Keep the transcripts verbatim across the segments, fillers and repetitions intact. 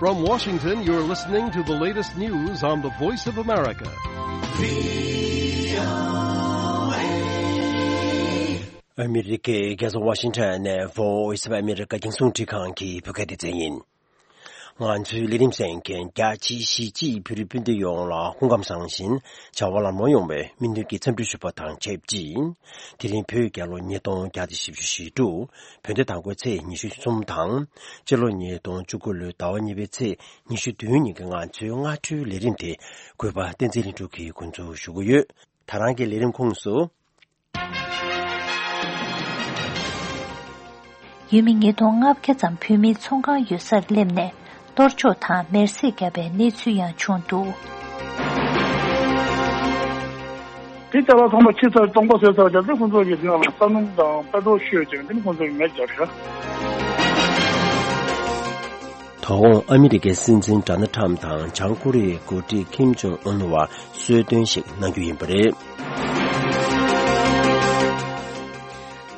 From Washington, you're listening to the latest news on the Voice of America. ཨ་མི་རི་ཀའི་རྒྱལ་ས་ཝ་ཤིང་ཊོན་ནས་Voice of America རྒྱང་སྲིང་འཕྲིན་ཁང་གི་བོད་སྐད་སྡེ་ཚན་ཡིན། ང་ཚོའི་ལས་རིམ་གསན་མཁན་རྒྱ་ཆེའི་གཞིས་བྱེས་བོད་རིགས་སྤུན་ཟླ་ཡོངས་ལ་སྐུ་ཁམས་བཟང་ཞིང་བྱ་བ་ལམ་ལྷོང་ཡོང་བའི་སྨོན་འདུན་གྱི་འཚམས་འདྲི་ཞུ་བ་དང་ཆབས་ཅིག་དེ་རིང་བོད་རྒྱལ་ལོ་ཉིས་སྟོང་བརྒྱ་དང་བཞི་བཅུ་ཞེ་དྲུག་བོད་ཟླ་དང་པོའི་ཚེས་ཉི་ཤུ་གསུམ་དང་། སྤྱི་ལོ་ཉིས་སྟོང་བཅུ་དགུ་ལོའི་ཟླ་བ་གཉིས་པའི་ཚེས་ཉི་ཤུ་བདུན་ཉིན་གྱི་ང་ཚོའི་སྔ་དྲོའི་ལས་རིམ་དེ་གུས་པ་བསྟན་འཛིན་ལྷུན་གྲུབ་ཀྱིས་འགོ་འཛུགས་ཞུ་གི་ཡོད། ད་རང་གི་ལས་རིམ་ཁོངས་སུ། ཡུལ་མི་ཉིས་སྟོང་ལྔ་བརྒྱ་ཙམ་བོད་མིའི་ཚོང་ཁང་ཡོད་སར་སླེབས་ནས་གཏོར་བཅོམ་དང་མེར་སྲེག་བརྒྱབ་པའི་གནས་ཚུལ་ཡང་བྱུང་འདུག་དེ་ལྟ་བུ་ཚང་མ་ཕྱི་ཚར་སྟོང་པ་བཟོས་ཚར་རྒྱབ་ཚེ་ཁོང་ཚོ་ཡི་ཟིང་ལ་ས་སྣུམ་དང་པེ་ཊོལ་བཤོས་ཀྱང་དེ་ནི་ཁོང་ཚོ་ཡི་མེ་བརྒྱབ་ཤག་དོ་དགོང་ཨ་མི་རི་ཀའི་སྲིད་འཛིན་ཌོ་ནལ་ཊམ་དང་བྱང་ཀོ་རི་ཡའི་འགོ་ཁྲིད་ཀིམ་ཇོང་ཨུན་བར་གསོལ་སྟོན་ཞིག་གནང་རྒྱུ་ཡིན་པ་རེད།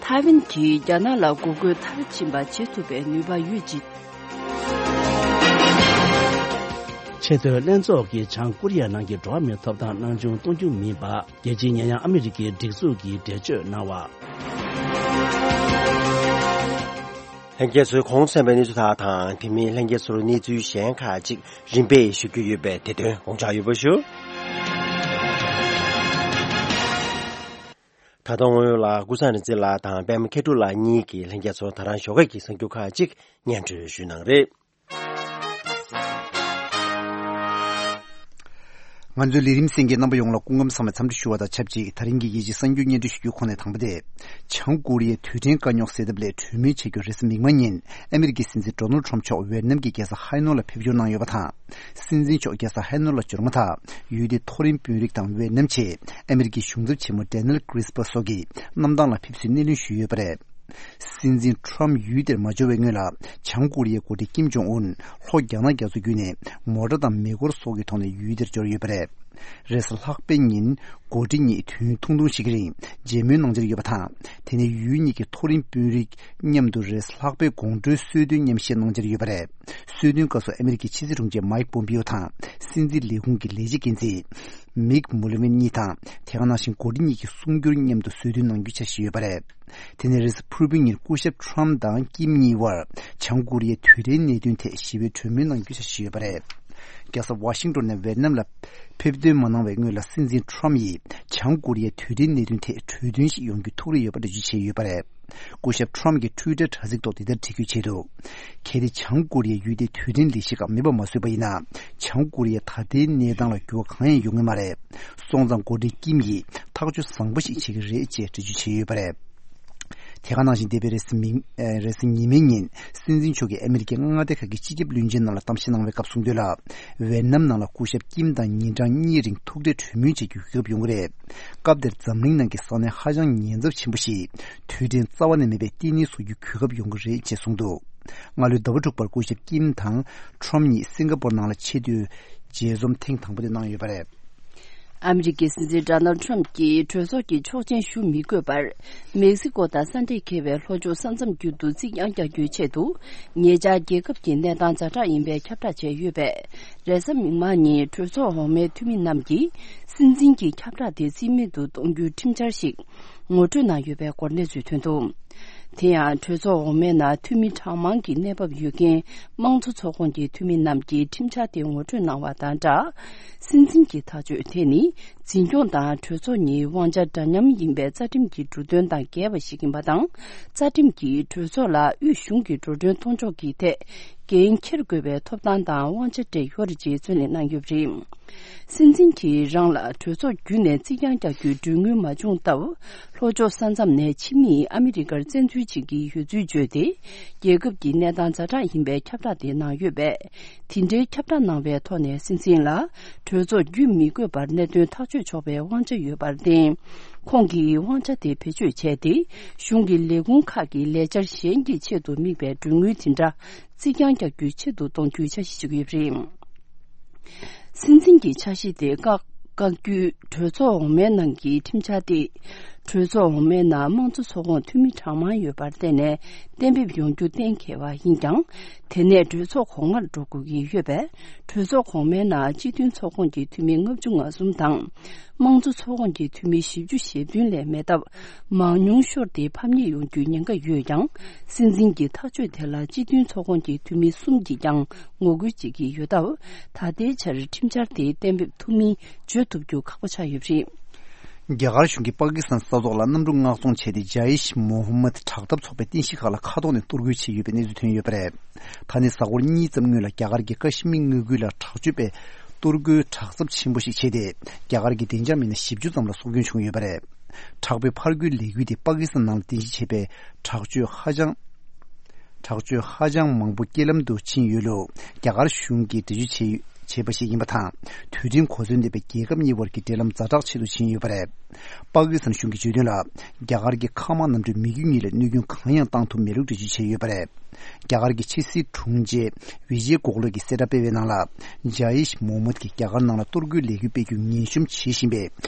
ཐའེ་ཝན་གྱིས་རྒྱ་ནག་ལ་འགོག་རྒོལ་མཐར་ཕྱིན་པ་བྱེད་ཐུབ་པའི་ནུས་པ་ཡོད་ཅིང་། ཆེས་མཐོའི་ལྷན་ཚོགས་ཀྱིས་བྱང་ཀོ་རི་ཡ་ནང་གི་འགྲོ་བ་མིའི་ཐོབ་ཐང་སྣང་ཆུང་གཏོང་རྒྱུ་མིན་པ། རྒྱལ་སྤྱིའི་ཉེ་ཡངས་ཨ་མི་རི་ཀའི་སྒྲིག་འཛུགས་ཀྱིས་འགྲེལ་བརྗོད་གནང་བ། ལྷན་རྒྱས་ཚོས་གོང་གསན་པའི་གནས་ཚུལ་དག་དང་དེ་མིན་ལྷན་རྒྱས་ཚོར་གནས་ཚུལ་གཞན་ཁག་ཅིག་རིམ་པས་ཞུ་རྒྱུ་ཡོད་པས་དེ་དོན་དགོངས་འཇགས་ཡོད་པ་ཞུ། ད་ལྟ་དངོས་ཡོད་ལ་ཀུན་བཟང་རིག་འཛིན་ལགས་དང་པད་མ་མཁས་གྲུབ་ལགས་གཉིས་ཀྱིས་ལྷན་རྒྱས་ཚོར་ད་རང་ཞོགས་ཀས་ཀྱི་གསར་འགྱུར་ཁག་ཅིག་སྙན་སྒྲོན་ཞུས་གནང་རེད། ང་ཚོའི་ལས་རིམ་གསན་མཁན་རྣམ་པ་ཡོངས་ལ་སྐུ་ཁམས་བཟང་བའི་འཚམས་འདྲི་ཞུ་བ་དང་ཆབས་ཅིག་ད་རིང་གི་རྒྱལ་སྤྱིའི་གསར་འགྱུར་སྙན་སྒྲོན་ཞུ་རྒྱུའི་ཁོངས་ནས་དང་པོ་དེ། བྱང་ཀོ་རི་ཡའི་རྡུལ་ཕྲན་དཀའ་རྙོག་སེལ་ཐབས་སླད་གྲོས་མོལ་བྱེད་རྒྱུར་རེས་གཟའ་མིག་དམར་ཉིན་ཨ་མི་རི་ཀའི་སྲིད་འཛིན་ཌོ་ནལ་ཊམ་མཆོག་ཝེ་ནམ་གྱི་རྒྱལ་ས་ཧའེ་ནོ་ལ་ཕེབས་འབྱོར་གནང་ཡོད་པ་དང་། སྲིད་འཛིན་མཆོག་རྒྱལ་ས་ཧའེ་ནོ་ལ་འབྱོར་མ་ཐག་ཡུལ་དེའི་མཐོ་རིམ་དཔོན་རིགས་དང་ཝེ་ནམ་ཆེད་ཨ་མི་རི་ཀའི་གཞུང་ཚབ་ཆེན་མོ་ཌེ་ནེལ་ཀྲིས་པ་སོགས་ཀྱིས་གནམ་ཐང་ལ་ཕེབས་བསུའི་སྣེ་ལེན་ཞུས་ཡོད་པ་རེད། སྲིད་འཛིན་ཊམ་ཡུལ་དེར་མ་འབྱོར་བའི་སྔོན་ལ་བྱང་ཀོ་རི་ཡའི་འགོ་ཁྲིད་ཀིམ་ཇོང་ཨུན་ལྷོ་རྒྱ་ནག་རྒྱ་མཚོ་བརྒྱུད་ནས་མོ་ཊ་དང་མེ་འཁོར་སོགས་ཀྱི་ཐོག་ནས་ཡུལ་དེར་འབྱོར་ཡོད་པ་རེད། རེས་གཟའ་ལྷག་པའི་ཉིན་འགོ་ཁྲིད་གཉིས་དུས་ཡུན་ཐུང་ཐུང་ཞིག་གི་རིང་མཇལ་མོལ་གནང་འཆར་ཡོད་པ་དང་། དེ་ནས་ཡུལ་གཉིས་ཀྱི་མཐོ་རིམ་དཔོན་རིགས་མཉམ་དུ་རེས་གཟའ་ལྷག་པའི་དགོང་དྲོའི་གསོལ་སྟོན་མཉམ་བཞེས་གནང་འཆར་ཡོད་པ་རེད། གསོལ་སྟོན་སྐབས་སུ་ཨ་མི་རི་ཀའི་ཕྱི་སྲིད་དྲུང་ཆེ་མའིག་པོམ་པིའོ་དང་སྲིད་འཛིན་ལས་ཁུངས་ཀྱི་ལས་བྱེད་འགན་འཛིན་མིག་མུ་ལི་ཝིན་གཉིས་དང་དེ་ག་ནང་བཞིན་འགོ་ཁྲིད་གཉིས་ཀྱི་གསུང་སྒྱུར་མཉམ་དུ་གསོལ་སྟོན་གནང་རྒྱུའི་འཆར་གཞི་ཡོད་པ་རེད། དེ་ནས་རེས་གཟའ་ཕུར་བུའི་ཉིན་སྐུ་ཞབས་ཊམ་དང་ཀིམ་གཉིས་དབར་བྱང་ཀོ་རི་ཡའི་དུས་དྲན་གནད་དོན་ཐད་ཞི་བའི་གྲོས་མོལ་གནང་རྒྱུའི་འཆར་གཞི་ཡོད་པ་རེད། རྒྱལ་ས་ཝ་ཤིང་ཏོན་ནས་ཝེ་ནམ་ལ་ཕེབས་ཐོན་མ་གནང་བའི་སྔོན་ལ་སྲིད་འཛིན་ཊམ་ཡིས་བྱང་ཀོ་རི་ཡའི་དུས་དྲན་གནད་དོན་ཐད་གྲོས་མཐུན་ཞིག་ཡོང་རྒྱུའི་ཐུགས་རེ་ཡོད་པ་འགྲེལ་བརྗོད་བྱས་ཡོད་པ་རེད། སྐུ་ཞབས་ཊམ་གྱིས་ཊུའི་ཊར་དྲ་ཚིགས་ཐོག་འདི་ལྟར་བྲིས་ཁུལ་བྱས་འདུག་གལ་ཏེ་བྱང་ཀོ་རི་ཡས་ཡུལ་དེའི་དུས་དྲན་ལས་གཞི་ཁག་མེད་པ་མ་བཟོས་པ་ཡིན་ན། བྱང་ཀོ་རི་ཡའི་ད་ལྟའི་གནས་སྟངས་ལ་འགྱུར་བ་གང་ཡང་ཡོང་གི་མ་རེད། སོང་ཙང་འགོ་ཁྲིད་ཀིམ་ཡིས་ཐག་གཅོད་བཟང་པོ་ཞིག་བྱེད་ཀྱི་རེད་ཅེས་འགྲེལ་བརྗོད་བྱས་ཡོད་པ་རེད། དེ་ག་ནང་བཞིན་འདས་པའི་རེས་གཟའ་མིག་ཨེ་རེས་གཟའ་ཉི་མའི་ཉིན་སྲིད་འཛིན་མཆོག་གིས་ཨ་མི་རི་ཀའི་མངའ་སྡེ་ཁག་གི་སྤྱི་ཁྱབ་བློན་ཆེན་རྣམས་ལ་གཏམ་བཤད་གནང་བའི་སྐབས་གསུངས་དོན་ལ། ཝེ་ནམ་ནང་ལ་སྐུ་ཞབས་ཀིམ་དང་ཉིན་གྲངས་གཉིས་རིང་ཐུག་འཕྲད་གྲོས་མོལ་བྱེད་རྒྱུའི་གོ་སྐབས་ཡོང་གི་རེད། སྐབས་དེར་འཛམ་གླིང་ནང་གི་ས་གནས་ཧ་ཅང་ཉེན་ཚབས་ཆེན་པོ་ཞིག་དུས་དྲན་རྩ་བ་ནས་མེད་པའི་ལྟེ་གནས་བཟོ་རྒྱུའི་གོ་སྐབས་ཡོང་གི་རེད་ཅེས་གསུངས་འདུག་སྔ་ལོའི་ཟླ་བ་དྲུག་པར་སྐུ་ཞབས་ཀིམ་དང་ཊམ་གཉིས་སིང་ག་པོར་ནང་ལ་ཆེས་མཐོའི་མཇལ་འཛོམས་ཐེངས་དང་པོ་དེ་གནང་ཡོད་པ་རེད། ཨ་མི་རི་ཀའི་སྲིད་འཛིན་ཌོ་ནལ་ཊམ་གྱིས་གྲོས་ཚོགས་ཀྱི་ཆོག་མཆན་ཞུ་མི་དགོས་པར། མེག་སི་ཀོ་དང་ས་འབྲེལ་འཁེལ་བའི་ལྷོ་ཕྱོགས་ས་མཚམས་བརྒྱུད་དུ་རྩིག་གྱང་རྒྱག་རྒྱུའི་ཆེད་དུ། ཉེ་ཆར་རྒྱལ་ཁབ་ཀྱི་གནས་སྟངས་ཛ་དྲག་ཡིན་པའི་ཁྱབ་བསྒྲགས་བྱས་ཡོད་པས། རེས་གཟའ་མིག་དམར་ཉིན་གྲོས་ཚོགས་འོག་མའི་འཐུས་མི་རྣམས་ཀྱིས་སྲིད་འཛིན་གྱི་ཁྱབ་བསྒྲགས་དེ་རྩིས་མེད་དུ་གཏོང་རྒྱུའི་ཁྲིམས་འཆར་ཞིག་ངོ་སྤྲོད་གནང་ཡོད་པའི་སྐོར་གནས་ཚུལ་ཐོན་འདུག་དེ་ཡང་གྲོས་ཚོགས་འོག་མའི་ནང་འཐུས་མི་གྲངས་མང་གི་གནས་བབ་ཡོད་མཁན་དམངས་གཙོ་ཚོགས་ཁོངས་ཀྱི་འཐུས་མི་རྣམས་ཀྱིས་ཁྲིམས་འཆར་དེ་ངོ་སྤྲོད་གནང་བ་དང་སྦྲགས། སྲིད་འཛིན་གྱི་ཐག་གཅོད་དེ་ནི་འཛིན་སྐྱོང་དང་གྲོས་ཚོགས་གཉིས་དབང་ཆ་འདྲ་མཉམ་ཡིན་པའི་རྩ་ཁྲིམས་ཀྱི་འབྲུ་དོན་དང་འགལ་བ་ཞིག་ཡིན་པ་དང་། རྩ་ཁྲིམས་ཀྱིས་གྲོས་ཚོགས་ལ་དབུས་གཞུང་གི་འགྲོ་གྲོན་གཏོང་ཕྱོགས་ཀྱི་ཐད་འགན་འཁྱེར་དགོས་པའི་ཐོབ་ཐང་དང་དབང་ཆ་སྤྲད་ཡོད་རེད་ཅེས་རྩོད་གླེང་གནང་ཡོད་པ་རེད། སྲིད་འཛིན་གྱིས་རང་ལ་གྲོས་ཚོགས་བརྒྱུད་ནས་རྩིག་གྱང་རྒྱག་རྒྱུའི་གྲོས་མོལ་མ་བྱུང་སྟབས། ལྷོ་ཕྱོགས་ས་མཚམས་ནས་ཕྱི་མིས་ཨ་མི་རི་ཀར་བཙན་འཛུལ་བྱེད་ཀྱི་ཡོད་ཚུལ་བརྗོད་དེ། རྒྱལ་ཁབ་ཀྱི་གནས་སྟངས་ཛ་དྲག་ཡིན་པའི་ཁྱབ་བསྒྲགས་དེ་གནང་ཡོད་པས། དེ་འདྲའི་ཁྱབ་བསྒྲགས་གནང་བའི་ཐོག་ནས་སྲིད་འཛིན་ལ་གྲོས་ཚོགས་བརྒྱུད་མི་དགོས་པར་གནད་དོན་ཐག་གཅོད་ཆོག་པའི་དབང་ཆ་ཡོད་པར་བརྟེན། ཁོང་གིས་དབང་ཆ་དེ་བེད་སྤྱོད་བྱས་ཏེ། གཞུང་གི་ལས་ཁུངས་ཁག་གི་ལས་འཆར་གཞན་གྱི་ཆེད་དུ་དམིགས་པའི་གྲོས་མོལ་དེ་འདྲ་རྩིག་གྱང་རྒྱག་རྒྱུའི་ཆེད་དུ་གཏོང་རྒྱུའི་འཆར་གཞི་ཞིག་ཡོད་པ་རེད། སྲིད་འཛིན་གྱི་འཆར་གཞི་དེ་བཀག་བཀག་རྒྱུའི་གྲོས་ཚོགས་འོག་མའི་ནང་གི་ཁྲིམས་འཆར་དེ། གྲོས་ཚོགས་འོག་མའི་ནང་དམངས་གཙོ་ཚོགས་ཁོངས་འཐུས་མི་གྲངས་མང་ཡོད་པར་བརྟེན་ནས་གཏན་འབེབས་ཡོང་རྒྱུ་གཏན་འཁེལ་བ་ཡིན་ཀྱང་། དེ་ནས་གྲོས་ཚོགས་གོང་མར་འགྲོ་དགོས་ཀྱི་ཡོད་པས། གྲོས་ཚོགས་གོང་མའི་ནང་སྤྱི་མཐུན་ཚོགས་ཁོངས་ཀྱི་འཐུས་མི་ལྔ་བཅུ་ང་གསུམ་དང་། དམངས་གཙོ་ཚོགས་ཁོངས་ཀྱི་འཐུས་མི་བཞི་བཅུ་ཞེ་བདུན་ལས་མེད་སྟབས། མང་ཉུང་ཤོར་ཏེ་ཕམ་ཉེས་ཡོང་རྒྱུའི་ཉེན་ཁ་ཡོད་ཀྱང་། སྲིད་འཛིན་གྱི་ཐག་གཅོད་དེ་ལ་སྤྱི་མཐུན་ཚོགས་ཁོངས་ཀྱི་འཐུས་མི་གསུམ་གྱིས་ཀྱང་ངོ་རྒོལ་བྱེད་ཀྱི་ཡོད་སྟབས། ད་ལྟའི་ཆར་ཁྲིམས་འཆར་དེ་གཏན་འབེབས་ཐུབ་མིན་བརྗོད་ཐུབ་རྒྱུ་ཁག་པོ་ཆགས་ཡོད་པ་རེད། རྒྱ་གར་གཞུང་གིས་པ་ཀི་སི་ཐན་ས་ཐོག་ལ་གནམ་གྲུ་མངགས་གཏོང་བྱས་ཏེ། ཇ་ཡིཤ་མོ་ཧམ་མད་དྲག་འཐབ་ཚོགས་པའི་རྟེན་གཞི་ཁག་ལ་མཁའ་ཐོག་ནས་གཏོར་རྒོལ་བྱས་ཡོད་པའི་གནས་ཚུལ་ཐོན་ཡོད་པ་རེད། ད་ནི་གཟའ་འཁོར་གཉིས་ཙམ་སྔོན་ལ་རྒྱ་གར་གྱི་ཀ་ཤི་མིར་མངའ་ཁུལ་ལ་དྲག་སྤྱོད་པས་གཏོར་རྒོལ་དྲག་ཚབས་ཆེན་པོ་ཞིག་བྱས་ཏེ། རྒྱ་གར་གྱི་བདེ་འཇགས་མི་སྣ་བཞི་བཅུ་ཙམ་ལ་སྲོག་སྐྱོན་བྱུང་ཡོད་པ་རེད། དྲག་པོའི་ཕར་རྒོལ་ལས་འགུལ་དེ་པ་ཀི་སི་ཐན་ནང་ལ་རྟེན་གཞི་བྱས་པའི་དྲག་སྤྱོད་ཧ་ཅང་། དྲག་སྤྱོད་ཧ་ཅང་མང་པོ་རྐྱེན་ལམ་དུ་ཕྱིན་ཡོད་ལུགས་རྒྱ་གར་གཞུང་གིས་འགྲེལ་བརྗོད་བྱས་བྱས་པ་ཞིག་ཡིན་པ་དང་། དུས་དྲན་གོ་མཚོན་ལྡན་པའི་རྒྱལ་ཁབ་གཉིས་བར་གྱི་འབྲེལ་ལམ་ཛ་དྲག་ཆེ་རུ་ཕྱིན་ཡོད་པ་རེད། པ་ཀི་སི་ཐན་གཞུང་གིས་བརྗོད་དོན་ལ། རྒྱ་གར་གྱི་མཁའ་དམག་གནམ་གྲུའི་མི་རྒྱུ་གཉིས་ལ་གནོད་སྐྱོན་གང་ཡང་བཏང་ཐུབ་མེད་ལུགས་འགྲེལ་བརྗོད་བྱས་ཡོད་པ་རེད། རྒྱ་གར་གྱི་ཕྱི་སྲིད་དྲུང་ཆེ་ཝི་ཇེ་གོ་ཁ་ལེ་གྱིས་གསལ་བསྒྲགས་སྤེལ་བའི་ནང་ལ། ཇ་ཡིཤ་མོ་ཧམ་མད་ཀྱིས་རྒྱ་གར་ནང་ལ་གཏོར་རྒོལ་ལས་འགུལ་སྤེལ་རྒྱུ་ངན་ཤོམ་བྱེད་བཞིན་པའི་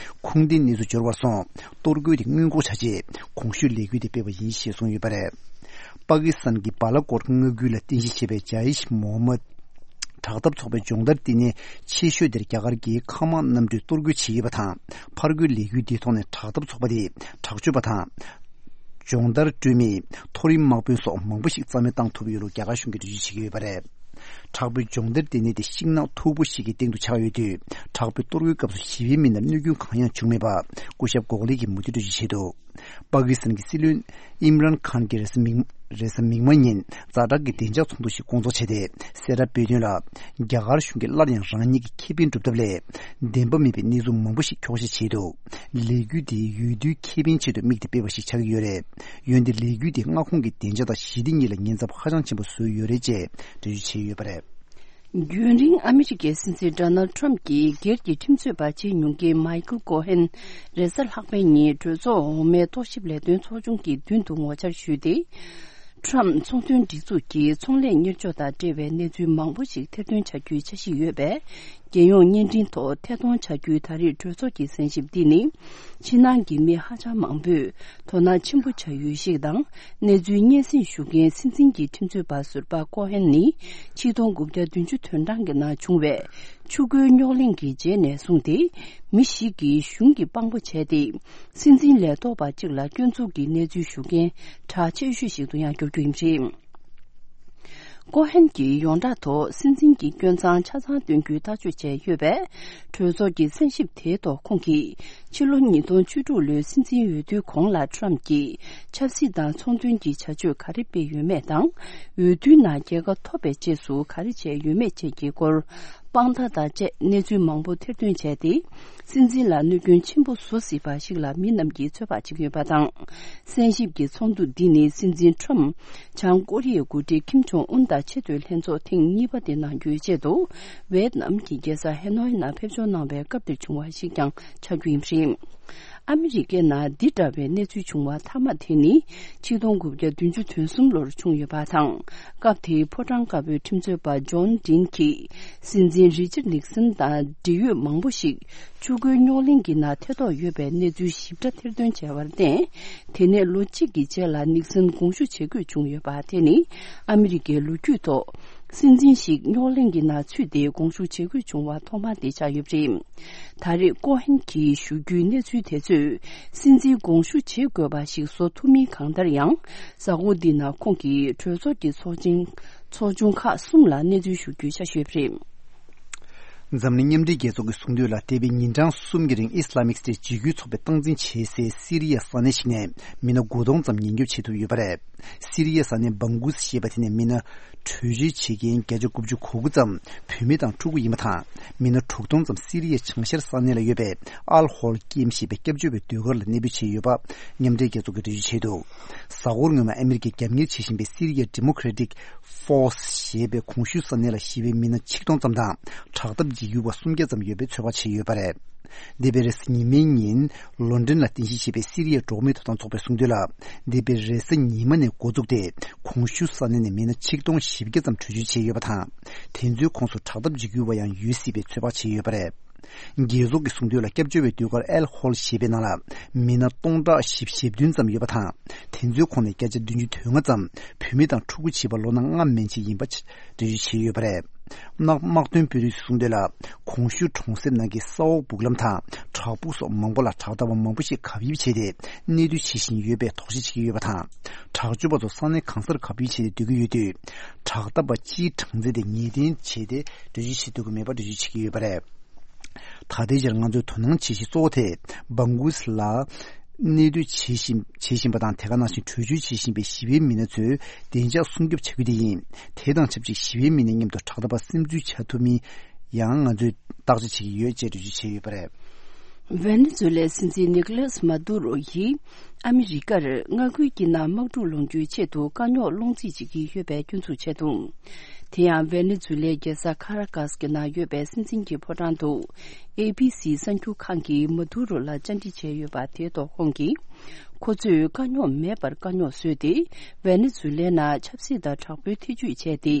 ཁུངས་ལྡན་གནས་ཚུལ་འབྱོར་བར་སོང་། གཏོར་རྒོལ་དེ་སྔོན་འགོག་བྱ་ཆེད་གོང་ཞུས་ལས་འགུལ་དེ་སྤེལ་བ་ཡིན་ཞེས་གསུངས་ཡོད་པ་རེད། པ་ཀི་སི་ཐན་གྱི་བ་ལ་ཀོར་མངའ་ཁུལ་ལ་རྟེན་གཞི་བྱས་པའི་ཇ་ཡིཤ་མོ་ཧམ་མད་དྲག་འཐབ་ཚོགས་པའི་སྦྱོང་བརྡར་ལྟེ་གནས་ཆེ་ཤོས་དེར་རྒྱ་གར་གྱི་མཁའ་དམག་གནམ་གྲུས་གཏོར་རྒོལ་བྱས་ཡོད་པ་དང་། ཕར་རྒོལ་ལས་འགུལ་འདིའི་ཐོག་ནས་དྲག་འཐབ་ཚོགས་པ་དེས་དྲག་སྤྱོད་པ་དང་། སྦྱོང་བརྡར་སྤྲོད་མི། མཐོ་རིམ་དམག་དཔོན་སོགས་མང་པོ་ཞིག་རྩ་མེད་བཏང་ཐུབ་ཡོད་ལུགས་རྒྱ་གར་གཞུང་གིས་འགྲེལ་བརྗོད་བྱེད་ཀྱི་ཡོད་པ་རེད། དྲག་པོའི་སྦྱོང་བརྡར་ལྟེ་གནས་དེ་ཤིང་ནགས་མཐུག་པོ་ཞིག་གི་སྟེང་དུ་ཆགས་ཡོད་དུས། དྲག་པོའི་གཏོར་རྒོལ་སྐབས་སུ་ཞི་བའི་མི་སྣར་གནོད་སྐྱོན་གང་ཡང་བྱུང་མེད་པ། སྐུ་ཞབས་གོ་ཁ་ལེ་གིས་མུ་མཐུད་འགྲེལ་བརྗོད་བྱས་འདུག་པ་ཀི་སི་ཐན་གྱི་སྲིད་བློན་ཨིམ་རན་ཁཱན་གྱིས་རེས་གཟའ་མིག་རེས་གཟའ་མིག་དམར་ཉིན་ཛ་དྲག་གི་བདེ་འཇགས་ཚོགས་འདུ་ཞིག་སྐོང་ཚོགས་བྱས་ཏེ། གསལ་བསྒྲགས་སྤེལ་དོན་ལ། རྒྱ་གར་གཞུང་གིས་སླར་ཡང་རང་ཉིད་ཀྱི་ཁེ་ཕན་སྒྲུབ་ཐབས་ལས། བདེན་པ་མིན་པའི་གནས་ཚུལ་མང་པོ་ཞིག་འཁྱོག་བཤད་བྱས་འདུག་ལས་འགུལ་དེའི་འོས་བསྡུའི་ཁེ་ཕན་ཆེད་དུ་དམིགས་ཏེ་སྤེལ་བ་ཞིག་ཆགས་ཀྱི་ཡོད་རེད། འོན་ཏེ་ལས་འགུལ་དེས་མངའ་ཁོངས་ཀྱི་བདེ་འཇགས་དང་ཞི་བདེ་གཉིས་ལ་ཉེན་ཚབས་ཧ་ཅང་ཆེན་པོ་བཟོས་ཡོད་རེད་ཅེས་འགྲེལ་བརྗོད་བྱས་ཡོད་པ་རེད། རྒྱུན་རིང་ཨ་མི་རི་ཀའི་སྲིད་འཛིན་ཌོ་ནལ་ཁྲམ་གྱི་སྒེར་གྱི་ཁྲིམས་རྩོད་པ་བྱེད་མྱོང་མཁན་མའི་ཁལ་ཀོ་ཧན། རེས་གཟའ་ལྷག་པའི་ཉིན་གྲོས་ཚོགས་འོག་མའི་རྟོག་ཞིབ་ལས་དོན་ཚོགས་ཆུང་གི་མདུན་དུ་ངོ་བཅར་ཞུས་ཏེ། ཁྲམ་ཚོང་དོན་སྒྲིག་འཛུགས་ཀྱི་ཚོང་ལས་གཉེར་སྐྱོང་དང་འབྲེལ་བའི་གནས་ཚུལ་མང་པོ་ཞིག་ཐེར་འདོན་བྱ་རྒྱུའི་འཆར་གཞི་ཡོད་པས། རྒྱལ་ཡོངས་བརྙན་འཕྲིན་ཐོག་ཐད་གཏོང་བྱ་རྒྱུའི་ད་རེས་གྲོས་ཚོགས་ཀྱི་གསན་ཞིབ་འདི་ནི། ཕྱི་ནང་གི་མི་ཧ་ཅང་མང་པོས་དོ་སྣང་ཆེན་པོ་བྱ་ཡུལ་ཞིག་དང་། གནས་ཚུལ་སྙན་སེང་ཞུ་མཁན་སྲིད་འཛིན་གྱི་ཁྲིམས་རྩོད་པ་ཟུར་པ་ཀོ་ཧན་ནི། ཆིག་སྟོང་དགུ་བརྒྱ་བདུན་ཅུ་དོན་གྲངས་ཀྱི་ནང་བྱུང་བའི་ཆུ་ཁོལ་རྙོག་གླེང་གི་རྗེས་ནས་བཟུང་སྟེ། མི་ཞིག་གིས་གཞུང་གི་དཔང་པོ་བྱས་ཏེ། སྲིད་འཛིན་ལས་ཐོག་པ་གཅིག་ལ་སྐྱོན་འཛུགས་ཀྱི་གནས་ཚུལ་ཞུ་མཁན་གྲགས་ཆེ་ཤོས་ཤིག་ཏུ་ཡང་འགྱུར་རྒྱུ་ཡིན་པ་རེད། ཀོ་ཧན་གྱིས་ཡོངས་གྲགས་ཐོག་སྲིད་འཛིན་གྱི་སྐྱོན་མཚང་ཆ་ཚང་སྟོན་རྒྱུའི་ཐག་གཅོད་བྱས་ཡོད་པས། གྲོས་ཚོགས་ཀྱི་གསན་ཞིབ་དེའི་ཐོག་ཁོང་གིས། ཕྱི་ལོ་ཉིས་སྟོང་བཅུ་དྲུག་ལོའི་སྲིད་འཛིན་འོས་བསྡུའི་གོང་ལ་ཁྲམ་གྱིས་ཆབ་སྲིད་དང་ཚོང་དོན་གྱི་བྱ་སྤྱོད་ག་རེ་སྤེལ་ཡོད་མེད་དང་། འོས་བསྡུའི་ནང་རྒྱལ་ཁ་ཐོབ་པའི་རྗེས་སུ་ག་རེ་བྱས་ཡོད་མེད་བཅས་ཀྱི་སྐོར། དཔང་རྟགས་དང་བཅས་གནས་ཚུལ་མང་པོ་ཐེར་འདོན་བྱས་ཏེ། སྲིད་འཛིན་ལ་གནོད་སྐྱོན་ཆེན་པོ་བཟོ་སྲིད་པ་ཞིག་ལ་མི་རྣམས་ཀྱིས་ཚོད་དཔག་བྱེད་ཀྱི་ཡོད་པ་དང་། གསན་ཞིབ་ཀྱི་ཚོགས་འདུ་འདི་ནི་སྲིད་འཛིན་ཁྲོམ། བྱང་ཀོ་རི་ཡའི་འགོ་ཁྲིད་ཁིམ་ཇོང་ཨུན་དང་ཆེས་མཐོའི་ལྷན་ཚོགས་ཐེངས་གཉིས་པ་དེ་གནང་རྒྱུའི་ཆེད་དུ། ཝེད་ནམ་གྱི་རྒྱལ་ས་ཧེ་ནོའི་ནང་ཕེབས་འབྱོར་གནང་བའི་སྐབས་དེར་བྱུང་བ་ཞིག་ཀྱང་ཆགས་རྒྱུ་ཡིན་པ་རེད། ཨ་མི་རི་ཀའི་ནང་འདི་འདྲ་བའི་གནས་ཚུལ་བྱུང་བ་མཐའ་མ་དེ་ནི། ཆིག་སྟོང་དགུ་བརྒྱ་བདུན་ཅུ་དོན་གསུམ་ལོར་བྱུང་ཡོད་པ་དང་། སྐབས་དེའི་ཕོ་བྲང་དཀར་པོའི་ཁྲིམས་རྩོད་པ་ཇོན་ཌིན་གྱིས། སྲིད་འཛིན་རི་ཅར་ནིག་སན་དང་འབྲེལ་ཡོད་མང་པོ་ཞིག་ཆུ་ཁོལ་རྙོག་གླེང་གི་ནང་ཐེ་གཏོགས་ཡོད་པའི་གནས་ཚུལ་ཞིབ་ཕྲ་ཐེར་འདོན་བྱས་པར་བརྟེན། དེ་ནས་ལོ་གཅིག་གི་རྗེས་ལ་ནིག་སན་དགོངས་ཞུ་བྱེད་དགོས་བྱུང་ཡོད་པ་དེ་ནི། ཨ་མི་རི་ཀའི་ལོ་རྒྱུས་ཐོག་སྲིད་འཛིན་ཞིག་རྙོག་གླེང་གི་ནང་ཚུད་དེ་དགོངས་ཞུ་བྱེད་དགོས་བྱུང་བ་ཐོག་མ་དེ་ཆགས་ཡོད་པ་རེད། ད་རེས་ཀོ་ཧན་གྱིས་ཞུ་རྒྱུའི་གནས་ཚུལ་དེ་ཚོས། སྲིད་འཛིན་དགོངས་ཞུ་བྱེད་དགོས་པ་ཞིག་བཟོ་ཐུབ་མིན་གང་ལྟར་ཡང་། གཟའ་འཁོར་འདི་ནང་ཁོང་གིས་གྲོས་ཚོགས་ཀྱི་ཚོགས་ཆེན། ཚོགས་ཆུང་ཁག་གསུམ་ལ་གནས་ཚུལ་ཞུ་རྒྱུའི་འཆར་གཞི་ཡོད་པ་རེད། འཛམ་གླིང་མཉམ་འབྲེལ་རྒྱལ་ཚོགས་ཀྱིས་གསུངས་དོན་ལ། འདས་པའི་ཉིན་གྲངས་གསུམ་གྱི་རིང་ཨི་སི་ལ་མིག་སི་ཊའི་འཇིགས་སྐུལ་ཚོགས་པས་སྟངས་འཛིན་བྱེད་སའི་སི་རི་ཡའི་ས་གནས་ཤིག་ནས་མི་སྣ་དགུ་སྟོང་ཙམ་ཉེན་སྐྱོབ་བྱེད་ཐུབ་ཡོད་པ་རེད། སི་རི་ཡའི་ས་གནས་སྦང་གུ་སི་ཞེས་པ་དེ་ནས་མི་སྣ་བྲོས་བྱོལ་བྱེད་མཁན་བརྒྱ་ཆ་དགུ་བཅུ་གོ་དགུ་ཙམ་བུད་མེད་དང་ཕྲུ་གུ་ཡིན་པ་དང་། མི་སྣ་དྲུག་སྟོང་ཙམ་སི་རི་ཡའི་བྱང་ཤར་ས་གནས་ལ་ཡོད་པའི་ཨལ་ཧོལ་ཀེམ་ཞེས་པའི་སྐྱབས་བཅོལ་བའི་སྡོད་སྒར་ལ་གནས་སྤོས་བྱས་ཡོད་པ་མཉམ་འབྲེལ་རྒྱལ་ཚོགས་ཀྱིས་འགྲེལ་བརྗོད་བྱས་འདུག་གཟའ་འཁོར་སྔོན་མ་ཨ་མི་རི་ཀས་རྒྱབ་གཉེར་བྱེད་བཞིན་པའི་སི་རི་ཡའི་ཌི་མོ་ཀེ་རེ་ཊིག་ཕོར་སི་ཞེས་པའི་གོང་ཞུས་ས་གནས་ལ་ཞི་བའི་མི་སྣ་ཆིག་སྟོང་ཙམ་དང་། དྲག་འཐབ་འཇིགས་སྐུལ་བ་སུམ་བརྒྱ་ཙམ་ཡོད་པའི་ཚོད་དཔག་བྱས་ཡོད་པ་རེད། འདས་པའི་རེས་གཟའ་ཉི་མའི་ཉིན། ལོན་ཌོན་ལ་རྟེན་གཞི་བྱས་པའི་སི་རི་ཡའི་འགྲོ་བ་མིའི་ཐོབ་ཐང་ཚོགས་པས་གསུངས་དོན་ལ། འདས་པའི་རེས་གཟའ་ཉི་མ་ནས་འགོ་འཛུགས་ཏེ། གོང་ཞུས་ས་གནས་ནས་མི་སྣ་ཆིག་སྟོང་བཞི་བརྒྱ་ཙམ་བྲོས་བྱོལ་བྱས་ཡོད་པ་དང་། དེ་ཚོའི་ཁོངས་སུ་དྲག་འཐབ་འཇིགས་སྐུལ་བ་ཡང་ཡོད་སྲིད་པའི་ཚོད་དཔག་བྱས་ཡོད་པ་རེད། རྒྱལ་ཚོགས་ཀྱིས་གསུངས་དོན་ལ། སྐྱབས་བཅོལ་བའི་ཟློས་གར་ཨེལ་ཧོལ་ཞེས་པའི་ནང་ལ་མི་སྣ་སྟོང་ཕྲག་བཞི་བཅུ་ཞེ་བདུན་ཙམ་ཡོད་པ་དང་། དེ་ཚོའི་ཁོངས་ནས་བརྒྱ་ཆ་བདུན་ཅུ་དོན་ལྔ་ཙམ་བུད་མེད་དང་ཕྲུ་གུ་བྱིས་པ་ལོ་ན་ལྔ་མན་ཆད་ཡིན་པ་འགྲེལ་བརྗོད་བྱས་ཡོད་པ་རེད། དམག་དམག་དོན་དཔོན་རིགས་ཚོས་གསུངས་དོན་ལ། གོང་ཞུས་གྲོང་གསེབ་ནང་གི་ས་འོག་སྦུག་ལམ་དང་བྲག་ཕུག་སོགས་མང་པོ་ལ་དྲག་འཐབ་པ་མང་པོ་ཞིག་གབ་ཡིབ་བྱས་ཏེ། གནས་སྡོད་བྱེད་བཞིན་ཡོད་པའི་དོགས་གཞི་བྱེད་ཀྱི་ཡོད་པ་དང་། དྲག་སྤྱོད་པ་ཚོ་ས་གནས་གང་སར་གབ་ཡིབ་བྱས་ཏེ་སྡོད་ཀྱི་ཡོད་དུས། དྲག་འཐབ་པ་སྤྱིའི་གྲངས་ཚད་དེ་ངེས་གཏན་བྱས་ཏེ་འགྲེལ་བརྗོད་བྱེད་ཐུབ་ཀྱི་མེད་པ་འགྲེལ་བརྗོད་བྱེད་ཀྱི་ཡོད་པ་རེད། ད་ལྟའི་ཆར་ང་ཚོས་དོ་སྣང་བྱེད་གཞི་གཙོ་བོ་དེ་སྦང་གུ་སི་ལ་གནས་སྡོད་བྱེད་བཞིན་བྱེད་བཞིན་པ་དང་། དེ་ག་ནང་བཞིན་བྲོས་བྱོལ་བྱེད་བཞིན་པའི་ཞི་བའི་མི་སྣ་ཚོའི་བདེ་འཇགས་སྲུང་སྐྱོབ་བྱ་རྒྱུ་དེ་ཡིན། དེ་དང་ཆབས་ཅིག་ཞི་བའི་མི་སྣ་མཉམ་དུ་དྲག་འཐབ་པ་སིམ་འཛུལ་བྱ་ཐུབ་མིན་ཡང་ང་ཚོས་བརྟག་དཔྱད་བྱེད་ཀྱི་ཡོད་ཅེས་འགྲེལ་བརྗོད་བྱས་ཡོད་པ་རེད། ཝེ་ནེ་ཛུ་ལའི་སྲིད་འཛིན་ནི་ཀོ་ལཱས་མཱ་དུ་རོ་ཡིས་ཨ་མི་རི་ཀར་མངའ་ཁུལ་གྱི་ནང་དམག་འཁྲུག་སློང་རྒྱུའི་ཆེད་དུ་དཀའ་རྙོག་སློང་རྩིས་བྱེད་ཀྱི་ཡོད་པའི་སྐྱོན་འཛུགས་བྱས་འདུག་དེ་ཡང་ཝེ་ནེ་ཛུ་ལའི་རྒྱལ་ས་ཁ་ར་ཀཱས་ཀྱི་ནང་ཡོད་པའི་སྲིད་འཛིན་གྱི་ཕོ་བྲང་དུ་ཨེ་བྷི་སི་གསར་འགྱུར་ཁང་གིས་མཱ་དུ་རོ་ལ་བཅར་འདྲི་བྱས་ཡོད་པ་དེའི་ཐོག་ཁོང་གིས། ཁོ་ཚོས་དཀའ་རྙོག་མེད་པར་དཀའ་རྙོག་བཟོས་ཏེ། ཝེ་ནེ་ཛུ་ལའི་ནང་ཆབ་སྲིད་དང་དྲག་པོའི་ཐེ་ཇུས་བྱས་ཏེ།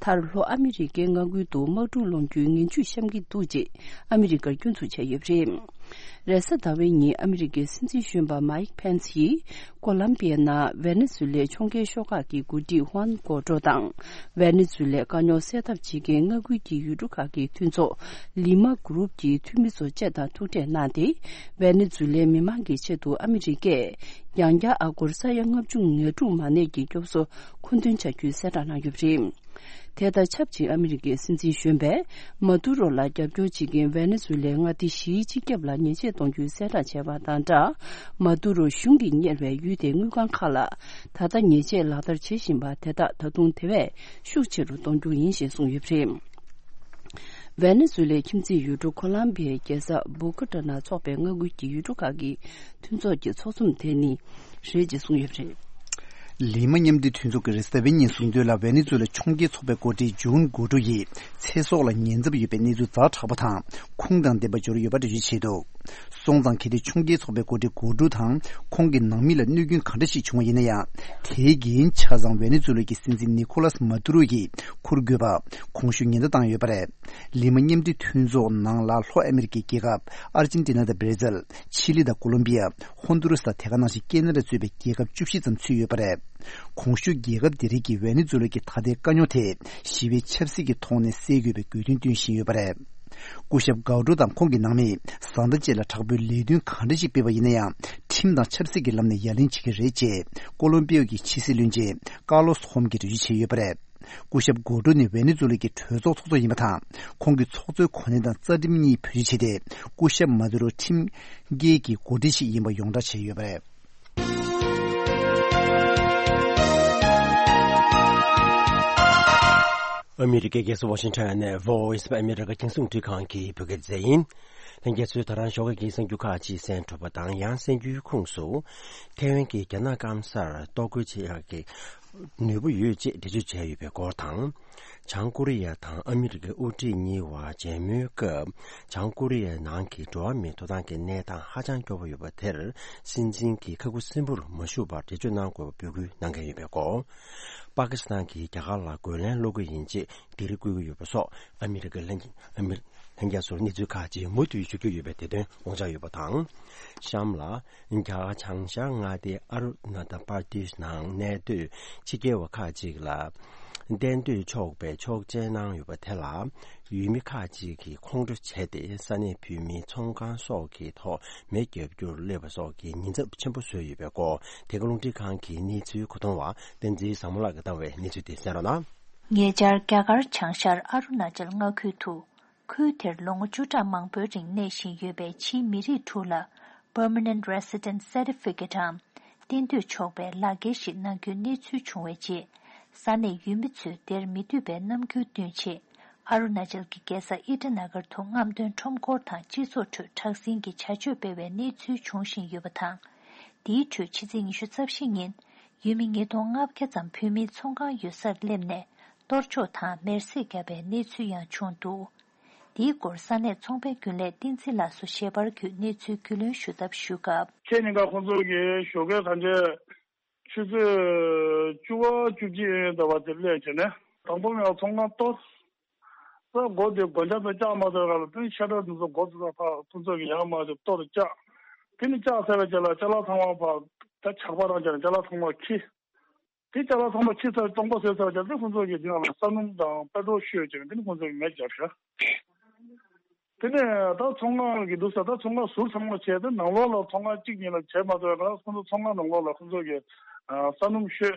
མཐར་ལྷོ་ཨ་མི་རི་ཀའི་མངའ་ཁུལ་དུ་དམག་འཁྲུག་སློང་རྒྱུའི་ངན་ཇུས་བཤམས་ཀྱི་འདུག་ཅེས་ཨ་མི་རི་ཀར་སྐྱོན་འཛུགས་བྱས་ཡོད་པ་རེད། རེས་གཟའ་ཟླ་བའི་ཉིན་ཨ་མི་རི་ཀའི་སྲིད་འཛིན་གཞོན་པ་མཱིག་ཕེན་སི་ཡིས་ཀོ་ལམ་པི་ཡའི་ནང་ཝེ་ནེ་ཛུ་ལའི་ཕྱོགས་འགལ་ཤོག་ཁག་གི་འགོ་ཁྲིད་ཧུའན་གོ་ཏྲོ་དང་། ཝེ་ནེ་ཛུ་ལའི་དཀའ་རྙོག་སེལ་ཐབས་བྱེད་མཁན་མངའ་ཁུལ་གྱི་ཡུལ་གྲུ་ཁག་གི་མཐུན་ཚོགས་ལི་མ་གུ་རུབ་ཀྱི་འཐུས་མི་ཚོ་བཅས་དང་ཐུག་འཕྲད་གནང་སྟེ། ཝེ་ནེ་ཛུ་ལའི་མི་མང་གི་ཆེད་དུ་ཨ་མི་རི་ཀས་ཡང་བསྐྱར་ཨ་སྒོར་ས་ཡ་ལྔ་བཅུ་ང་དྲུག་མ་གནས་ཀྱི་སྐྱོབ་གསོ་མཁོ་འདོན་བྱ་རྒྱུའི་གསལ་བསྒྲགས་གནང་ཡོད་པ་རེད། དེ་དང་ཆབས་ཅིག་ཨ་མི་རི་ཀའི་སྲིད་འཛིན་གཞོན་པས་མཱ་དུ་རོ་ལ་རྒྱབ་སྐྱོར་བྱེད་མཁན་ཝེ་ནེ་ཛུ་ལའི་མངའ་སྡེ་བཞིའི་སྤྱི་ཁྱབ་ལ་ཉེས་ཆད་གཏོང་རྒྱུའི་གསལ་བསྒྲགས་བྱས་པ་དང་སྦྲགས། མཱ་དུ་རོ་གཞུང་གིས་གཉེར་བའི་ཡུལ་དེའི་དངུལ་ཁང་ཁག་ལ་ད་ལྟ་ཉེས་ཆད་ལག་བསྟར་བྱེད་བཞིན་པ་དེ་དག་ད་དུང་དེ་བས་ཤུགས་ཆེ་རུ་གཏོང་རྒྱུ་ཡིན་ཞེས་གསུངས་ཡོད་པ་རེད། ཝེ་ནེ་ཛུ་ལའི་ཁྱིམ་མཚེས་ཡུལ་གྲུ་ཁོ་ལམ་བི་ཡའི་རྒྱལ་ས་བྷོ་ཀ་ཏ་ནང་འཚོགས་པའི་མངའ་ཁུལ་གྱི་ཡུལ་གྲུ་ཁག་གི་མཐུན་ཚོགས་ཀྱི་ཚོགས་འཛོམས་དེ་ནི་རེད་ཅེས་གསུངས་ཡོད་པ་རེད། ལི་མ་མཉམ་འབྲེལ་མཐུན་ཚོགས་ཀྱིས་རེས་གཟའ་ཟླ་བའི་ཉིན་གསུངས་དོན་ལ། ཝེ་ནེ་ཛུ་ལའི་ཕྱོགས་འགལ་ཚོགས་པའི་འགོ་ཁྲིད་ཇུའན་གོ་ཏྲོ་ཡིས་ཚེ་སྲོག་ལ་ཉེན་ཚབས་ཡོད་པའི་གནས་ཚུལ་ཛ་དྲག་པོ་དང་ཁུངས་དང་ལྡན་པ་འབྱོར་ཡོད་པ་འགྲེལ་བརྗོད་བྱས་འདུག་སོང་ཙང་གལ་ཏེ་ཕྱོགས་འགལ་ཚོགས་པའི་འགོ་ཁྲིད་གོ་ཌུ་དང་ཁོང་གི་ནང་མི་ལ་གནོད་སྐྱོན་ག་འདྲ་ཞིག་བྱུང་བ་ཡིན་ན་ཡང་། དེའི་འགན་ཆ་ཚང་ཝེ་ནེ་ཛུ་ལ་གི་སྲིད་འཛིན་ནི་ཁོ་ལཱས་མཱ་ཏུ་རོ་ཡིས་འཁུར་དགོས་པ་གོང་ཞུས་ཉེན་བརྡ་བཏང་ཡོད་པ་རེད། ལི་མ་མཉམ་འབྲེལ་མཐུན་ཚོགས་ནང་ལ་ལྷོ་ཨ་མི་རི་ཀའི་རྒྱལ་ཁབ་ཨར་ཇེན་ཏི་ན་དང་བྷར་ཛིལ། ཆི་ལི་དང་ཀོ་ལོམ་བི་ཡ། ཧོན་དུ་རུ་སི་དང་དེ་ག་ནང་བཞིན་ཀེ་ན་ཌ་གཙོས་པའི་རྒྱལ་ཁབ་བཅུ་བཞི་ཙམ་ཚུད་ཡོད་པ་རེད། གོང་ཞུས་རྒྱལ་ཁབ་དེ་རིགས་ཀྱིས་ཝེ་ནེ་ཛུ་ལ་གི་ད་ལྟའི་དཀའ་རྙོག་དེ་ཞི་བའི་ཆབ་སྲིད་ཀྱི་ཐོག་ནས་སེལ་དགོས་པའི་དགོས་འདུན་བཏོན་བཞིན་ཡོད་པ་རེད། སྐུ་ཞབས་གའོ་ཏྲོ་དང་ཁོང་གི་ནང་མིས་བཟའ་ཟླ་བཅས་ལ་དྲག་པོའི་ལས་དོན་གང་འདྲ་ཞིག་སྤེལ་བ་ཡིན་ན་ཡང་། ཁྲིམས་དང་ཆབ་སྲིད་ཀྱི་ལམ་ནས་ཡ་ལན་བྱེད་ཀྱི་རེད་ཅེས་ཀོ་ལོམ་པི་ཡ་གི་ཕྱི་སྲིད་བློན་ཆེན་ཀར་ལོ་སི་ཧོམ་གྱིས་འགྲེལ་བརྗོད་བྱས་ཡོད་པ་རེད། སྐུ་ཞབས་གོ་ཏྲོ་ནི་ཝེ་ནེ་ཛུ་ལ་གི་གྲོས་ཚོགས་ཚོགས་གཙོ་ཡིན་པ་དང་། ཁོང་གིས་ཚོགས་གཙོའི་གོ་གནས་དང་རྩ་ཁྲིམས་གཉིས་བེད་སྤྱོད་བྱས་ཏེ། སྐུ་ཞབས་མ་དུ་རོ་ཁྲིམས་འགལ་གྱི་འགོ་ཁྲིད་ཞིག་ཡིན་པ་ཡོངས་གྲགས་བྱས་ཡོད་པ་རེད། ཨ་མི་རི་ཀའི་རྒྱལ་ས་ཝ་ཤིང་ཊོན་ནས་Voice of America རྒྱང་སྲིང་རླུང་འཕྲིན་ཁང་གི་བོད་སྐད་སྡེ་ཚན་ཡིན། ལྷན་རྒྱས་ཚོས་ད་རང་ཞོགས་ཀས་ཀྱི་གསར་འགྱུར་ཁག་ཅིག་གསན་གྲུབ་པ་དང་། ཡང་གསར་འགྱུར་ཁུངས་སུ། ཐའེ་ཝན་གྱིས་རྒྱ་ནག་སྐམ་སར་གཏོར་རྒོལ་བྱེད་ཡག་གི་ནུས་པ་ཡོད་ཅེས་འགྲེལ་བརྗོད་བྱས་ཡོད་པའི་སྐོར་དང་། བྱང་ཀོ་རི་ཡ་དང་ཨ་མི་རི་ཀའི་དབུ་ཁྲིད་གཉིས་བར་མཇལ་མོལ་སྐབས། བྱང་ཀོ་རི་ཡའི་ནང་གི་འགྲོ་བ་མིའི་ཐོབ་ཐང་གི་གནས་སྟངས་ཧ་ཅང་སྐྱོ་པོ་ཡོད་པ་དེར། སྲིད་འཛིན་གྱིས་ཁ་ཁུ་སིམ་པོར་མ་བཞུགས་པར་འགྲེལ་བརྗོད་གནང་དགོས་པ་འབོད་སྐུལ་གནང་མཁན་ཡོད་པའི་སྐོར། པ་ཀི་སི་ཐན་གྱིས་རྒྱ་གར་ལ་རྒོལ་ལན་སློག་གི་ཡིན་ཅེས་སྒེར་བསྐུལ་གྱི་ཡོད་པ་སོགས། ཨ་མི་རི་ཀའི་ལྷན་ཨ་མི་ལྷན་རྒྱས་ཚོར་གནས་ཚུལ་ཁག་ཅིག་མུ་མཐུད་ཞུ་རྒྱུ་ཡོད་པའི་དེ་དོན་དགོངས་འཇགས་ཡོད་པ་དང་། གཤམ་ལ། རྒྱ་གར་བྱང་ཤར་མངའ་སྡེ་ཨ་རུ་ན་ཏ་པར་དེཤ་ནང་གནས་སྡོད་ཕྱི་རྒྱལ་བ་ཁག་ཅིག་ལ། གཏན་སྡོད་ཆོག་པའི་ཆོག་མཆན་གནང་ཡོད་པ་དེ་ལ། ཡུལ་མི་ཁག་ཅིག་གིས་ཁོང་ཁྲོ་བྱས་ཏེ། ས་གནས་བོད་མིའི་ཚོང་ཁང་སོགས་ཀྱི་ཐོག་མེ་བརྒྱབ་རྒྱུར་སླེབས་པ་སོགས་ཀྱི་ཉེན་ཚབས་ཆེན་པོ་བཟོས་ཡོད་པའི་སྐོར། དེ་ག་རླུང་འཕྲིན་ཁང་གི་གནས་ཚུལ་གོ་བསྡུར་བ་བསྟན་འཛིན་བཟང་མོ་ལགས་ཀྱིས་བཏང་བའི་གནས་ཚུལ་དེ་གསན་རོགས་གནང་། ཉེ་ཆར་རྒྱ་གར་བྱང་ཤར་ཨ་རུ་ན་ཅལ་མངའ་ཁུལ་དུ། ཁུལ་དེར་ལོ་ངོ་བཅུ་ཕྲག་མང་པོའི་རིང་གནས་བཞིན་ཡོད་པའི་ཕྱིའི་མི་རིགས་དྲུག་ལ་Permanent Resident Certificate འམ། གཏན་སྡོད་ཆོག་པའི་ལག་འཁྱེར་ཞིག་གནང་རྒྱུའི་གནས་ཚུལ་བྱུང་བའི་རྗེས། ས་གནས་ཡུལ་མི་ཚོས་དེར་མི་འདོད་པའི་རྣམ་འགྱུར་སྟོན་ཆེད། ཨ་རུ་ན་ཅལ་གྱི་རྒྱལ་ས་ཨི་ཊ་ན་གར་དུ་རྔམ་སྟོན་ཁྲོམ་སྐོར་དང་སྤྱི་ཚོགས་ཁྲོད་དྲག་ཟིང་གི་བྱ་སྤྱོད་སྤེལ་བའི་གནས་ཚུལ་འབྱུང་བཞིན་ཡོད་པ་དང་། དེའི་ཁྲོད་ཕྱི་ཚེས་ཉི་ཤུ་རྩ་བཞི་ཉིན། ཡུལ་མི་ཉིས་སྟོང་ལྔ་བརྒྱ་ཙམ་བོད་མིའི་ཚོང་ཁང་ཡོད་སར་སླེབས་ནས། གཏོར་ཕྱོགས་དང་མེར་སྲེག་བརྒྱབ་པའི་གནས་ཚུལ་ཡང་བྱུང་འདུག་དེའི་སྐོར་ས་གནས་ཚོང་པའི་རྒྱུན་ལས་བསྟན་འཛིན་ལགས་སུ་ཞལ་པར་བརྒྱུད་གནས་ཚུལ་རྒྱུས་ལོན་ཞུ་ཐབས་ཞུས་སྐབས། ཁྱེད་གཉིས་ཀ་ཁོང་ཚོ་གིས་ཞོགས་ཀས་གང་ཆེ་ཆུ་ཚོད་བཅུ་པ་བཅུ་གཅིག་ཡོད་ཡོད་འདྲ་བ་དེར་སླེབས་བྱས་ནས་དང་པོ་ངས་ཚོང་ཁང་གཏོར། ས་སྒོ་དེ་སྒོ་ལྕགས་དང་བཅག་མ་ཐུབ་ག་ལ་དེ་ཤ་ཁྲག་དེ་ཚོ་སྒོ་དེ་ཚོ་ཕར་ཁོང་ཚོ་གི་ཡར་མར་དེ་གཏོར་བཅག་དེ་ནི་བཅག་ཚར་བའི་རྗེས་ལ་ཅ་ལག་ཚང་མ་ཕར་ད་ཇག་པ་རང་བྱས་ནས་ཅ་ལག་ཚང་མ་ཁྱེར། དེ་ཅ་ལག་ཚང་མ་ཁྱེར་ཚར་སྟོང་པ་བཟོས་ཚར་རྗེས་དེ་ཁོང་ཚོ་གི་དེ་ནང་ལ་ས་སྣུམ་དང་པེ་ཊྲོལ་བཤོས་བྱས་ནས་དེ་ནི་ཁོང་ཚོ་གི་མེ་བརྒྱབ་ཤག་དེ་ནས་ད་ཚོང་ཁང་གི་འདུག་ས་ད་ཚོང་ཁང་ཟུར་ཚང་མ་བྱས་ཏེ་ནང་ལོགས་ལ་ཚོང་ཁང་གཅིག་གཉིས་ལ་བྱས་མ་ཐུབ་པ་ཁོང་ཚོ་ཚོང་ཁང་ནང་ལོགས་ལ་ཁོང་ཚོ་གི་ས་སྣུམ་བཤོས་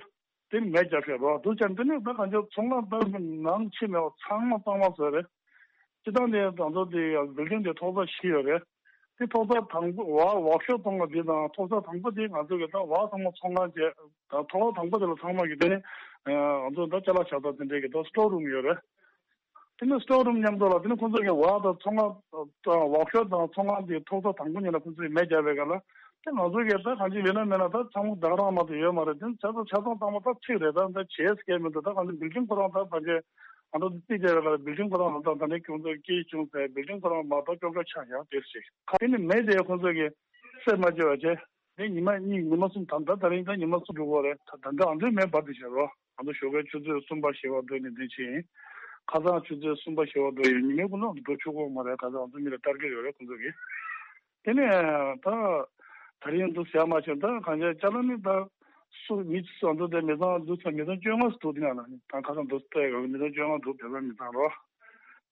དེ་མེ་བརྒྱབ་ཤག་རོ། འདུག་ཅན་དེ་ནས་ད་གང་ཅི་ཚོང་ཁང་ད་ནང་ཕྱི་མེད་པ་ཚང་མ་གཙང་མ་བཟོས་རེད། སྤྱི་བཏང་དེ་ང་ཚོ་དེ་ཡང་བིལ་ཌིང་དེ་ཐོག་ས་བཞི་ཡོད་རེད། དེ་ཐོག་ས་དང་པོ་ཝར་ཝོག་ཤོབ་གཏོང་བ་དེ་དང་ཐོག་ས་དང་པོ་དེ་ང་ཚོ་གི་ད་ཝར་ཚང་མ་ཚོང་ཁང་བྱས་ད་ཐོག་ས་དང་པོ་དེ་ལ་ཚང་མ་གི་དེ་ནི་ང་ཚོ་ད་ཅ་ལག་ཆགས་ས་དེ་འདྲའི་གི་ད་སི་ཊོར་རུམ་ཡོད་རེད། དེ་ནི་སི་ཊོར་རུམ་མཉམ་དུ་ལ་དེ་ནི་ཁོང་ཚོ་གི་ཝར་དང་ཚོང་ཁང་ཝོག་ཤོབ་དང་ཚོང་ཁང་དེ་ཐོག་ས་དང་པོ་ཉིད་ལ་ཁོང་ཚོས་མེ་བརྒྱབ་པའི་སྐབས་ལ་དེ་ང་ཚོ་གི་ད་གང་ཅི་ཡོད་ན་མེད་ན་ད་ཚང་མ་ད་ག་རང་མ་གཏོགས་ཡོད་མ་རེད། དེ་ནི་ཆ་ཚང་ཆ་ཚང་ཚང་མ་ད་ཚིག་རེད། ད་ད་བྱས་སྐད་མི་འདུག་ད་གང་ཅི་བིལ་ཌིང་ཁོ་རང་ད་ཕལ་ཆེར། ང་ཚོ་རྩིས་རྒྱག་པའི་སྐབས་བིལ་ཌིང་ཁོ་རང་ལ་ད་ད་ནས་ཁྱོད་ཚོ་སྐྱེས་བྱུང་ཟེར་བིལ་ཌིང་ཁོ་རང་མ་གཏོགས་ཅོག་ཀ་ཆག་ཡག་དེར་ཞིག་ཁ་དེ་ནི་མེ་དེ་ཁོ་ཚོ་གི་སེལ་མ་བྱེད་པ་བྱས་དེ་ཉི་མ་གཉིས་ཉི་མ་གསུམ་ད་ད་ད་རིང་ད་ཉི་མ་གསུམ་འགྲོ་གི་རེད། ད་ད་འདྲ་ཨ་འདྲའི་མེ་འབར་དེ་བྱས་རོ། ང་ཚོ་ཞོགས་ཀའི་ཆུ་ཚོད་གསུམ་པ་བཞི་པ་འགྲོ་ནས་འདི་ཕྱིན། ཁ་སང་ཆུ་ཚོད་གསུམ་པ་བཞི་པ་འགྲོ་ཡོད། ཉི་མའི་ཀུན་སློང་འགྲོ་ཆོག་གི་མ་རེད། ཁ་སང་ང་ཚོ་མི་ལ་ཊར་གེཊ་ཡོད་རེད་ཁོ་ཚོ་གི། དེ་ནས་ད་ད་རིང་འདུག་ཟེར་མ་བྱུང་། ད་གང་ཅི་ཅ་ལག་ནི་ད་སུ་མི་སུ་འདུག་དེ་མི་ཚང་འདུག་ཚང་མི་ཚང་བཅོ་ལྔ་འདུག་དེ་ན་ལ་ད་ཁ་སང་འདུག་སྟེ་ག་མི་ཚང་བཅོ་ལྔ་འདུག་བོད་པ་མི་ཚང་རོ།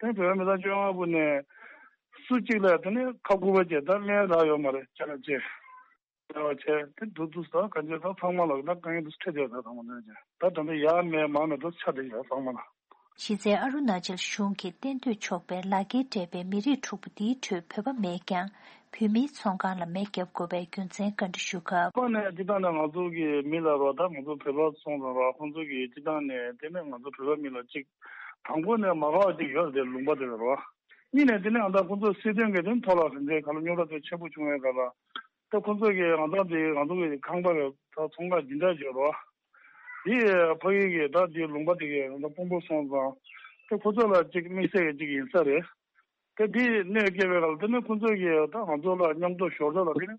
དེ་བོད་པ་མི་ཚང་བཅོ་ལྔ་པོ་ནས་སུ་གཅིག་ལ་དེ་ནས་ཁ་ཁུ་པ་བྱས་ད་ལན་རག་ཡོད་མ་རེད། ཅ་ལག་བཅས་རེ་བ་བྱས་དེ་འདུག་འདུག་ད་གང་ཅི་ད་ཚང་མ་ལ་ད་དཀའ་ངལ་འདུག་འཕྲད་བསྡད་ད་ཚང་མ་ནས་ད་ད་ད་ཡ་མེད་མ་མེད་འདུག་ཆ་བསྡད་ཡོད་ཚང་མ་ལ། གཞི་རྩའི་ཨ་རུ་ན་ཅལ་གཞུང་གིས་གཏན་སྡོད་ཆོག་པའི་ལག་འཁྱེར་སྤྲད་པའི་མི་རིགས་དྲུག་པོ་འདིའི་ཁྲོད་བོད་པ་མེད་ཀྱང་། བོད་མིའི་ཚོང་ཁང་ལ་མེ་བརྒྱབ་དགོས་པའི་རྒྱུ་མཚན་བཀའ་འདྲི་ཞུ་སྐབས། ཁོ་ནས་སྤྱི་བཏང་ནས་ང་ཚོ་གི་མི་ལ་རོགས་ད་ང་ཚོ་བོད་པ་སོང་ཙང་རོགས་ཁོང་ཚོ་གི་སྤྱི་བཏང་ནས་དེ་ནས་ང་ཚོ་བོད་པ་མི་ལ་གཅིག་དང་པོ་ནས་མ་དགའ་བ་གཅིག་ཡོད་རེད། དེ་ལུང་པ་དེ་ལ་རོགས་གཉིས་ནས་དེ་ནས་ང་ད་ཁོང་ཚོ་སྲིད་དོན་གི་དོན་ཐོག་ལ་རིན་ཆེན་ག་ལ་རྙོག་དྲ་དེ་ཆེན་པོ་བྱུང་བའི་སྐབས་ལ་ད་ཁོང་ཚོ་གི་ང་ཚོ་འདི་ང་ཚོ་གི་ཁང་པ་གི་ད་ཚོང་ཁང་འདི་འདྲ་བྱས་རོགས། དེ་ཕ་གི་གི་ད་དེ་ལུང་པ་དེ་གི་ང་ཚོ་དཔོན་པོ་སོང་ཙང་དེ་ཁོ་ཚོ་ལ་གཅིག་དམིགས་བསལ་གི་གཅིག་ཡིན་ས་རེད། དེ་དེ་གནོད་སྐྱེལ་བའི་སྐབས་དེ་ནི་ཁོ་ཚོ་གི་ད་ང་ཚོ་ལ་མཉམ་དུ་ཞོར་དུ་ལ་དེ་ནི་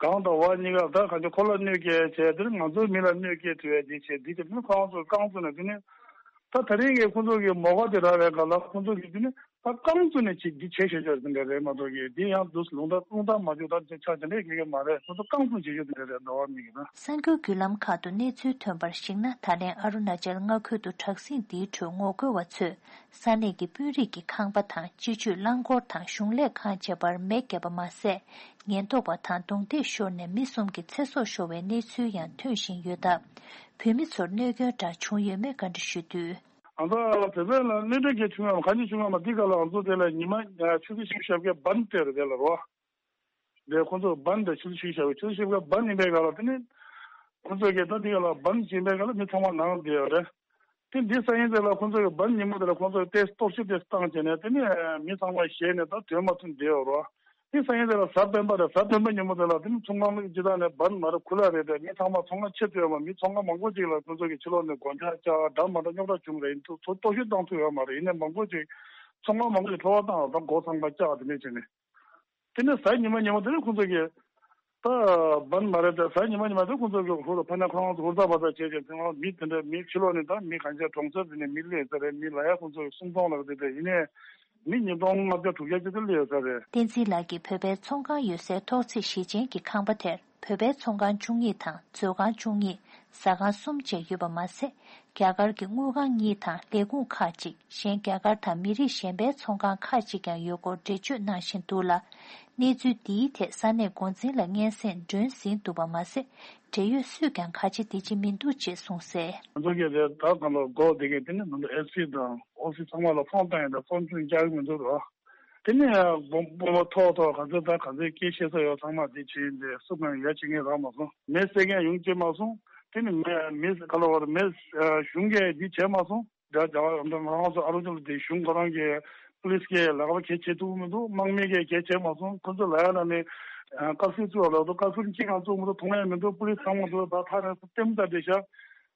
གང་དང་བ་གཉིས་ཀ་ད་གང་ཅི་ཁོ་ལ་གནོད་སྐྱེལ་བྱས་དེ་ནི་ང་ཚོའི་མི་ལ་གནོད་སྐྱེལ་ཐུབ་པའི་དེ་བྱས་དེ་དེ་ནི་ཁོ་རང་ཚོ་རྐང་བཙུགས་ནས་དེ་ནི་ད་ད་རིང་གི་ཁོ་ཚོ་གི་མོ་ག་དེ་རག་པའི་སྐབས་ལ་ཁོ་ཚོ་གི་དེ་ནི། ད་རྐང་བཙུགས་ནས་བྱེད་འདི་བྱེད་ཤེས་ཤོས་དེ་འདྲ་རེད་མ་གཏོགས་ཀྱི་འདི་ཡང་འདུག་ལུང་བསྟན་ལུང་བསྟན་མ་བཅུག་ད་ཆ་དེ་འདྲས་ཁེ་གེ་མ་རེད། ཁོ་ཚོ་རྐང་བཙུགས་བྱེད་ཤོས་དེ་འདྲ་རེད། ཟླ་བ་མིག་གི་ན། གསར་འགྱུར་བརྒྱུད་ལམ་ཁག་ཏུ་གནས་ཚུལ་ཐོན་པར་གཞིགས་ན། ད་ལན་ཨ་རུ་ན་ཅལ་མངའ་ཁུལ་དུ་དྲག་ཟིང་འདིའི་ཁྲོད་ངོ་རྒོལ་བ་ཚོས་ས་གནས་ཀྱི་དཔོན་རིགས་ཀྱི་ཁང་པ་དང་སྤྱི་སྤྱོད་རླངས་འཁོར་དང་གཞུང་ལས་ཁང་བཅས་པར་མེ་བརྒྱབ་པ་མ་ཟད། ཉེན་རྟོག་པ་དང་རྡུང་རྡེག་ཤོར་ནས་མི་གསུམ་གྱི་ཚེ་སྲོག་ཤོར་བའི་གནས་ཚུལ་ཡང་ཐོན་བཞིན་ཡོད་སྟབས། བོད་མི་ཚོར་གནོད་སྐྱོན་འདྲ་བྱུང་ཡོད་མེད་བཀའ་འདྲི་ཞུས་དུས། ང་ཚོ་བོད་པའི་ལ་གནོད་འཚེ་གལ་ཆུང་ཡང་གང་ཅི་ཆུང་ཡང་མ་འདི་ག་ལ་ང་ཚོ་དེ་ལ་ཉི་མ་ཆུ་ཚོད་བཞི་བཅུ་ཞེ་བརྒྱད་བན་སྟེར་རེད་དེ་ལ་རོ། དེ་ཁོ་ཚོ་བན་དེ་ཆུ་ཚོད་བཞི་བཅུ་ཞེ་བརྒྱད་ཆུ་ཚོད་བཞི་བཅུ་བན་ཡིན་པའི་ག་ལ་དེ་ནི་ཁོ་ཚོ་གི་ད་འདི་ག་ལ་བན་བྱིན་པའི་ག་ལ་མི་ཚང་མ་ནང་བསྡད་ཡོད་རེད། དེ་འདི་ས་ཡིན་དེ་ལ་ཁོ་ཚོ་གི་བན་ཉིན་མོ་དེ་ལ་ཁོ་ཚོ་གི་ཏེ་གཏོར་བཤིག་ཏེ་བཏང་བྱས་ནས་དེ་ནི་མི་ཚང་མ་ཞེད་ནས་ད་དོན་མ་ཐུབ་བསྡད་ཡོད་རོ། དེ་སང་ཉིན་དེ་ལ་གཟའ་སྤེན་པ་རེད། གཟའ་སྤེན་པ་ཉིན་མོ་དེ་ལ་དེ་ནི་ཚོང་ཁང་སྤྱི་བཏང་ནས་བན་མ་རེད་ཁུ་ལ་རེད་དེ་མི་ཚང་མ་ཚོང་ཁང་ཕྱེ་ཐུབ་ཡོད་མ། མི་ཚོང་ཁང་མང་པོ་ཅིག་ལ་ཁོ་ཚོ་གི་ཕྱི་ལོགས་ནས་སྒོ་ལྕགས་བཅག་འདྲ་མ་འདྲ་རྙོག་དྲ་བྱུང་རེད། ཡིན་དུས་ཚོ་གཏོར་བཤིག་བཏང་ཐུབ་ཡོད་མ་རེད། ཡིན་ནའི་མང་པོ་ཅིག་ཚོང་ཁང་མང་པོ་ཅིག་འཕྲོ་བརླག་བཏང་བ་དང་སྒོ་ཚང་མ་བཅག་དེ་འདྲས་བྱས་ནས་དེ་ནས་གཟའ་ཉི་མ་ཉིན་མོ་དེ་ནས་ཁོ་ཚོ་གི་ད་བན་མ་རེད་དེ་གཟའ་ཉི་མ་ཉིན་མོ་དེ་ཁོ་ཚོ་གི་ཧུར་ཕ་ནས་ཁོ་རང་ཚོ་ཧུར་ཐག་བ་ཐག་བྱས་ཀྱང་དེ་སྔ་མི་དེ་འདྲ་མི་ཕྱི་ལོགས་ནས་ད་མི་གང་ཅི་གྲོང་གསེབ་དེ་ནས་མི་སླེབས་ས་རེད། མི་ལ་ཡ་ཁོ་ཚོ་གི་སུམ་སྟོང་ལ་དེ་འདྲ་ཡིན་ནའི། མི་ཉིས་སྟོང་ལྔ་བརྒྱ་དྲུག་བརྒྱ་ཅིག་ཏུ་སླེབས་ཡོད་ས་རེད། བསྟན་འཛིན་ལགས་ཀྱིས་བོད་པའི་ཚོང་ཁང་ཡོད་སའི་ཐོག་བརྩེགས་བཞི་ཅན་གྱི་ཁང་པ་དེར་བོད་པའི་ཚོང་ཁང་བཅུ་གཉིས་དང་མཛོད་ཁང་བཅུ་གཉིས། ཟ་ཁང་གསུམ་བཅས་ཡོད་པ་མ་ཟད། རྒྱ་གར་གྱི་དངུལ་ཁང་གཉིས་དང་ལས་ཁུངས་ཁག་ཅིག་གཞན་རྒྱ་གར་དང་མི་རིགས་གཞན་པའི་ཚོང་ཁང་ཁག་ཅིག་ཀྱང་ཡོད་སྐོར་འགྲེལ་བརྗོད་གནང་བཞིན་འདུག་ལ། གནས་ཚུལ་འདིའི་ཐད་ས་གནས་འགོ་འཛིན་ལ་སྙན་སེང་སྒྲོན་ཟིན་འདུག་པ་མ་ཟད། འབྲེལ་ཡོད་སུས་ཀྱང་ག་ཅི་འདི་ཅི་མི་འདུག་ཅེས་གསུངས་གསལ། ང་ཚོ་གིས་དེ་ད་གང་ལ་སྒོ་དེ་གས་དེ་ནི་ང་ཚོ་ཨེ་སི་དང་ཨོ་སི་ཚང་མ་ལ་ཕོན་བཏང་ཡིན། ད་ཚོང་ཆུང་རྒྱག་གི་མི་འདུག་རོ། དེ་ནས་དཔོན་པོ་ཐོག་ཐོག་ག་ཚོད་ད་ག་ཚོད་སྐད་བཤད་ས་ཡོད་ཚང་མ་དེ་བྱས་ཡིན། དེ་སུ་གང་ཡ་བྱེད་མཁན་རག་མ་སོང་། མེ་བསད་མཁན་ཡོང་བྱེད་མ་སོང་། དེ་ནི་མེ་མེ་ག་ལ་བར་མེ་གཞུང་གིས་འདི་བྱས་མ་སོང་། ད་རྒྱ་གར་ང་རང་ཚོ་ཨ་རུ་ཅལ་དེ་གཞུང་ཁོ་རང་གི་པུ་ལིས་ཀྱིས་ལག་པ་གས་བྱེད་ཐུབ་མི་འདུག་དམག་མི་གིས་གས་བྱེད་མ་སོང་། ཁོ་ཚོ་ལ་ཡ་ལ་ནི་བཀའ་ཟུར་བཙུགས་ལ་འདུག་བཀའ་ཟུར་གཅིག་ཀྱང་བཙུགས་མི་འདུག་མཐོང་ཡ་མི་འདུག་པུ་ལིས་ཚང་མ་འདུག་ད་ཐག་རིང་སོ་ལྟད་མོ་ལྟ་བསྡད་ཤག་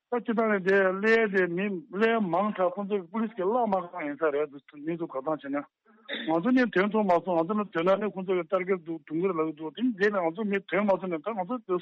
ད་སྤྱི་བཏང་ནས་དེ་ཀླད་དེ་མི་ཀླད་མང་དྲགས་ཁོ་ཚོ་གི་པུ་ལིས་ཀྱིས་བརླག་མ་གང་ཡིན་ས་རེད། འདུག་མི་འདུག་ག་ཚང་བྱས་ན། ང་ཚོ་ནས་དོན་ཐོག་མ་སོང་། ང་ཚོ་ནས་དོན་ལ་ནས་ཁོང་ཚོ་གི་ཊར་གེཊ་འདུག་དུང་གི་ལ་འདུག་དེ་འདས་ནས་ང་ཚོ་མི་དོན་མ་སོང་ནས་ད་ང་ཚོ་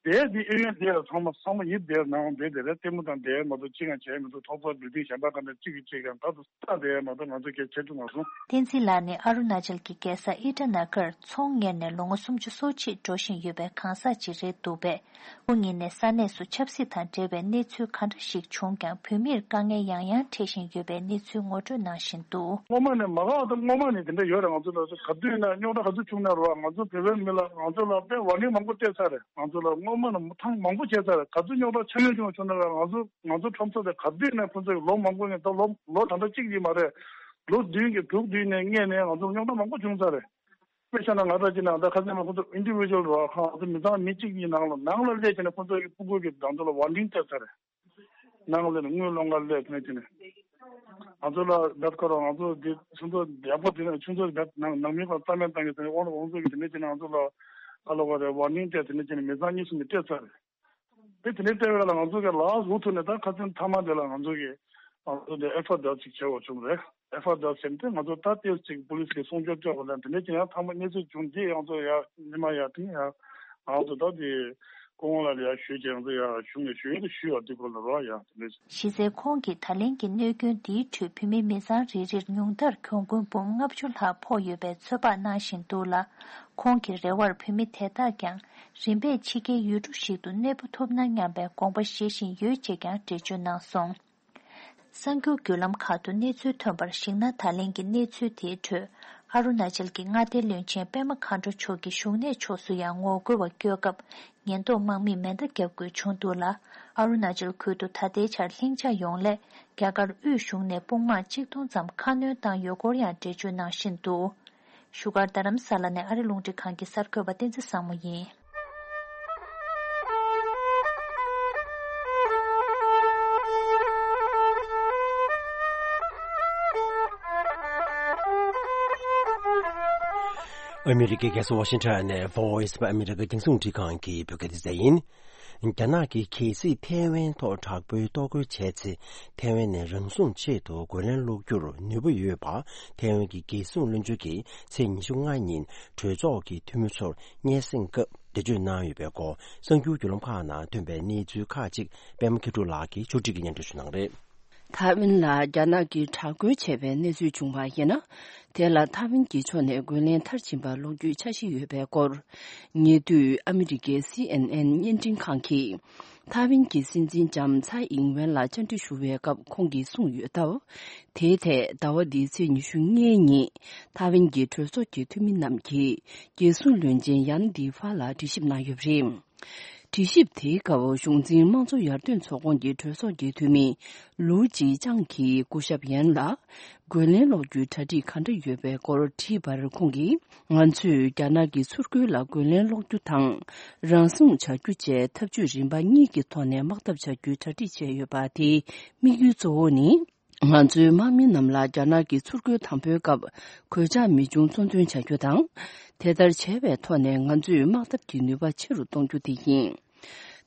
དེ་དེ་ཨེ་ཡོན་དེ་ཚང་མ་ཚང་མ་ཡིད་བདེ་ནང་བསྡད་དེ་རེད། ལྟད་མོ་དང་དེ་མ་གཏོགས་གཅིག་ཀྱང་བྱས་མི་འདུག་ཐོག་ཚོགས་བིལ་ཌིང་གཞན་པ་གང་དང་གཅིག་གིས་གཅིག་ཀྱང་ད་དུ་ལྟ་དེ་མ་གཏོགས་ང་ཚོ་སྐད་ཆ་ཐུབ་མ་སོང་། བསྟན་འཛིན་ལགས་ནི་ཨ་རུ་ན་ཅལ་གྱི་རྒྱལ་ས་ཨི་ཊ་ན་གར་ཚོང་གཉེར་ནས་ལོ་ངོ་སུམ་ཅུ་སོ་གཅིག་འགྲོ་བཞིན་ཡོད་པའི་གང་ཟག་ཅིག་རེད་འདུག་པས། ཁོང་ཉིད་ནས་ས་གནས་སུ་ཆབ་སྲིད་དང་འབྲེལ་བའི་གནས་ཚུལ་ག་འདྲ་ཞིག་བྱུང་ཀྱང་བོད་མིར་དཀའ་ངལ་ཡང་ཡང་འཕྲད་བཞིན་ཡོད་པའི་གནས་ཚུལ་ངོ་སྤྲོད་གནང་བཞིན་འདུག་སྔོན་མ་ནས་མ་ག་དང་སྔོན་མ་ནས་དེ་འདྲ་ཡོད་རེད། ང་ཚོ་ལ་ག་དུས་ན་རྙོག་དྲ་ག་ཚོད་བྱུང་ན་རོགས་ང་ཚོ་བོད་པའི་མི་ལ་ང་ཚོ་ལ་དཔེ་ཝར་ནིང་མང་པོ་སྤྲད་ཚར་རེད། ང་ཚོ་ལ་སྔོན་མ་ནས་ཐེངས་མང་པོ་བྱས་ཚར་རེད། ག་ཚོད་རྙོག་དྲ་ཆེ་ཤོས་བྱུང་བྱུང་ན་རོགས་ང་ཚོ་ང་ཚོ་ཁྲོམ་ས་དེ་ག་དུས་ན་ཁོ་ཚོ་ལོ་མང་པོ་ནས་ད་ལོ་ལོ་ད་ལྟ་གཅིག་ཡིན་མ་རེད། ལོ་བདུན་གྱི་དྲུག་བདུན་ནས་སྔས་ནས་ང་ཚོ་རྙོག་དྲ་མང་པོ་བྱུང་ཚར་རེད། དཔེ་བཞག་ན་ང་རང་ཅིག་ནང་ད་ཁ་སང་ནས་ཁོ་ཚོ་ཨིན་ཌི་ཝི་ཇུ་ཝལ་རོགས་ཁང་ང་ཚོ་མི་ཚང་མི་གཅིག་གཉིས་ནང་ལ་ནང་ལ་སླེབས་བྱས་ནས་ཁོ་ཚོ་གི་སྤུ་གུ་གི་ང་ཚོ་ལ་ཝར་ནིང་སྤྲད་ཚར་རེད། ནང་ལ་དངུལ་སློང་ག་སླེབས་ནས་དེ་ནས་ང་ཚོ་ལ་རྦད་ཁོ་རང་ང་ཚོ་འདི་ཁྱོད་ཚོ་ཡག་པོ་དེ་ནས་ཁྱོད་ཚོ་རྦད་ནང་ནང་མི་ཁོ་རྩ་མེད་བཏང་གི་དེ་ནས་དབང་དབང་ཚོ་གི་དེ་ནས་དེ་ནས་ང་ཚོ་ལ་ཨ་ལོ་ག་རེ་ཝར་ནིང་སྤྲད་དེ་ནས་དེ་ནས་མི་ཚང་གཉིས་གསུམ་ནས་སྤྲད་ཚར་རེད། དེ་དེ་ནས་སྤྲད་པ་ལ་ང་ཚོ་གི་ལག་འུ་ཐུག་ནས་ད་ཁ་སང་མཐའ་མ་དེ་ལ་ང་ཚོ་གི་ང་ཚོ་འདི་ཨེཕ་ཨའི་ཨར་ཅིག་བྱེད་དགོས་བྱུང་རེད། ཨེཕ་ཨའི་ཨར་ཟེར་ཏེ་ང་ཚོ་ད་ལྟའི་ཅིག་པུ་ལིས་ཀྱི་སྲུང་སྐྱོབ་སྐྱོབ་པ་ལ་དེ་འདྲ་ཅིག་ཡང་ཐང་མ་གནས་ཚུལ་བྱུང་རྗེས་ཡང་ཚོ་ཡ་ཉི་མ་ཡ་དེ་ཡ་ང་ཚོ་ད་དེ་སྐུ་ངོ་ལ་ཡ་ཞུས་ཀྱི་ཡང་ཚོ་ཡ་གཞུང་ནས་ཞུ་ཡོད་དུ་ཞུས་བ་དེ་སྐོར་ལ་རོགས་ཡ་དེ་འདྲ་ཅིག་གཞི་རྩའི་ཁོང་གིས་ད་ལན་གྱི་གནོད་སྐྱོན་འདིའི་ཁྲོད་བོད་མི་མི་ཚང་རེ་རེར་ཉུང་མཐར་གྱོང་གུན་འབུམ་ལྔ་བཅུ་ལྷག་ཕོག་ཡོད་པའི་ཚོད་དཔག་གནང་བཞིན་འདུག་ལ། ཁོང་གི་རེ་བར་བོད་མི་དེ་དག་ཀྱང་རིམ་པས་ཕྱི་རྒྱལ་ཡུལ་གྲུ་ཞིག་ཏུ་གནས་སྤོ་ཐུབ་ན་སྙམ་པའི་དགོངས་པ་བཞེས་བཞིན་ཡོད་ཅེས་ཀྱང་འགྲེལ་བརྗོད་གནང་སོང་། གསར་འགྱུར་བརྒྱུད་ལམ་ཁག་ཏུ་གནས་ཚུལ་ཐོན་པར་གཞིགས་ན། ད་ལན་གྱི་གནས་ཚུལ་དེའི་ཁྲོད་ཨ་རུ་ན་ཅལ་གྱི་མངའ་སྡེའི་བློན་ཆེན་པད་མ་མཁའ་འགྲོ་མཆོག་གི་བཞུགས་གནས་ཕྱོགས་སུ་ཡང་ངོ་རྒོལ་བ་བསྐྱོད་སྐབས་ཉེན་རྟོག་དམག་མིས་མེ་མདའ་བརྒྱབ་དགོས་བྱུང་འདུག་ལ། ཨ་རུ་ན་ཅལ་ཁུལ་དུ་ད་ལྟའི་ཆར་ལྷིང་འཇགས་ཡོང་སླད་རྒྱ་གར་དབུས་གཞུང་ནས་དཔུང་དམག་གཅིག་སྟོང་ཙམ་ཁ་སྣོན་བཏང་ཡོད་སྐོར་ཡང་འགྲེལ་བརྗོད་གནང་བཞིན་འདུག་བཞུགས་སྒར་རྡ་རམ་ས་ལ་ནས་ཨ་རི་རླུང་འཕྲིན་ཁང་གི་གསར་འགོད་པ་བསྟན་འཛིན་བཟང་མོ་ཡིན། ཨ་མི་རི་ཀའི་རྒྱལ་ས་ཝ་ཤིང་ཊོན་ནས་Voice of America རྒྱང་སྲིང་འཕྲིན་ཁང་གི་བོད་སྐད་སྡེ་ཚན་ཡིན། རྒྱ་ནག་གིས་གལ་སྲིད་ཐའེ་ཝན་ཐོག་དྲག་པོའི་གཏོར་རྒོལ་བྱས་ཚེ། ཐའེ་ཝན་ནས་རང་སྲུང་ཆེད་དུ་རྒོལ་ལན་སློག་རྒྱུར་ནུས་པ་ཡོད་པ་ཐའེ་ཝན་གྱི་རྒྱལ་སྲུང་བློན་ཆེན་གྱིས་ཚེས་ཉི་ཤུ་ལྔ་ཉིན་གྲོས་ཚོགས་ཀྱི་འཐུས་མི་ཚོར་སྙན་སེང་སྐབས་འགྲེལ་བརྗོད་གནང་ཡོད་པའི་སྐོར། གསར་འགྱུར་བརྒྱུད་ལམ་ཁག་ནང་ཐོན་པའི་གནས་ཚུལ་ཁག་ཅིག་པད་མ་མཁས་གྲུབ་ལགས་ཀྱིས་ཕྱོགས་སྒྲིག་གིས་སྙན་སྒྲོན་ཞུ་གནང་རེད། ཐའེ་ཝན་ལ་རྒྱ་ནག་གིས་དྲག་རྒོལ་བྱས་པའི་གནས་ཚུལ་བྱུང་བ་ཡིན་ན། དེ་ལ་ཐའེ་ཝན་གྱི་ཕྱོགས་ནས་རྒོལ་ལན་མཐར་ཕྱིན་པ་སློག་རྒྱུའི་འཆར་གཞི་ཡོད་པའི་སྐོར། ཉེ་དུས་ཨ་མི་རི་ཀའི་སི་ཨེན་ཨེན་བརྙན་འཕྲིན་ཁང་གིས། ཐའེ་ཝན་གྱི་སྲིད་འཛིན་ལྕམ་ཚའེ་ཨིང་ཝེན་ལ་བཅར་འདྲི་ཞུ་བའི་སྐབས་ཁོང་གིས་གསུངས་ཡོད་སྟབས། དེའི་ཐད་ཟླ་བ་འདིའི་ཚེས་ཉི་ཤུ་ལྔའི་ཉིན་ཐའེ་ཝན་གྱི་གྲོས་ཚོགས་ཀྱི་འཐུས་མི་རྣམས་ཀྱིས་རྒྱལ་སྲུང་བློན་ཆེན་ཡན་དི་ཧྥ་ལ་དྲི་ཞིབ་གནང་ཡོད་པ་རེད། དྲི་ཞིབ་དེའི་སྐབས་གཞུང་འཛིན་དམངས་གཙོ་ཡར་ཐོན་ཚོགས་ཁོངས་ཀྱི་གྲོས་ཚོགས་ཀྱི་འཐུས་མི་ལུའུ་ཅི་ཅང་གིས་སྐུ་ཞབས་ཡན་ལ་རྒོལ་ལན་སློག་རྒྱུའི་གྲ་སྒྲིག་ག་འདྲ་ཡོད་པའི་སྐོར་དྲིས་པར་ཁོང་གིས། ང་ཚོས་རྒྱ་ནག་གི་ཚུར་རྒོལ་ལ་རྒོལ་ལན་སློག་རྒྱུ་དང་། རང་སྲུང་བྱ་རྒྱུ་བཅས་འཐབ་ཇུས་རིམ་པ་གཉིས་ཀྱི་ཐོག་ནས་དམག་འཐབ་བྱ་རྒྱུའི་གྲ་སྒྲིག་བྱས་ཡོད་པ། དེའི་དམིགས་ཡུལ་གཙོ་བོ་ནི། ང་ཚོའི་དམག་མི་རྣམས་ལ་རྒྱ་ནག་གི་ཚུར་རྒོལ་དང་པོའི་སྐབས་གོད་ཆག་མི་འབྱུང་གཙོ་འདོན་བྱ་རྒྱུ་དང་། དེ་ལྟར་བྱས་པའི་ཐོག་ནས་ང་ཚོས་དམག་འཐབ་ཀྱི་ནུས་པ་ཆེ་རུ་གཏོང་རྒྱུ་དེ་ཡིན།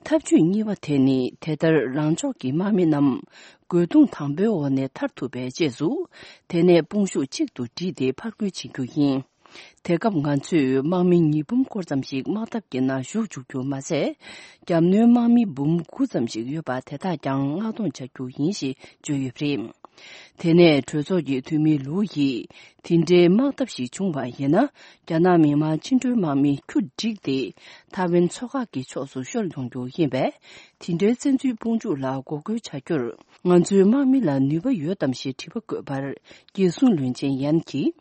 འཐབ་ཇུས་གཉིས་པ་དེ་ནི་དེ་ལྟར་རང་ཕྱོགས་ཀྱི་དམག་མི་རྣམས་རྒོལ་རྡུང་དང་པོའི་འོག་ནས་ཐར་ཐུབ་པའི་རྗེས་སུ། དེ་ནས་དཔུང་ཤུགས་གཅིག་ཏུ་བསྒྲིལ་ཏེ་ཕར་རྒོལ་བྱེད་རྒྱུ་ཡིན། དེ་སྐབས་ང་ཚོས་དམག་མི་ཉིས་འབུམ་སྐོར་ཙམ་ཞིག་དམག་འཐབ་ཀྱི་ནང་ཞུགས་བཅུག་རྒྱུ་མ་ཟད། རྒྱབ་གནོན་དམག་མི་འབུམ་དགུ་ཙམ་ཞིག་ཡོད་པ་དེ་དག་ཀྱང་མངགས་གཏོང་བྱ་རྒྱུ་ཡིན་ཞེས་བརྗོད་ཡོད་པ་རེད། དེ་ནས་གྲོས་ཚོགས་ཀྱི་འཐུས་མི་ལུའུ་ཡིས་དེ་འདྲའི་དམག་འཐབ་ཞིག་བྱུང་བ་ཡིན་ན། རྒྱ་ནག་མི་དམངས་བཅིངས་འགྲོལ་དམག་མི་ཁྱུ་བསྒྲིགས་ཏེ་ཐའེ་ཝན་མཚོ་འགག་གི་ཕྱོགས་སུ་ཤོར་ཡོང་རྒྱུ་ཡིན་པས། དེ་འདྲའི་བཙན་འཛུལ་དཔུང་འཇུག་ལ་འགོག་རྒོལ་བྱ་རྒྱུར་ང་ཚོའི་དམག་མི་ལ་ནུས་པ་ཡོད་དམ་ཞེས་དྲི་བ་བཀོད་པར། རྒྱལ་སྲུང་བློན་ཆེན་ཡན་གྱིས།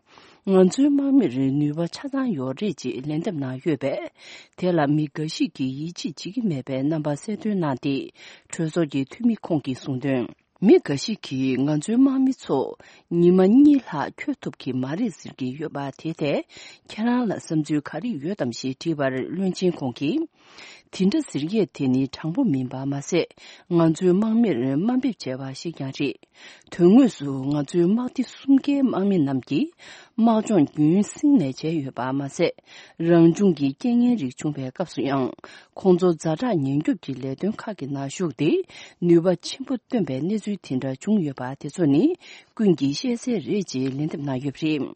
ང་ཚོའི་དམག་མིར་ནུས་པ་ཆ་ཚང་ཡོད་རེད་ཅེས་ལན་འདེབས་གནང་ཡོད་པས། དེ་ལ་མི་འགའ་ཞིག་གིས་ཡིད་ཆེས་བྱེད་ཀྱི་མེད་པའི་རྣམ་པ་གསལ་སྟོན་གནང་སྟེ། གྲོས་ཚོགས་ཀྱི་འཐུས་མི་ཁོང་གིས་གསུངས་དོན། མི་འགའ་ཞིག་གིས་ང་ཚོའི་དམག་མི་ཚོ་ཉི་མ་གཉིས་ལྷག་འཁྱོལ་ཐུབ་ཀྱི་མ་རེད་ཟེར་གྱི་ཡོད་པ་དེ་ཐད་ཁྱེད་རང་ལ་བསམ་ཚུལ་ག་རེ་ཡོད་དམ་ཞེས་དྲིས་པར། བློན་ཆེན་ཁོང་གིས། དེ་འདྲ་ཟེར་ཡས་དེ་ནི་དྲང་པོ་མིན་པ་མ་ཟད། ང་ཚོའི་དམག་མིར་དམའ་འབེབས་བྱས་པ་ཞིག་ཀྱང་རེད། དོན་དངོས་སུ་ང་ཚོའི་དམག་སྡེ་གསུམ་ཀའི་དམག་མི་རྣམས་ཀྱིས་དམག་སྦྱོང་རྒྱུན་བསྲིངས་ནས་བྱས་ཡོད་པ་མ་ཟད། རང་བྱུང་གི་རྐྱེན་ངན་རིགས་བྱུང་བའི་སྐབས་སུ་ཡང་། ཁོང་ཚོ་ཛ་དྲག་ཉེན་སྐྱོབ་ཀྱི་ལས་དོན་ཁག་གི་ནང་ཞུགས་ཏེ། ནུས་པ་ཆེན་པོ་བཏོན་པའི་གནས་ཚུལ་དེ་འདྲ་བྱུང་ཡོད་པ་དེ་ཚོ་ནི་ཀུན་གྱིས་ཤེས་གསལ་རེད་ཅེས་ལན་འདེབས་གནང་ཡོད་པ་རེད།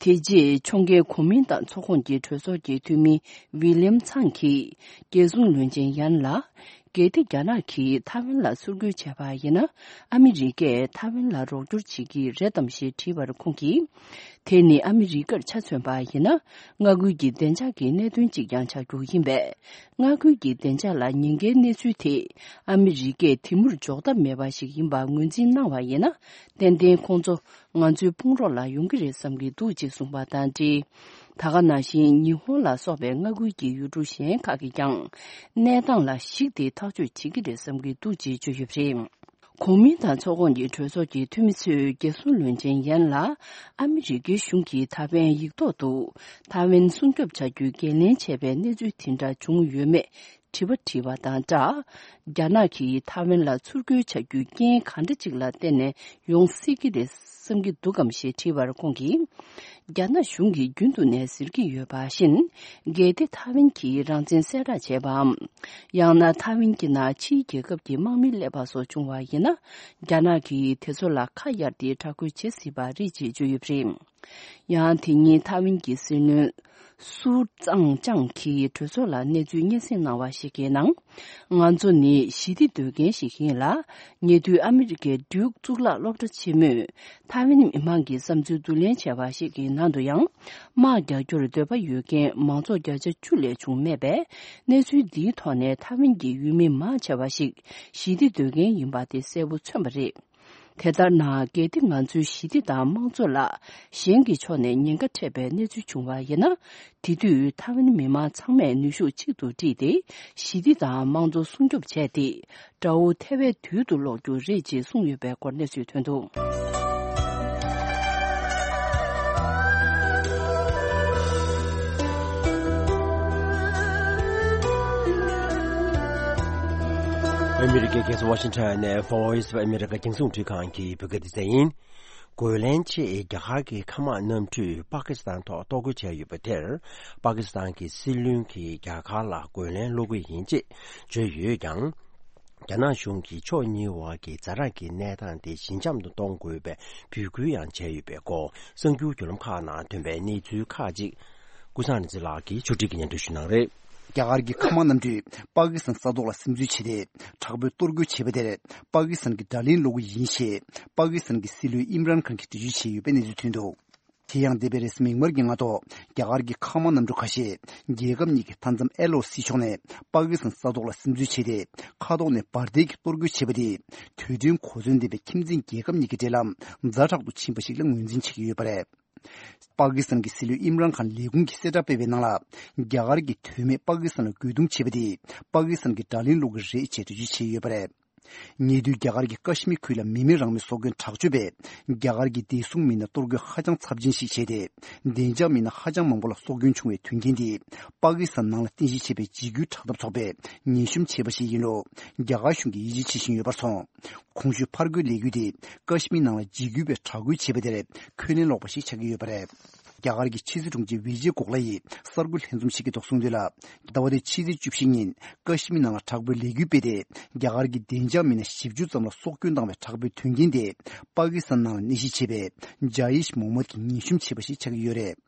དེ་རྗེས་ཕྱོགས་འགལ་གོ་མིན་ཏང་ཚོགས་ཁོངས་ཀྱི་གྲོས་ཚོགས་ཀྱི་འཐུས་མི་ཝི་ལིམ་ཚང་གིས་རྒྱལ་སྲུང་བློན་ཆེན་ཡན་ལ། གལ་ཏེ་རྒྱ་ནག་གིས་ཐའེ་ཝན་ལ་ཚུར་རྒོལ་བྱས་པ་ཡིན་ན། ཨ་མི་རི་ཀས་ཐའེ་ཝན་ལ་རོགས་སྐྱོར་བྱེད་ཀྱི་རེད་དམ་ཞེས་དྲིས་པར་ཁོང་གིས། དེ་ནི་ཨ་མི་རི་ཀར་ཆ་མཚོན་པ་ཡིན་ན། མངའ་ཁུལ་གྱི་བདེ་འཇགས་ཀྱི་གནད་དོན་གཅིག་ཀྱང་ཆགས་རྒྱུ་ཡིན་པས། མངའ་ཁུལ་གྱི་བདེ་འཇགས་ལ་ཉེན་ཁའི་གནས་ཚུལ་དེ། ཨ་མི་རི་ཀས་དེ་མུར་འཇོག་ཐབས་མེད་པ་ཞིག་ཡིན་པ་ངོས་འཛིན་གནང་བ་ཡིན་ན། ཏན་ཏན་ཁོང་ཚོ་ང་ཚོའི་དཔུང་རོགས་ལ་ཡོང་གི་རེད་བསམ་གྱི་འདུག་ཅེས་གསུངས་པ་དང་འབྲེལ། ད་ག་ནང་བཞིན་ཉི་ཧོང་ལ་སོགས་པའི་མངའ་ཁུལ་གྱི་ཡུལ་གྲུ་གཞན་ཁག་གིས་ཀྱང་གནས་སྟངས་ལ་གཞིགས་ཏེ་ཐག་གཅོད་བྱེད་ཀྱི་རེད་བསམ་གྱི་འདུག་ཅེས་བརྗོད་ཡོད་པ་རེད། གོ་མིན་ཏང་ཚོགས་ཁོངས་ཀྱི་གྲོས་ཚོགས་ཀྱི་འཐུས་མི་ཚོས་རྒྱལ་སྲུང་བློན་ཆེན་ཡན་ལ་ཨ་མི་རི་ཀའི་གཞུང་གིས་ཐའེ་ཝན་ཡིག་ཐོག་ཏུ་ཐའེ་ཝན་སྲུང་སྐྱོབ་བྱ་རྒྱུའི་འགན་ལེན་བྱས་པའི་གནས་ཚུལ་དེ་འདྲ་བྱུང་ཡོད་མེད། དྲི་བ་དྲིས་པ་དང་སྦྲགས། རྒྱ་ནག་གིས་ཐའེ་ཝན་ལ་ཚུར་རྒོལ་བྱ་རྒྱུའི་རྐྱེན་གང་འདྲ་ཅིག་ལ་བརྟེན་ནས་ཡོང་སྲིད་ཀྱི་རེད་བསམ་གྱི་འདུག་གམ་ཞེས་དྲིས་པར་ཁོང་གིས། རྒྱ་ནག་གཞུང་གིས་རྒྱུན་དུ་ནས་ཟེར་གྱི་ཡོད་པ་བཞིན། གལ་ཏེ་ཐའེ་ཝན་གྱིས་རང་བཙན་གསལ་བསྒྲགས་བྱས་པའམ། ཡང་ན་ཐའེ་ཝན་གྱི་ནང་ཕྱིའི་རྒྱལ་ཁབ་ཀྱི་དམག་མི་སླེབས་པ་སོགས་བྱུང་བ་ཡིན་ན། རྒྱ་ནག་གིས་དེ་ཚོ་ལ་ཁ་གཡར་ཏེ་དྲག་རྒོལ་བྱེད་སྲིད་པ་རེད་ཅེས་བརྗོད་ཡོད་པ་རེད། ཡང་དེ་ཉིན་ཐའེ་ཝན་གྱི་སྲིད་བློན་སུའུ་ཙང་ཅང་གིས་གྲོས་ཚོགས་ལ་གནས་ཚུལ་སྙན་སེང་གནང་བ་ཞིག་གི་ནང་། ང་ཚོ་ནི་ཞི་བདེ་འདོད་མཁན་ཞིག་ཡིན་ལ། ཉེ་དུས་ཨ་མི་རི་ཀའི་ཌིའུག་གཙུག་ལག་སློབ་གྲྭ་ཆེན་མོས་ཐའེ་ཝན་མི་མང་གི་བསམ་ཚུལ་བསྡུ་ལེན་བྱས་པ་ཞིག་གི་ནང་དུ་ཡང་། དམག་རྒྱག་རྒྱུར་འདོད་པ་ཡོད་མཁན་མང་ཚོགས་བརྒྱ་ཆ་བཅུ་ལས་བྱུང་མེད་པས། གནས་ཚུལ་འདིའི་ཐོག་ནས་ཐའེ་ཝན་གྱི་ཡུལ་མི་མང་ཆེ་བ་ཞིག་ཞི་བདེ་འདོད་མཁན་ཡིན་པ་དེ་གསལ་པོ་མཚོན་པ་རེད། དེ་ལྟར་ན། གལ་ཏེ་ང་ཚོའི་ཞི་བདེ་དང་དམངས་གཙོ་ལ་གཞན་གྱི་ཕྱོགས་ནས་ཉེན་ཁ་འཕྲད་པའི་གནས་ཚུལ་བྱུང་བ་ཡིན་ན། དེ་དུས་ཐའེ་ཝན་མི་མང་ཚང་མས་ནུས་ཤུགས་གཅིག་ཏུ་བསྒྲིལ་ཏེ། ཞི་བདེ་དང་དམངས་གཙོ་སྲུང་སྐྱོབ་བྱས་ཏེ། དགྲ་བོ་ཐེ་བའི་དུས་སུ་སློག་རྒྱུ་རེད་ཅེས་གསུངས་ཡོད་པའི་སྐོར་གནས་ཚུལ་ཐོན་འདུག། ཨ་མི་རི་ཀའི་རྒྱལ་ས་ཝ་ཤིང་ཊོན་ནས་Voice of America རྒྱང་སྲིང་འཕྲིན་ཁང་གི་བོད་སྐད་སྡེ་ཚན་ཡིན། རྒོལ་ལན་ཆེད་རྒྱ་གར་གྱི་མཁའ་དམག་གནམ་གྲུས་པ་ཀི་སི་ཐན་ཐོག་གཏོར་རྒོལ་བྱས་ཡོད་པ་དེར། པ་ཀི་སི་ཐན་གྱི་སྲིད་བློན་གྱིས་རྒྱ་གར་ལ་རྒོལ་ལན་སློག་གི་ཡིན་ཅེས་བརྗོད་ཡོད་ཀྱང་། རྒྱ་ནག་གཞུང་གིས་ཕྱོགས་གཉིས་བར་གྱི་ཛ་དྲག་གི་གནས་སྟངས་དེ་ཞི་འཇམ་དུ་གཏོང་དགོས་པའི་འབོད་སྐུལ་ཡང་བྱས་ཡོད་པའི་སྐོར། གསར་འགྱུར་བརྒྱུད་ལམ་ཁག་ནང་ཐོན་པའི་གནས་ཚུལ་ཁག་ཅིག་ཀུན་བཟང་རིག་འཛིན་ལགས་ཀྱིས་ཕྱོགས་སྒྲིག་གིས་སྙན་སྒྲོན་ཞུ་གནང་རེད། རྒྱ་གར་གྱི་མཁའ་དམག་གནམ་གྲུས་པ་ཀི་སི་ཐན་ས་ཐོག་ལ་སིམ་འཛུལ་བྱས་ཏེ། དྲག་པོའི་གཏོར་རྒོལ་བྱས་པ་དེར། པ་ཀི་སི་ཐན་གྱི་དགྲ་ལན་སློག་གི་ཡིན་ཞེས། པ་ཀི་སི་ཐན་གྱི་སྲིད་བློན་ཨིམ་རན་ཁཱན་གྱིས་འགྲེལ་བརྗོད་བྱས་ཡོད་པའི་གནས་ཚུལ་ཐོན་འདུག། དེ་ཡང་འདས་པའི་རེས་གཟའ་མིག་དམར་གྱི་སྔ་ཐོག་རྒྱ་གར་གྱི་མཁའ་དམག་གནམ་གྲུ་ཁ་ཤས་རྒྱལ་ཁབ་གཉིས་ཀྱི་མཐའ་མཚམས་ཨེལ་ཨོ་སི་ཕྱོགས་ནས་པ་ཀི་སི་ཐན་ས་ཐོག་ལ་སིམ་འཛུལ་བྱས་ཏེ། མཁའ་ཐོག་ནས་འབར་མདེལ་གྱིས་གཏོར་རྒོལ་བྱས་པ་དེས། དུས་མཐུན་གོ་མཚོན་ལྡན་པའི་ཁྱིམ་མཚེས་རྒྱལ་ཁབ་གཉིས་ཀྱི་འབྲེལ་ལམ་ཛ་དྲག་ཏུ་ཕྱིན་པ་ཞིག་ལ་ངོས་འཛིན་བྱེད་ཀྱི་ཡོད་པ་རེད། པ་ཀི་སི་ཐན་གྱི་སྲིད་བློན་ཨིམ་རན་ཁཱན་ལས་ཁུངས་ཀྱིས་གསལ་བསྒྲགས་སྤེལ་བའི་ནང་ལ། རྒྱ་གར་གྱིས་དོན་མེད་པ་ཀི་སི་ཐན་ལ་རྒོལ་རྡུང་བྱས་པ་དེས། པ་ཀི་སི་ཐན་གྱི་དགྲ་ལན་སློག་གི་རེད་ཅེས་འགྲེལ་བརྗོད་བྱས་ཡོད་པ་རེད། ཉེ་དུས་རྒྱ་གར་གྱི་ཀ་ཤི་མིར་ཁུལ་ལ་མི་མེད་རང་མོས་སྲོག་སྐྱོན་དྲག་སྤྱོད་པས། རྒྱ་གར་གྱི་བདེ་སྲུང་མི་སྣར་གཏོར་རྒོལ་ཧ་ཅང་ཚབས་ཆེན་ཞིག་བྱས་ཏེ། བདེ་འཇགས་མི་སྣ་ཧ་ཅང་མང་པོ་ལ་སྲོག་སྐྱོན་བྱུང་བའི་དོན་རྐྱེན་དེས། པ་ཀི་སི་ཐན་ནང་ལ་རྟེན་གཞི་བྱས་པའི་འཇིགས་སྐུལ་དྲག་འཐབ་ཚོགས་པས་ངན་ཤོམ་བྱས་པ་ཞིག་ཡིན་ལུགས། རྒྱ་གར་གཞུང་གིས་ཡིད་ཆེས་བྱེད་བཞིན་ཡོད་པར་སོང་། གོང་ཞུས་ཕར་རྒོལ་ལས་འགུལ་དེ་ཀ་ཤི་མིར་ནང་ལ་འཇིགས་སྐུལ་བས་དྲག་རྒོལ་བྱས་པ་དེར་ཁས་ལེན་ལོག་པ་ཞིག་ཆགས་ཀྱི་ཡོད་པ་རེད། རྒྱ་གར་གྱི་ཕྱི་སྲིད་དྲུང་ཆེ་ཝི་ཇེ་གོག་ལ་ཡིས་གསར་འགོད་ལྷན་འཛོམས་ཤིག་གི་ཐོག་གསུངས་དོན་ལ། ཟླ་བ་འདིའི་ཕྱི་ཚེས་བཅུ་བཞི་ཉིན་ཀ་ཤི་མིར་ནང་ལ་དྲག་པོའི་ལས་འགུལ་སྤེལ་ཏེ། རྒྱ་གར་གྱི་བདེ་འཇགས་མི་སྣ་བཞི་བཅུ་ཙམ་ལ་སྲོག་སྐྱོན་བཏང་བའི་དྲག་པོའི་དོན་རྐྱེན་དེ། པ་ཀི་སི་ཐན་ནང་ལ་གནས་གཞི་བྱས་པའི་ཇ་ཡིཤ་མོ་མད་ཀྱིས་ངན་ཤོམ་བྱས་པ་ཞིག་ཆགས་ཀྱི་ཡོད་རེད།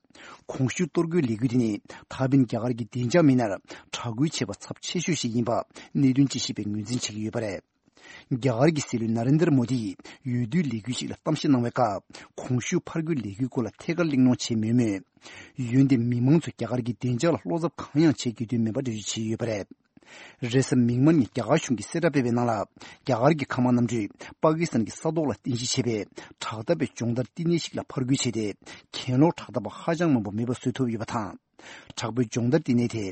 གོང་ཞུས་གཏོར་རྒོལ་ལས་འགུལ་དེ་ནི་ད་ཕན་རྒྱ་གར་གྱི་བདེ་འཇགས་མི་སྣར་དྲག་རྒོལ་བྱས་པ་ཚབས་ཆེ་ཤོས་ཤིག་ཡིན་པ་གནད་དོན་དཔྱད་ཞིབ་པས་ངོས་འཛིན་བྱེད་ཀྱི་ཡོད་པ་རེད། རྒྱ་གར་གྱི་སྲིད་བློན་ན་རེན་དར་མོ་དི་ཡིས་འོས་བསྡུའི་ལས་འགུལ་ཞིག་ལ་གཏམ་བཤད་གནང་བའི་སྐབས། གོང་ཞུས་ཕར་རྒོལ་ལས་འགུལ་སྐོར་ལ་ཐད་ཀར་གླེང་སློང་བྱས་མེད་མོད། འོན་ཏེ་མི་མང་ཚོས་རྒྱ་གར་གྱི་བདེ་འཇགས་ལ་བློ་འཚབ་གང་ཡང་བྱེད་དགོས་དོན་མེད་པ་འགྲེལ་བརྗོད་བྱས་ཡོད་པ་རེད། རེས་གཟའ་མིག་དམར་ཉིན་རྒྱ་གར་གཞུང་གིས་གསལ་བསྒྲགས་སྤེལ་བའི་ནང་ལ། རྒྱ་གར་གྱི་མཁའ་དམག་གནམ་གྲུས་པ་ཀི་སི་ཐན་གྱི་ས་ཐོག་ལ་རྟེན་གཞི་བྱས་པའི་དྲག་འཐབ་པའི་སྦྱོང་བརྡར་བསྟི་གནས་ཤིག་ལ་ཕར་རྒོལ་བྱས་ཏེ། གྱེན་ལོག་དྲག་འཐབ་པ་ཧ་ཅང་མང་པོ་མེད་པ་བཟོས་ཐུབ་ཡོད་པ་དང་། དྲག་པོའི་སྦྱོང་བརྡར་བསྟི་གནས་དེ་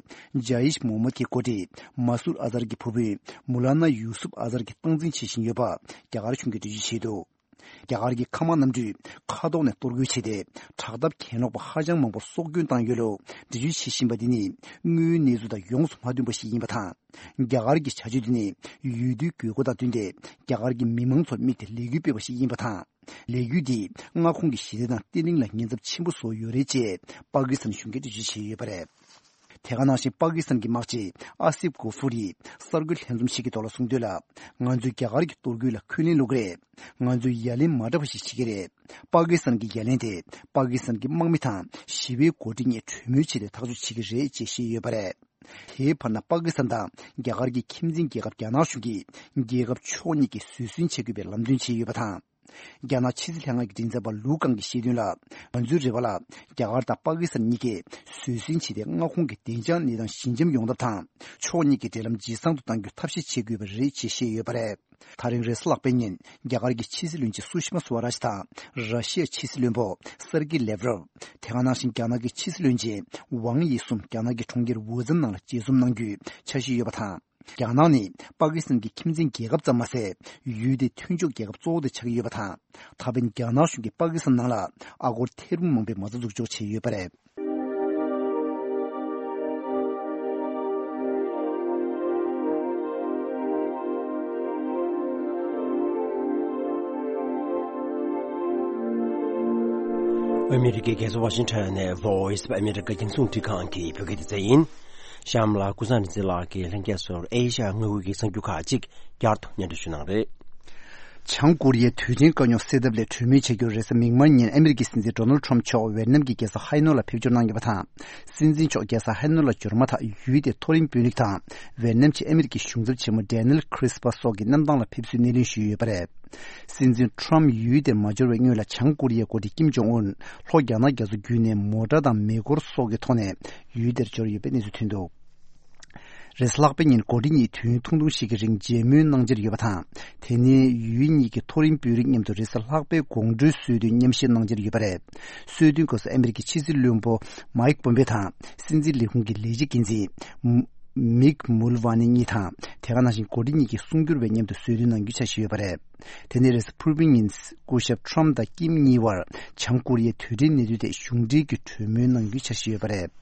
ཇ་ཡིཤ་མོ་མད་ཀྱི་འགོ་ཁྲིད་མ་སུར་ཨ་ཛར་གྱི་བུ་སྤུན་མུ་ལ་ན་ཡུ་སུབ་ཨ་ཛར་གྱིས་སྟངས་འཛིན་བྱེད་བཞིན་ཡོད་པ་རྒྱ་གར་གཞུང་གིས་འགྲེལ་བརྗོད་བྱས་འདུག། རྒྱ་གར་གྱི་མཁའ་དམག་གནམ་གྲུས་མཁའ་ཐོག་ནས་གཏོར་རྒོལ་བྱས་ཏེ། དྲག་འཐབ་གྱེན་ལོག་པ་ཧ་ཅང་མང་པོར་སྲོག་སྐྱོན་བཏང་ཡོད་ལུགས་འགྲེལ་བརྗོད་བྱེད་བཞིན་པ་འདི་ནི་དངོས་ཡོད་གནས་ཚུལ་དང་ཡོངས་སུ་མ་མཐུན་པ་ཞིག་ཡིན་པ་དང་། རྒྱ་གར་གྱི་བྱ་སྤྱོད་འདི་ནི་འོས་བསྡུའི་དགོས་མཁོ་དང་བསྟུན་ཏེ། རྒྱ་གར་གྱི་མི་མང་ཚོར་དམིགས་ཏེ་ལས་འགུལ་སྤེལ་བ་ཞིག་ཡིན་པ་དང་། ལས་འགུལ་འདིས་མངའ་ཁོངས་ཀྱི་ཞི་བདེ་དང་བརྟན་ལྷིང་ལ་ཉེན་ཚབས་ཆེན་པོ་བཟོ་ཡོད་རེད་ཅེས་པ་ཀི་སི་ཐན་གཞུང་གིས་འགྲེལ་བརྗོད་བྱས་ཡོད་པ་རེད། དེ་ག་ནང་བཞིན་པ་ཀི་སི་ཐན་གྱི་དམག་སྤྱི་ཨ་སིབ་གོ་ཧྥུ་རི་གསར་འགོད་ལྷན་འཛོམས་ཤིག་གི་ཐོག་ལ་གསུངས་དོན་ལ། ང་ཚོས་རྒྱ་གར་གྱི་གཏོར་རྒོལ་ལ་འཁོན་ལན་སློག་གི་རེད། ང་ཚོས་ཡ་ལན་མ་འདྲ་བ་ཞིག་བྱེད་ཀྱི་རེད། པ་ཀི་སི་ཐན་གྱི་ཡ་ལན་དེ་པ་ཀི་སི་ཐན་གྱི་དམག་མི་དང་ཞི་བའི་འགོ་ཁྲིད་གཉིས་གྲོས་མོལ་བྱས་ཏེ་ཐག་གཅོད་བྱེད་ཀྱི་རེད་ཅེས་བཤད་ཡོད་པ་རེད། དེའི་བར་ན་པ་ཀི་སི་ཐན་དང་རྒྱ་གར་གྱི་ཁྱིམ་མཚེས་རྒྱལ་ཁབ་རྒྱ་ནག་གཞུང་གིས་རྒྱལ་ཁབ་ཕྱོགས་གཉིས་ཀྱིས་བཟོད་བསྲན་བྱེད་དགོས་པའི་ལམ་སྟོན་བྱས་ཡོད་པ་དང་། རྒྱ་ནག་ཕྱི་སྲིད་ལྷན་ཁང་གི་མགྲིན་ཚབ་པ་ལུའུ་ཀང་གིས་བཤད་དོན་ལ། ང་ཚོའི་རེ་བ་ལ་རྒྱ་གར་དང་པ་ཀི་སི་ཐན་གཉིས་ཀས་བཟོད་བསྲན་བྱས་ཏེ་མངའ་ཁོངས་ཀྱི་བདེ་འཇགས་གནས་སྟངས་ཞི་འཇམ་ཡོང་ཐབས་དང་། ཕྱོགས་གཉིས་ཀྱི་འབྲེལ་ལམ་ཇེ་བཟང་དུ་གཏང་རྒྱུར་ཐབས་ཤེས་བྱེད་དགོས་པ་རེད་ཅེས་བཤད་ཡོད་པ་རེད། ད་རིང་རེས་གཟའ་ལྷག་པའི་ཉིན་རྒྱ་གར་གྱི་ཕྱི་སྲིད་བློན་ཆེན་སུ་ཤི་མ་སུ་ཝ་རཱཇ་དང་ར་ཤི་ཡའི་ཕྱི་སྲིད་བློན་པོ་སེར་ཀི་ལེབ་རོབ། དེ་ག་ནང་བཞིན་རྒྱ་ནག་གི་ཕྱི་སྲིད་བློན་ཆེན་ཝང་དབྱི་གསུམ་རྒྱ་ནག་གི་གྲོང་ཁྱེར་ཝུ་ཙན་ནང་ལ་མཇལ་འཛོམས་གནང་རྒྱུའི་འཆར་གཞི་ཡོད་པ་དང་། རྒྱ་ནག་ནི་པ་ཀི་སི་ཐན་གྱི་ཁྱིམ་མཚེས་རྒྱལ་ཁབ་ཙམ་མ་ཟད། ཡུལ་དེའི་མཐུན་ཕྱོགས་རྒྱལ་ཁབ་གཙོ་བོ་དེ་ཆགས་ཀྱི་ཡོད་པ་དང་། ད་ཕན་རྒྱ་ནག་གཞུང་གིས་པ་ཀི་སི་ཐན་ནང་ལ་ཨ་སྒོར་ཐེར་འབུམ་མང་པོའི་མ་རྩ་འཛུགས་འཇོག་བྱས་ཡོད་པ་རེད། ཨ་མི་རི་ཀའི་རྒྱལ་ས་ཝ་ཤིང་ཊོན་ནས་Voice of America རྒྱང་སྲིང་རླུང་འཕྲིན་ཁང་གི་བོད་སྐད་སྡེ་ཚན་ཡིན། གཤམ་ལ་ཀུན་བཟང་རིག་འཛིན་ལགས་ཀྱིས་ལྷན་རྒྱས་ཚོར་ཨེ་ཤ་ཡ་མངའ་ཁུལ་གྱི་གསར་འགྱུར་ཁག་ཅིག་བསྐྱར་དུ་སྙན་སྒྲོན་ཞུ་གནང་རེད། བྱང་ཀོ་རི་ཡའི་རྡུལ་ཕྲན་དཀའ་རྙོག་སེལ་ཐབས་སླད་གྲོས་མོལ་བྱ་རྒྱུར་རེས་གཟའ་མིག་དམར་ཉིན་ཨ་མི་རི་ཀའི་སྲིད་འཛིན་ཌོ་ནལ་ཁྲོམ་མཆོག་ཝེ་ཏི་ནམ་གྱི་རྒྱལ་ས་ཧའེ་ནོ་ལ་ཕེབས་འབྱོར་གནང་ཡོད་པ་དང་། སྲིད་འཛིན་མཆོག་རྒྱལ་ས་ཧའེ་ནོ་ལ་འབྱོར་མ་ཐག་ཡུལ་དེའི་མཐོ་རིམ་དཔོན་རིགས་དང་། ཝེ་ཏི་ནམ་གྱི་ཨ་མི་རི་ཀའི་གཞུང་ཚབ་ཆེན་མོ་ཌེ་ནེལ་ཁྲིས་པ་སོགས་ཀྱི་གནམ་ཐང་ལ་ཕེབས་བསུའི་སྣེ་ལེན་ཞུས་ཡོད་པ་རེད། སྲིད་འཛིན་ཁྲོམ་ཡུལ་དེར་མ་འབྱོར་བའི་སྔོན་ལ་བྱང་ཀོ་རི་ཡའི་འགོ་ཁྲིད་ཀིམ་ཇོང་ཨུན་ལྷོ་རྒྱ་ནག་རྒྱ་མཚོ་བརྒྱུད་ནས་མོ་ཊ་དང་མེ་འཁོར་སོགས་ཀྱི་ཐོག་ནས་ཡུལ་དེར་འབྱོར་ཡོད་པའི་གནས་ཚུལ་ཐོན་འདུག་རེས་གཟའ་ལྷག་པའི་ཉིན་འགོ་ཁྲིད་གཉིས་དུས་ཡུན་ཐུང་ཐུང་ཞིག་གི་རིང་མཇལ་མོལ་གནང་འཆར་ཡོད་པ་དང་། དེ་ནས་ཡུལ་གཉིས་ཀྱི་མཐོ་རིམ་དཔོན་རིགས་མཉམ་དུ་རེས་གཟའ་ལྷག་པའི་དགོང་དྲོའི་གསོལ་སྟོན་མཉམ་བཞེས་གནང་འཆར་ཡོད་པ་རེད། གསོལ་སྟོན་སྐབས་སུ་ཨ་མི་རི་ཀའི་ཕྱི་སྲིད་བློན་པོ་མའིག་པོམ་པེ་དང་སྲིད་འཛིན་ལས་ཁུངས་ཀྱི་ལས་བྱེད་འགན་འཛིན་མིག་མུལ་ཝ་ནི་གཉིས་དང་། དེ་ག་ནང་བཞིན་འགོ་ཁྲིད་གཉིས་ཀྱི་གསུང་སྒྱུར་བས་མཉམ་དུ་གསོལ་སྟོན་གནང་རྒྱུའི་འཆར་གཞི་ཡོད་པ་རེད། དེ་ནས་རེས་གཟའ་ཕུར་བུའི་ཉིན་སྐུ་ཞབས་ཁྲོམ་དང་ཀིམ་གཉིས་བར་བྱང་ཀོ་རི་ཡའི་རྡུལ་ཕྲན་གནད་དོན་ཐད་གཞུང་འབྲེལ་གྱི་གྲོས་མོལ་གནང་རྒྱུའི་འཆར་གཞི་ཡོད་པ་རེད།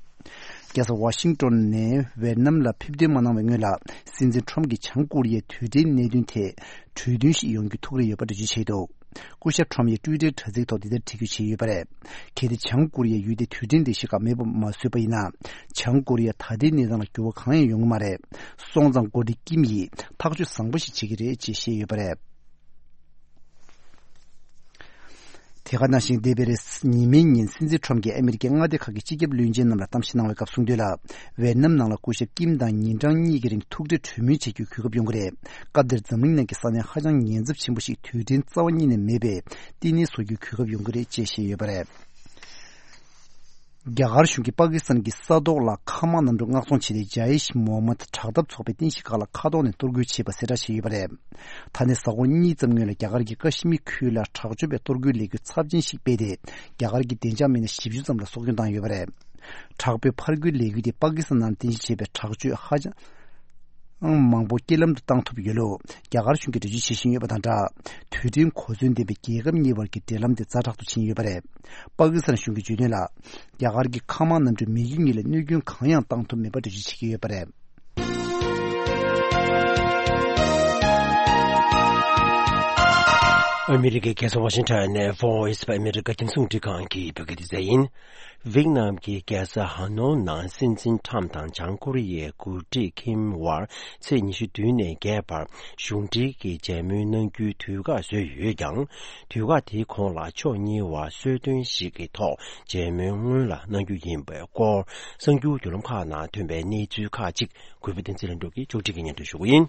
རྒྱལ་ས་ཝ་ཤིང་ཏོན་ནས་ཝེ་ཏི་ནམ་ལ་ཕེབས་ཐོན་མ་གནང་བའི་སྔོན་ལ། སྲིད་འཛིན་ཁྲོམ་གྱིས་བྱང་ཀོ་རི་ཡའི་རྡུལ་ཕྲན་གནད་དོན་ཐད་གྲོས་མཐུན་ཞིག་ཡོང་རྒྱུའི་ཐུགས་རེ་ཡོད་པ་འགྲེལ་བརྗོད་བྱས་འདུག་སྐུ་ཞབས་ཁྲོམ་ཡིས་ཊུའི་ཊར་དྲ་ཚིགས་ཐོག་འདི་ལྟར་བྲིས་བརྗོད་བྱས་ཡོད་པ་རེད། གལ་ཏེ་བྱང་ཀོ་རི་ཡས་ཡུལ་དེའི་རྡུལ་ཕྲན་ལས་གཞི་ཁག་མེད་པར་མ་བཟོས་པ་ཡིན་ན། བྱང་ཀོ་རི་ཡ་ད་ལྟའི་གནས་སྟངས་ལ་འགྱུར་བ་གང་ཡང་ཡོང་གི་མ་རེད། སོང་ཙང་འགོ་ཁྲིད་ཀིམ་ཡིས་ཐག་གཅོད་བཟང་པོ་ཞིག་བྱེད་ཀྱི་རེད་ཅེས་བཤད་ཡོད་པ་རེད། དེ་ག་ནང་བཞིན་འདས་པའི་རེས་ཉི་མའི་ཉིན་སྲིད་འཛིན་ཁྲོམ་གྱིས་ཨ་མི་རི་ཀའི་མངའ་སྡེ་ཁག་གི་སྤྱི་ཁྱབ་བློན་ཆེན་རྣམས་ལ་གཏམ་བཤད་གནང་བའི་སྐབས་གསུངས་དོན་ལ། ཝེ་ཏི་ནམ་ནང་ལ་སྐུ་ཞབས་ཀིམ་དང་ཉིན་གྲངས་གཉིས་ཀྱི་རིང་ཐུག་འཕྲད་གྲོས་མོལ་བྱེད་རྒྱུའི་གོ་སྐབས་ཡོང་གི་རེད། སྐབས་དེར་འཛམ་གླིང་ནང་གི་ས་གནས་ཧ་ཅང་ཉེན་ཚབས་ཆེན་པོ་ཞིག་རྡུལ་ཕྲན་རྩ་བ་ཉིད་ནས་མེད་པའི་བསྟི་གནས་བཟོ་རྒྱུའི་གོ་སྐབས་ཡོང་གི་རེད་ཅེས་བཤད་ཡོད་པ་རེད། རྒྱ་གར་གཞུང་གིས་པ་ཀི་སི་ཐན་གྱི་ས་ཐོག་ལ་མཁའ་དམག་གནམ་གྲུ་མངགས་ཚོང་བྱས་ཏེ་ཇཱ་ཡེཤ་མོ་ཧམ་མད་དྲག་འཐབ་ཚོགས་པའི་རྟེན་གཞི་ཁག་ལ་མཁའ་ཐོག་ནས་གཏོར་རྒོལ་བྱས་པ་གསལ་བསྒྲགས་བྱས་ཡོད་པ་རེད། ད་ནས་གཟའ་འཁོར་གཉིས་ཙམ་སྔོན་ལ་རྒྱ་གར་གྱི་ཀ་ཤི་མིར་ཁུལ་ལ་དྲག་སྤྱོད་པའི་གཏོར་རྒོལ་ལས་འགུལ་ཚབས་ཆེན་ཞིག་སྤེལ་ཏེ། རྒྱ་གར་གྱི་བདེ་འཇགས་མི་སྣ་བཞི་བཅུ་ཙམ་ལ་སྲོག་སྐྱོན་བཏང་ཡོད་པ་རེད། དྲག་པོའི་ཕར་རྒོལ་ལས་འགུལ་དེ་པ་ཀི་སི་ཐན་ནང་རྟེན་གཞི་བྱས་པའི་དྲག་སྤྱོད་ཧ་ཅང་མང་པོ་རྐྱེན་ལམ་དུ་བཏང་ཐུབ་ཡོད་ལུགས་རྒྱ་གར་གཞུང་གིས་འགྲེལ་བརྗོད་བྱེད་བཞིན་ཡོད་པ་དང་སྦྲགས། རྡུལ་ཕྲན་གོ་མཚོན་ལྡན་པའི་རྒྱལ་ཁབ་གཉིས་བར་གྱི་འབྲེལ་ལམ་དེ་ཛ་དྲག་ཏུ་ཕྱིན་ཡོད་པ་རེད། པ་ཀི་སི་ཐན་གཞུང་གིས་བརྗོད་དོན་ལ། རྒྱ་གར་གྱི་མཁའ་དམག་གནམ་གྲུས་མི་རྒྱུ་གཉིས་ལ་གནོད་སྐྱོན་གང་ཡང་བཏང་ཐུབ་མེད་པ་འགྲེལ་བརྗོད་བྱེད་ཀྱི་ཡོད་པ་རེད། ཨ་མི་རི་ཀའི་རྒྱལ་ས་ཝ་ཤིང་ཊོན་ནས་Voice of America རྒྱང་སྲིང་རླུང་འཕྲིན་ཁང་གི་བོད་སྐད་སྡེ་ཚན་ཡིན། ཝེག་ནམ་གྱི་རྒྱལ་ས་ཧ་ནོ་ནང་སྲིད་འཛིན་ཁྲམ་དང་བྱང་ཀོ་རི་ཡའི་འགོ་ཁྲིད་ཁིམ་བར་ཚེས་ཉི་ཤུ་བདུན་ནས་བརྒྱད་བར་གཞུང་འབྲེལ་གྱི་མཇལ་མོལ་གནང་རྒྱུའི་དུས་བཀག་བཟོས་ཡོད་ཀྱང་། དུས་བཀག་དེའི་གོང་ལ་ཕྱོགས་གཉིས་བར་གསོལ་སྟོན་ཞིག་གི་ཐོག་མཇལ་མོལ་སྔོན་ལ་གནང་རྒྱུ་ཡིན་པའི་སྐོར་གསར་འགྱུར་བརྒྱུད་ལམ་ཁག་ནང་ཐོན་པའི་གནས་ཚུལ་ཁག་ཅིག་གུས་པ་བསྟན་འཛིན་ལྷུན་གྲུབ་ཀྱིས་ཕྱོགས་སྒྲིག་གིས་སྙན་སྒྲོན་ཞུ་གི་ཡིན།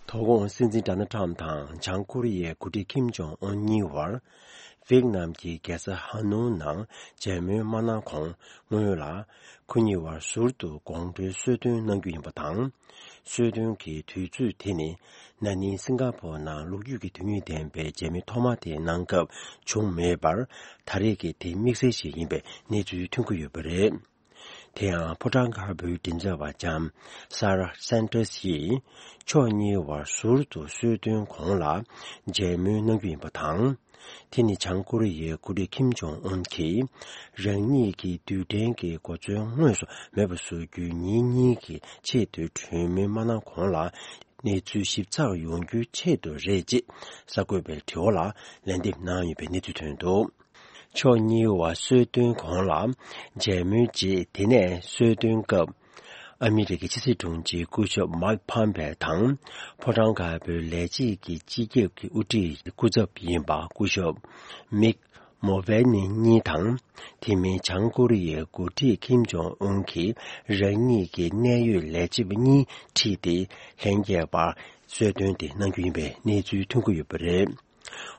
དོ་དགོང་སྲིད་འཛིན་ཌོ་ནལ་ཁྲམ་དང་བྱང་ཀོ་རི་ཡའི་འགོ་ཁྲིད་ཁིམ་ཇོང་ཨུན་གཉིས་བར། ཝེག་ནམ་གྱི་རྒྱལ་ས་ཧ་ནོ་ནང་མཇལ་མོལ་མ་གནང་གོང་སྔོན་ལ། ཁོ་གཉིས་བར་ཟུར་དུ་དགོང་དྲོའི་གསོལ་སྟོན་གནང་རྒྱུ་ཡིན་པ་དང་། གསོལ་སྟོན་གྱི་དུས་ཚོད་དེ་ནི། ན་ནིང་སིང་ག་པོར་ནང་ལོ་རྒྱུས་ཀྱི་དོན་སྙིང་ལྡན་པའི་མཇལ་མོལ་ཐོག་མ་དེ་གནང་སྐབས་བྱུང་མེད་པར། ད་རེས་ཀྱི་དེ་དམིགས་བསལ་ཞིག་ཡིན་པའི་གནས་ཚུལ་ཐོན་གྱི་ཡོད་པ་རེད། དེ་ཡང་ཕོ་བྲང་དཀར་པོའི་མགྲིན་ཚབ་པ་ལྕམ་སཱ་ར་སན་ཏྲེས་ཡིས། ཕྱོགས་གཉིས་བར་ཟུར་དུ་གསོལ་སྟོན་གོང་ལ་མཇལ་མོལ་གནང་རྒྱུ་ཡིན་པ་དང་། དེ་ནི་བྱང་ཀོ་རི་ཡའི་འགོ་ཁྲིད་ཁིམ་ཇོང་ཨུན་གྱིས། རང་ཉིད་ཀྱི་རྡུལ་ཕྲན་གྱི་གོ་མཚོན་དངོས་སུ་མེད་པ་བཟོ་རྒྱུའི་ཉིན་གཉིས་ཀྱི་ཆེད་དུ་གྲོས་མོལ་མ་གནང་གོང་ལ། གནས་ཚུལ་ཞིབ་ཚགས་ཡོང་རྒྱུའི་ཆེད་དུ་རེད་ཅེས་གསར་འགོད་པའི་དྲི་བ་ལ་ལན་འདེབས་གནང་ཡོད་པའི་གནས་ཚུལ་ཐོན་འདུག་ཕྱོགས་གཉིས་བར་གསོལ་སྟོན་གོང་ལ་མཇལ་མོལ་རྗེས། དེ་ནས་གསོལ་སྟོན་སྐབས་ ཨ་མི་རི་ཀའི་ཕྱི་སྲིད་དྲུང་ཆེ་སྐུ་ཞབས་མཱིག་ཕམ་པེ་དང་། ཕོ་བྲང་དཀར་པོའི་ལས་བྱེད་ཀྱི་སྤྱི་ཁྱབ་ཀྱི་དབུ་ཁྲིད་སྐུ་ཚབ་ཡིན་པ་སྐུ་ཞབས་མིག་མོ་བྷེ་ནི་གཉིས་དང་། དེ་མིན་བྱང་ཀོ་རི་ཡའི་འགོ་ཁྲིད་ཁིམ་ཇོང་ཨུན་གྱིས་རང་ཉིད་ཀྱི་གནད་ཡོད་ལས་བྱེད་པ་གཉིས་ཁྲིད་དེ་ལྷན་རྒྱས་པར་གསོལ་སྟོན་དེ་གནང་རྒྱུ་ཡིན་པའི་གནས་ཚུལ་ཐོན་གྱི་ཡོད་པ་རེད།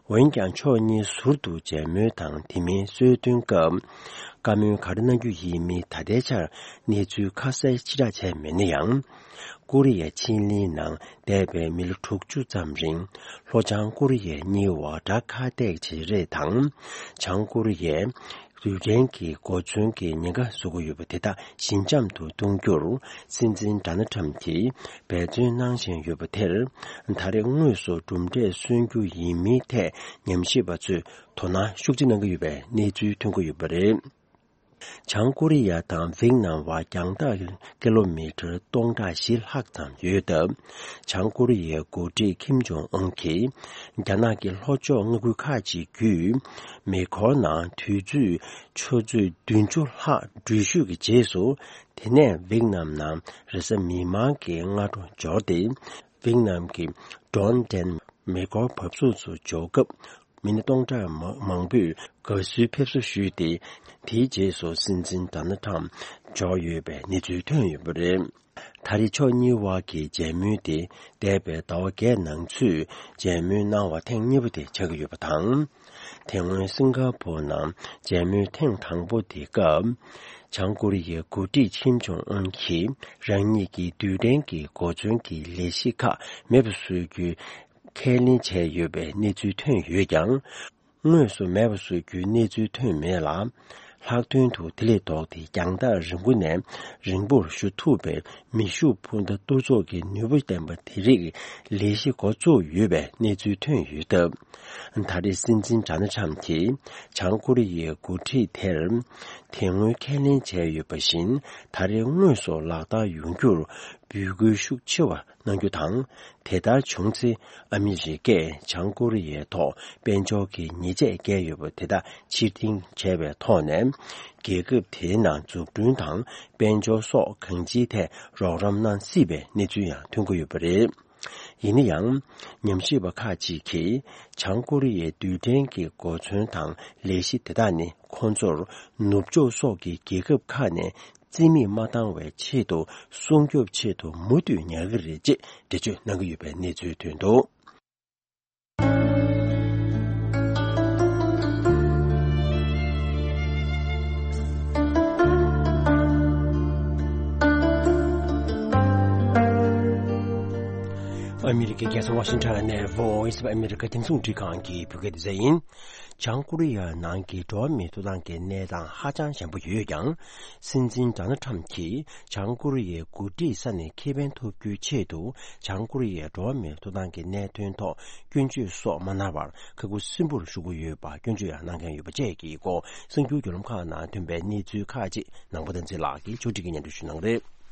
འོན་ཀྱང་ཕྱོགས་གཉིས་ཟུར་དུ་མཇལ་མོལ་དང་དེ་མིན་གསོལ་སྟོན་སྐབས། བཀའ་མོལ་ག་རེ་གནང་རྒྱུ་ཡིན་མིན་ད་ལྟའི་ཆར་གནས་ཚུལ་ཁ་གསལ་ཕྱི་བསྒྲགས་བྱས་མེད་ན་ཡང་། ཀོ་རི་ཡའི་ཕྱེད་གླིང་ནང་འདས་པའི་མི་ལོ་དྲུག་ཅུ་ཙམ་རིང་། ལྷོ་བྱང་ཀོ་རི་ཡའི་གཉིས་བར་དགྲ་ཁ་གཏད་བྱེད་རེས་དང་། བྱང་ཀོ་རི་ཡའི་རྡུལ་ཕྲན་གྱི་གོ་མཚོན་གྱི་ཉེན་ཁ་བཟོ་གི་ཡོད་པ་དེ་དག་ཞི་འཇམ་དུ་གཏོང་རྒྱུར། སྲིད་འཛིན་ཌོ་ནལ་ཁྲམ་གྱིས་འབད་བརྩོན་གནང་བཞིན་ཡོད་པ་དེར། ད་རེས་དངོས་སུ་གྲུབ་འབྲས་སོན་རྒྱུ་ཡིན་མིན་ཐད་ཉམས་ཞིབ་པ་ཚོས་དོ་སྣང་ཤུགས་ཆེ་གནང་གི་ཡོད་པའི་གནས་ཚུལ་ཐོན་གྱི་ཡོད་པ་རེད། བྱང་ཀོ་རི་ཡ་དང་ཝེད་ནམ་བར་རྒྱང་ཐག་ཀི་ལོ་མི་ཊར་སྟོང་ཕྲག་བཞི་ལྷག་ཙམ་ཡོད་སྟབས། བྱང་ཀོ་རི་ཡའི་འགོ་ཁྲིད་ཁིམ་ཇོང་ཨུན་གྱིས། རྒྱ་ནག་གི་ལྷོ་ཕྱོགས་མངའ་ཁུལ་ཁག་ཅིག་བརྒྱུད། མེ་འཁོར་ནང་དུས་ཚོད་ཆུ་ཚོད་བདུན་ཅུ་ལྷག་འགྲུལ་བཞུད་ཀྱི་རྗེས་སུ། དེ་ནས་ཝེད་ནམ་ནང་རེས་གཟའ་མིག་དམར་གྱི་སྔ་དྲོ་འབྱོར་ཏེ། ཝེད་ནམ་གྱི་ཌོན་ཏན་མེ་འཁོར་བབས་ཚུགས་སུ་འབྱོར་སྐབས། མི་སྣ་སྟོང་ཕྲག་མ་མང་པོས་དགའ་བསུའི་ཕེབས་བསུ་ཞུས་ཏེ། དེའི་རྗེས་སུ་སྲིད་འཛིན་ཌོ་ནལ་ཁྲམ་འབྱོར་ཡོད་པའི་གནས་ཚུལ་ཐོན་ཡོད་པ་རེད། ད་རེས་ཕྱོགས་གཉིས་དབར་གྱི་མཇལ་མོལ་དེ་འདས་པའི་ཟླ་བ་བརྒྱད་ནང་ཚུད་མཇལ་མོལ་གནང་བ་ཐེངས་གཉིས་པ་དེ་ཆགས་ཀྱི་ཡོད་པ་དང་། དེ་སྔོན་སིང་ག་པོར་ནང་མཇལ་མོལ་ཐེངས་དང་པོ་དེ་སྐབས། བྱང་ཀོ་རི་ཡའི་འགོ་ཁྲིད་ཁིམ་ཇོང་ཨུན་གྱིས་རང་ཉིད་ཀྱི་རྡུལ་ཕྲན་གྱི་གོ་མཚོན་གྱི་ལས་གཞི་ཁག་མེད་པ་བཟོ་རྒྱུའི་ཁས་ལེན་བྱས་ཡོད་པའི་གནས་ཚུལ་ཐོན་ཡོད་ཀྱང་། དངོས་སུ་མེད་པ་བཟོ་རྒྱུའི་གནས་ཚུལ་ཐོན་མེད་ལ། ལྷག་དོན་དུ་དེ་ལས་ལྡོག་སྟེ་རྒྱང་ཐག་རིང་པོ་ནས་རིང་པོར་བཞུ་ཐུབ་པའི་མེ་ཤུགས་འཕུར་མདའ་གཏོར་ཚོགས་ཀྱི་ནུས་པ་ལྡན་པ་དེ་རིགས་ལས་གཞི་འགོ་བཙུགས་ཡོད་པའི་གནས་ཚུལ་ཐོན་ཡོད་སྟབས། ད་རེས་སྲིད་འཛིན་ཌོ་ནལ་ཁྲམ་གྱིས་བྱང་ཀོ་རི་ཡའི་འགོ་ཁྲིད་དེར། དེ་སྔོན་ཁས་ལེན་བྱས་ཡོད་པ་བཞིན། ད་རེས་དངོས་སུ་ལག་བསྟར་ཡོང་རྒྱུར་འབོད་སྐུལ་ཤུགས་ཆེ་བ་གནང་རྒྱུ་དང་། དེ་ལྟར་བྱུང་ཚེ། ཨ་མི་རི་ཀས་བྱང་ཀོ་རི་ཡའི་ཐོག་དཔལ་འབྱོར་གྱི་ཉེས་ཆད་བཀལ་ཡོད་པ་དེ་དག་ཕྱིར་འཐེན་བྱས་པའི་ཐོག་ནས། རྒྱལ་ཁབ་དེའི་ནང་འཛུགས་སྐྲུན་དང་དཔལ་འབྱོར་སོགས་གང་ཅིའི་ཐད་རོགས་རམ་གནང་སྲིད་པའི་གནས་ཚུལ་ཡང་ཐོན་གྱི་ཡོད་པ་རེད། ཡིན་ན་ཡང་། ཉམས་ཞིབ་པ་ཁག་ཅིག་གིས། བྱང་ཀོ་རི་ཡའི་རྡུལ་ཕྲན་གྱི་གོ་མཚོན་དང་ལས་གཞི་དེ་དག་ནི། ཁོང་ཚོར་ནུབ་ཕྱོགས་སོགས་ཀྱི་རྒྱལ་ཁབ་ཁག་ནས། རྩིས་མེད་མ་བཏང་བའི་ཆེད་དུ་སྲུང་སྐྱོབ་ཆེད་དུ་མུ་མཐུད་ཉར་གྱི་རེད་ཅེས་འགྲེལ་བརྗོད་གནང་གི་ཡོད་པའི་གནས་ཚུལ་ཐོན་འདུག། ཨ་མི་རི་ཀའི་རྒྱལ་ས་ཝ་ཤིང་ཊོན་ནས་Voice of America་རྒྱང་སྲིང་རླུང་འཕྲིན་ཁང་གི་བོད་སྐད་སྡེ་ཚན་ཡིན། བྱང་ཀོ་རི་ཡ་ནང་གི་འགྲོ་བ་མིའི་ཐོབ་ཐང་གི་གནས་སྟངས་ཧ་ཅང་ཞན་པོ་ཡོད་ཀྱང་། སྲིད་འཛིན་ཌོ་ནལ་ཁྲམ་གྱིས་བྱང་ཀོ་རི་ཡའི་འགོ་ཁྲིད་ས་ནས་ཁེ་ཕན་ཐོབ་རྒྱུའི་ཆེད་དུ། བྱང་ཀོ་རི་ཡའི་འགྲོ་བ་མིའི་ཐོབ་ཐང་གི་གནད་དོན་ཐོག་སྐྱོན་བརྗོད་སོགས་མ་གནང་བར་ཁ་ཁུ་སིམ་པོར་བཞུགས་ཀྱི་ཡོད་པ་སྐྱོན་བརྗོད་ཡང་གནང་མཁན་ཡོད་པ་བཅས་ཀྱི་སྐོར་གསར་འགྱུར་བརྒྱུད་ལམ་ཁག་ནང་ཐོན་པའི་གནས་ཚུལ་ཁག་ཅིག་ནང་པ་བསྟན་འཛིན་ལགས་ཀྱིས་ཕྱོགས་སྒྲིག་གིས་སྙན་སྒྲོན་ཞུ་གནང་རེད།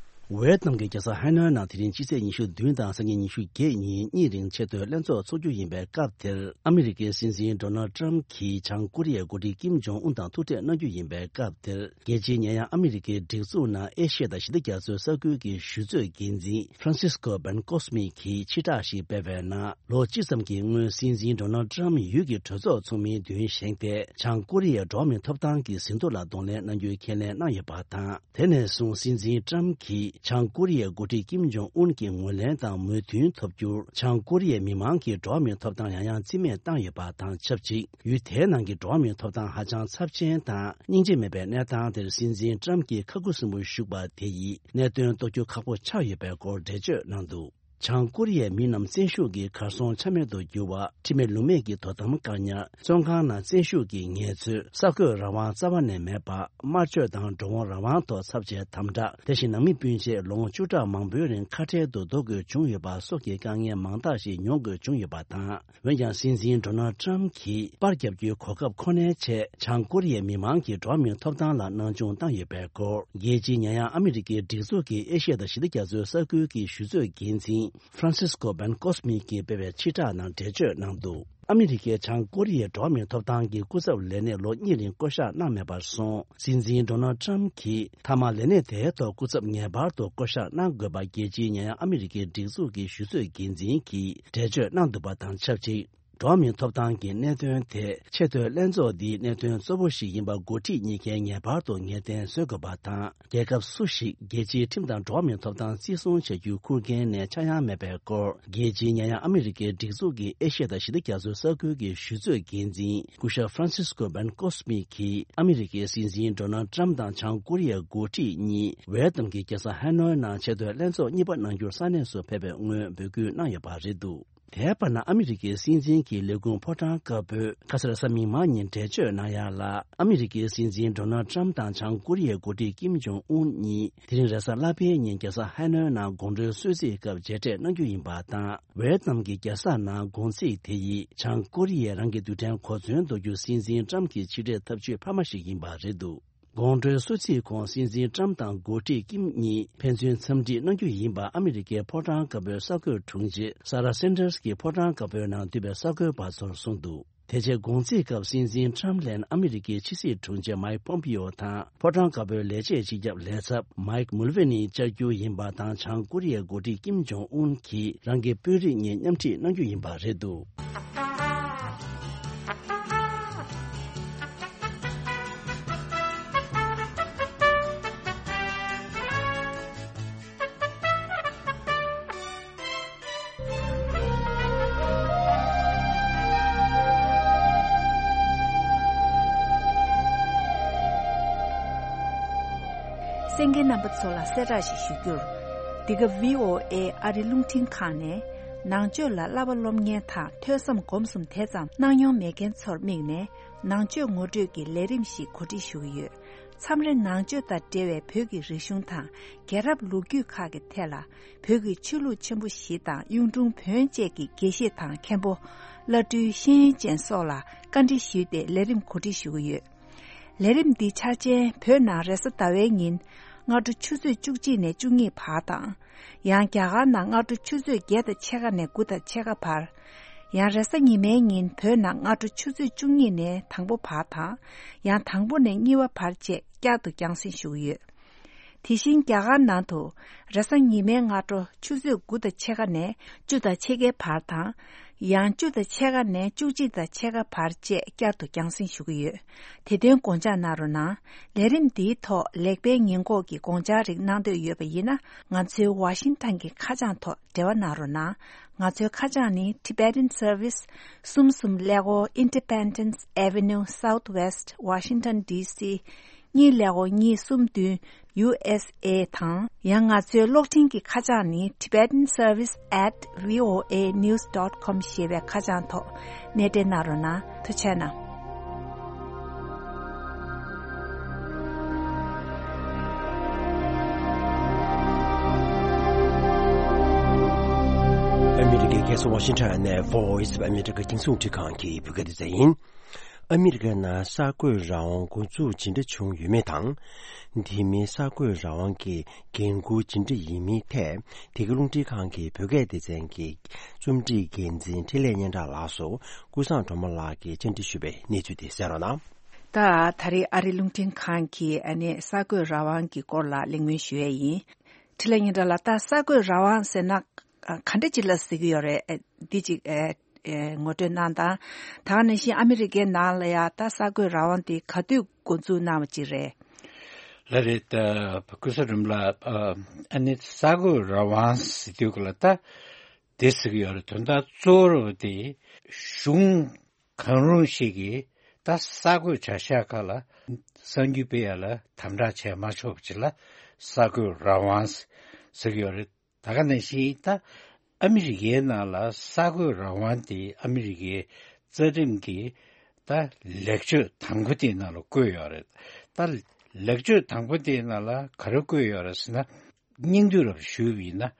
ཝེ་ཏི་ནམ་གྱི་རྒྱལ་ས་ཧ་ནོའི་ནང་དེ་རིང་སྤྱི་ཚེས་ཉི་ཤུ་བདུན་དང་སང་ཉིན་ཉི་ཤུ་བརྒྱད་ཉིན་གཉིས་རིང་ཆེས་མཐོའི་ལྷན་ཚོགས་འཚོགས་རྒྱུ་ཡིན་པའི་སྐབས་དེར། ཨ་མི་རི་ཀའི་སྲིད་འཛིན་ཌོ་ནལ་ཏྲམ་གྱིས་བྱང་ཀོ་རི་ཡའི་འགོ་ཁྲིད་ཀིམ་ཇོང་ཨུན་དང་ཐུག་འཕྲད་གནང་རྒྱུ་ཡིན་པའི་སྐབས་དེར། རྒྱལ་སྤྱིའི་ཉེ་ཡང་ཨ་མི་རི་ཀའི་སྒྲིག་འཛུགས་ནང་ཨེ་ཤི་ཡ་དང་ཞི་བདེ་རྒྱ་མཚོའི་ས་ཁུལ་གྱི་གཞི་རྩོད་འགན་འཛིན་ཧྥ་རན་སིས་ཀོ་བན་ཀོས་མི་གིས་ཕྱིར་བསྒྲགས་ཤིག་སྤེལ་བའི་ནང་། ལོ་གཅིག་ཙམ་གྱི་སྔོན་སྲིད་འཛིན་ཌོ་ནལ་ཏྲམ་ཡུལ་གྱི་གྲོས་ཚོགས་ཚོགས་མིའི་མདུན་བཞེངས་ཏེ། བྱང་ཀོ་རི་ཡའི་འགྲོ་བ་མིའི་ཐོབ་ཐང་གི་ཟིན་ཐོ་ལ་གདོང་ལེན་གནང་རྒྱུའི་ཁས་ལེན་གནང་ཡོད་པ་དང་། དེ་ནས་བཟུང་སྲིད་འཛིན་ཏྲམ་གྱིས་བྱང་ཀོ་རི་ཡའི་འགོ་ཁྲིད་ཀིམ་ཇོང་ཨུན་གྱི་ངོས་ལེན་དང་མོས་མཐུན་ཐོབ་རྒྱུར། བྱང་ཀོ་རི་ཡའི་མི་མང་གིས་འགྲོ་བ་མིའི་ཐོབ་ཐང་ཡང་ཡང་རྩིས་མེད་བཏང་ཡོད་པ་དང་ཆབས་ཅིག་ཡུལ་དེའི་ནང་གི་འགྲོ་བ་མིའི་ཐོབ་ཐང་ཧ་ཅང་ཚབས་ཆེན་དང་སྙིང་རྗེ་མེད་པའི་གནས་སྟངས་དེར་སྲིད་འཛིན་ཏྲམ་གྱིས་ཁ་ཁུ་སིམ་པོར་བཞུགས་པ་དེ་ཡིས་གནད་དོན་རྟོགས་རྒྱུ་ཁག་པོ་ཆགས་ཡོད་པའི་སྐོར་འགྲེལ་བརྗོད་གནང་འདུག་བྱང་ཀོ་རི་ཡའི་མི་རྣམས་བཙན་ཤུགས་ཀྱིས་གར་སོང་ཆ་མེད་དུ་གྱུར་བ། ཁྲིམས་མེད་ལུགས་མེད་ཀྱི་དོ་དམ་བཀག་ཉར། བཙོན་ཁང་ནང་བཙན་ཤུགས་ཀྱི་ངལ་རྩོལ། གསར་འགོད་རང་དབང་རྩ་བ་ནས་མེད་པ། དམར་མཆོད་དང་འགྲོ་འོང་རང་དབང་ཐོག་ཚབས་ཆེའི་དམ་དྲག་དེ་བཞིན་ནང་མི་སྤུན་མཆེད་ལོ་ངོ་བཅུ་ཕྲག་མང་པོའི་རིང་ཁ་བྲལ་དུ་འདོར་དགོས་བྱུང་ཡོད་པ་སོགས་ཀྱི་དཀའ་ངལ་མང་དག་ཞིག་མྱོང་དགོས་བྱུང་ཡོད་པ་དང་། འོན་ཀྱང་སྲིད་འཛིན་ཌོ་ནལ་ཏྲམ་གྱིས་པར་བརྒྱབ་རྒྱུའི་གོ་སྐབས་ཁོ་ནའི་ཆེད་བྱང་ཀོ་རི་ཡའི་མི་མང་གི་འགྲོ་བ་མིའི་ཐོབ་ཐང་ལ་སྣང་ཆུང་བཏང་ཡོད་པའི་སྐོར། རྒྱལ་སྤྱིའི་ཉེ་ཡང་ཨ་མི་རི་ཀའི་སྒྲིག་འཛུགས་ཀྱི་ཨེ་ཤི་ཡ་དང་ཞི་བདེ་རྒྱ་མཚོའི་ས་ཁུལ་གྱི་གཞི་རྩོད་འགན་འཛིན་ Francisco Ben Cosme གྱིས་སྤེལ་བའི་ཕྱིར་བསྒྲགས་ནང་འགྲེལ་བརྗོད་གནང་འདུག། ཨ་མི་རི་ཀས་བྱང་ཀོ་རི་ཡའི་འགྲོ་བ་མིའི་ཐོབ་ཐང་གི་སྐུ་ཚབ་ལས་གནས་ལོ་གཉིས་རིང་བསྐོ་གཞག་གནང་མེད་པར་སོང་། སྲིད་འཛིན་ཌོ་ནལ་ཊམ་གྱིས་མཐའ་མ་ལས་གནས་དེའི་ཐོག་སྐུ་ཚབ་ངེས་པར་དུ་བསྐོ་གཞག་གནང་དགོས་པ་རྒྱལ་སྤྱིའི་ཉེ་ཡང་ཨ་མི་རི་ཀའི་སྒྲིག་འཛུགས་ཀྱི་ཞུ་གཙོས་འགན་འཛིན་གྱིས་འགྲེལ་བརྗོད་གནང་འདུག་པ་དང་ཆབས་ཅིག། འགྲོ་བ་མིའི་ཐོབ་ཐང་གི་གནད་དོན་དེ་ཆེས་མཐོའི་ལྷན་ཚོགས་འདིའི་གནད་དོན་གཙོ་བོ་ཞིག་ཡིན་པ་འགོ་ཁྲིད་གཉིས་ཀས་ངེས་པར་དུ་ངེས་གཏན་བཟོ་དགོས་པ་དང་། རྒྱལ་ཁབ་སུ་ཞིག་རྒྱལ་སྤྱིའི་ཁྲིམས་དང་འགྲོ་བ་མིའི་ཐོབ་ཐང་བརྩི་སྲུང་བྱ་རྒྱུའི་ཁུར་འགན་ནས་ཆག་ཡང་མེད་པའི་སྐོར། རྒྱལ་སྤྱིའི་ཉེ་ཡང་ཨ་མི་རི་ཀའི་སྒྲིག་འཛུགས་ཀྱི་ཨེ་ཤི་ཡ་དང་ཞི་བདེ་རྒྱ་མཚོའི་ས་ཁུལ་གྱི་ཞུ་གཙོས་འགན་འཛིན་སྐུ་ཞབས་Francisco Ben Cosme གྱིས་ཨ་མི་རི་ཀའི་སྲིད་འཛིན་ཌོ་ནལ་ཊམ་དང་བྱང་ཀོ་རི་ཡའི་འགོ་ཁྲིད་གཉིས་ཝེ་ཏམ་གྱི་རྒྱལ་ས་ཧ་ནོའི་ནང་ཆེས་མཐོའི་ལྷན་ཚོགས་གཉིས་པ་གནང་རྒྱུར་ས་གནས་སུ་ཕེབས་པའི་སྔོན་འབོད་སྐུལ་གནང་ཡོད་པ་རེད་འདུག། དེའི་བར་ན་ཨ་མི་རི་ཀའི་སྲིད་འཛིན་གྱི་ལས་ཁུངས་ཕོ་བྲང་དཀར་པོས་ཁ་སང་གཟའ་མིག་དམར་ཉིན་འགྲེལ་བརྗོད་གནང་ཡག་ལ། ཨ་མི་རི་ཀའི་སྲིད་འཛིན་ཌོ་ནལ་ཊམ་དང་བྱང་ཀོ་རི་ཡའི་འགོ་ཁྲིད་ཀིམ་ཇོང་ཨུན་གཉིས་དེ་རིང་རེས་གཟའ་ལྷག་པའི་ཉིན་རྒྱལ་ས་ཧ་ནོའི་ནང་དགོང་དྲོའི་གསོལ་ཚིགས་སྐབས་མཇལ་འཕྲད་གནང་རྒྱུ་ཡིན་པ་དང་། ཝེ་ཏམ་གྱི་རྒྱལ་ས་ནང་དགོང་ཚིགས་དེ་ཡིས་བྱང་ཀོ་རི་ཡས་རང་གི་རྡུལ་ཕྲན་གོ་མཚོན་འདོགས་རྒྱུ་སྲིད་འཛིན་ཊམ་གྱི་ཕྱིར་འཐེན་ཐབས་ཇུས་འཕར་མ་ཞིག་ཡིན་པ་རེད་འདུག། དགོང་དྲོའི་གསོལ་ཚིགས་གོང་སྲིད་འཛིན་ཊམ་དང་འགོ་ཁྲིད་ཀིམ་གཉིས་ཕན་ཚུན་འཚམས་འདྲི་གནང་རྒྱུ་ཡིན་པ་ཨ་མི་རི་ཀའི་ཕོ་བྲང་དཀར་པོའི་གསར་འགོད་དྲུང་ཆེ་ས་ར་སན་ཏར་སི་གིས་ཕོ་བྲང་དཀར་པོའི་ནང་འདུས་པའི་གསར་འགོད་པ་ཚོར་གསུངས་འདུག། དེ་རྗེས་དགོང་ཚིགས་སྐབས་སྲིད་འཛིན་ཊམ་ལན་ཨ་མི་རི་ཀའི་ཕྱི་སྲིད་དྲུང་ཆེ་མའིག་པོམ་པིའོ་དང་ཕོ་བྲང་དཀར་པོའི་ལས་བྱེད་སྤྱི་ཁྱབ་ལས་ཚབ་མའིག་མུལ་ཝེ་ནི་བཅར་རྒྱུ་ཡིན་པ་དང་། བྱང་ཀོ་རི་ཡའི་འགོ་ཁྲིད་ཀིམ་ཇོང་ཨུན་གྱིས་རང་གི་དཔོན་རིགས་གཉིས་མཉམ་ཁྲིད་གནང་རྒྱུ་ཡིན་པ་རེད་འདུག། གསན་མཁན་རྣམ་པ་ཚོ་ལ་གསལ་བསྒྲགས་ཤིག་ཞུ་རྒྱུར། འདི་ག་བྷི་ཨོ་ཨེ་ཨ་རི་རླུང་འཕྲིན་ཁང་ནས་ནང་ཆོས་ལ་བསླབ་པ་སློབ་གཉེར་དང་ཐོས་བསམ་སྒོམ་གསུམ་དེ་ཙམ་གནང་མྱོང་མེད་མཁན་ཚོར་དམིགས་ནས་ནང་ཆོས་ངོ་སྤྲོད་ཀྱི་ལས་རིམ་ཞིག་གོ་སྒྲིག་ཞུ་གི་ཡོད། མཚམས་རེ་ནང་ཆོས་དང་འབྲེལ་བའི་བོད་ཀྱི་རིག་གཞུང་དང་རྒྱལ་རབས་ལོ་རྒྱུས་ཁག་གི་ཐད་ལ་བོད་ཀྱི་ཆོས་ལུགས་ཆེན་པོ་བཞི་དང་གཡུང་དྲུང་བོན་བཅས་ཀྱི་དགེ་བཤེས་དང་མཁན་པོ། བླ་སྤྲུལ་ཤེས་ཡོན་ཅན་སོགས་ལ་བཀའ་འདྲི་ཞུས་ཏེ་ལས་རིམ་གོ་སྒྲིག་ཞུ་གི་ཡོད། ལས་རིམ་འདི་འཆར་ཅན་བོད་ནང་རེས་གཟའ་ཟླ་བའི་ཉིན་སྔ་དྲོ་ཆུ་ཚོད་བཅུ་གཅིག་ནས་བཅུ་གཉིས་བར་དང་། ཡང་རྒྱ་གར་ནང་སྔ་དྲོ་ཆུ་ཚོད་བརྒྱད་དང་ཕྱེད་ཀ་ནས་དགུ་དང་ཕྱེད་ཀ་བར། ཡང་རེས་གཟའ་ཉི་མའི་ཉིན་བོད་ནང་སྔ་དྲོ་ཆུ་ཚོད་བཅུ་གཉིས་ནས་དང་པོ་བར་དང་། ཡང་དང་པོ་ནས་གཉིས་པ་བར་བཅས་བསྐྱར་དུ་རྒྱང་སྲིང་ཞུ་གི་ཡོད། དེ་བཞིན་རྒྱ་གར་ནང་དུ་རེས་གཟའ་ཉི་མའི་སྔ་དྲོ་ཆུ་ཚོད་དགུ་དང་ཕྱེད་ཀ་ནས་བཅུ་དང་ཕྱེད་ཀའི་བར་དང་། ཡང་བཅུ་དང་ཕྱེད་ཀ་ནས་བཅུ་གཅིག་དང་ཕྱེད་ཀ་བར་བཅས་བསྐྱར་དུ་རྒྱང་སྲིང་ཞུ་གི་ཡོད། དེ་དོན་དགོངས་འཇགས་གནང་རོགས་གནང་། ལས་རིམ་འདིའི་ཐོག་ལེགས་སྤེལ་ཉེས་འགོག་གི་དགོངས་འཆར་རིགས་གནང་འདོད་ཡོད་པ་ཡིན་ན། ང་ཚོའི་ཝ་ཤིང་ཊོན་གྱི་ཁ་བྱང་ཐོག་འབྲེལ་བ་གནང་རོགས་གནང་། ང་ཚོའི་ཁ་བྱང་ནི། Tibetan Service། གསུམ་གསུམ་ཀླད་ཀོར། Independence Avenue Southwest Washington D C གཉིས་ཀླད་ཀོར་གཉིས་གསུམ་བདུན། U S A དང་། ཡང་ང་ཚོའི་གློག་འཕྲིན་གྱི་ཁ་བྱང་ནི། Tibetan Service at V O A news dot com ཞེས་པའི་ཁ་བྱང་ཐོག་གནས་འབྲེལ་གནང་རོགས་གནང་། ཐུགས་རྗེ་གནང་། ཨ་མི་རི་ཀའི་རྒྱལ་ས་ཝ་ཤིང་ཊོན་ནས་Voice of America རྒྱང་སྲིང་རླུང་འཕྲིན་ཁང་གི་བོད་སྐད་སྡེ་ཚན་ཡིན། ཨ་མི་རི་ཀའི་ནང་གསར་འགོད་རང་དབང་འགོ་འཛུགས་ཇི་འདྲ་བྱུང་ཡོད་མེད་དང་། དེ་མིན་གསར་འགོད་རང་དབང་གི་འགན་འཁུར་ཇི་འདྲ་ཡིན་མིན་ཐད། འདི་ག་རླུང་འཕྲིན་ཁང་གི་བོད་སྐད་སྡེ་ཚན་གྱི་རྩོམ་སྒྲིག་འགན་འཛིན་འཕྲིན་ལས་སྙན་གྲགས་ལགས་སུ་ཀུན་བཟང་སྒྲོལ་མ་ལགས་ཀྱིས་བཅར་འདྲི་ཞུས་པའི་གནས་ཚུལ་དེ་གསན་རོགས་གནང་། ད་ད་རེས་ཨ་རི་རླུང་འཕྲིན་ཁང་གིས་ཨ་ནི་གསར་འགོད་རང་དབང་གི་སྐོར་ལ་གླེང་མོལ་ཞུ་ཡས་ཡིན། འཕྲིན་ལས་སྙན་གྲགས་ལགས། ད་གསར་འགོད་རང་དབང་ཟེར་ན་ག་འདྲ་ཅིག་ལ་ཟེར་གྱི་ཡོད་རེད། འདི་ཅིག་ཨེ་ཨེ་ངོ་སྤྲོད་གནང་དང་། ད་ག་ནང་བཞིན་ཨ་མི་རི་ཀའི་ནང་ལ་ཡང་ད་གསར་འགོད་རང་དབང་དེ་ག་དུས་འགོ་འཛུགས་གནང་བ་ཅིག་རེད། ལགས་རེད། ད་ཀུན་བཟང་སྒྲོལ་མ་ལགས། ཨ་ནི་གསར་འགོད་རང་དབང་ཟེར་དུས་ག་ལ་ད་དེ་ཟེར་གྱི་ཡོད་རེད། དོན་དག་གཙོ་བོ་དེ་གཞུང་གང་རུང་ཞིག་གིས་ད་གསར་འགོད་བྱ་གཞག་ཁག་ལ་གསར་འགྱུར་སྤེལ་ཡ་ལ་དམ་དྲག་བྱས་མ་ཆོག་པ་ཅིག་ལ་གསར་འགོད་རང་དབང་ཟེར་གྱི་ཡོད་རེད། ད་ག་ནང་བཞིན་ད་ཨ་མི་རི་ཀའི་ནང་ལ་གསར་འགོད་རང་དབང་དེ་ཨ་མི་རི་ཀའི་རྩ་ཁྲིམས་ཀྱི་ད་ལེགས་བཅོས་དང་པོ་དེའི་ནང་ལ་བཀོད་ཡོད་རེད། ད་ལེགས་བཅོས་དང་པོ་དེའི་ནང་ལ་ག་རེ་བཀོད་ཡོད་རེད་ཟེར་ན། སྙིང་བསྡུས་རབ་ཞུས་པ་ཡིན་ན།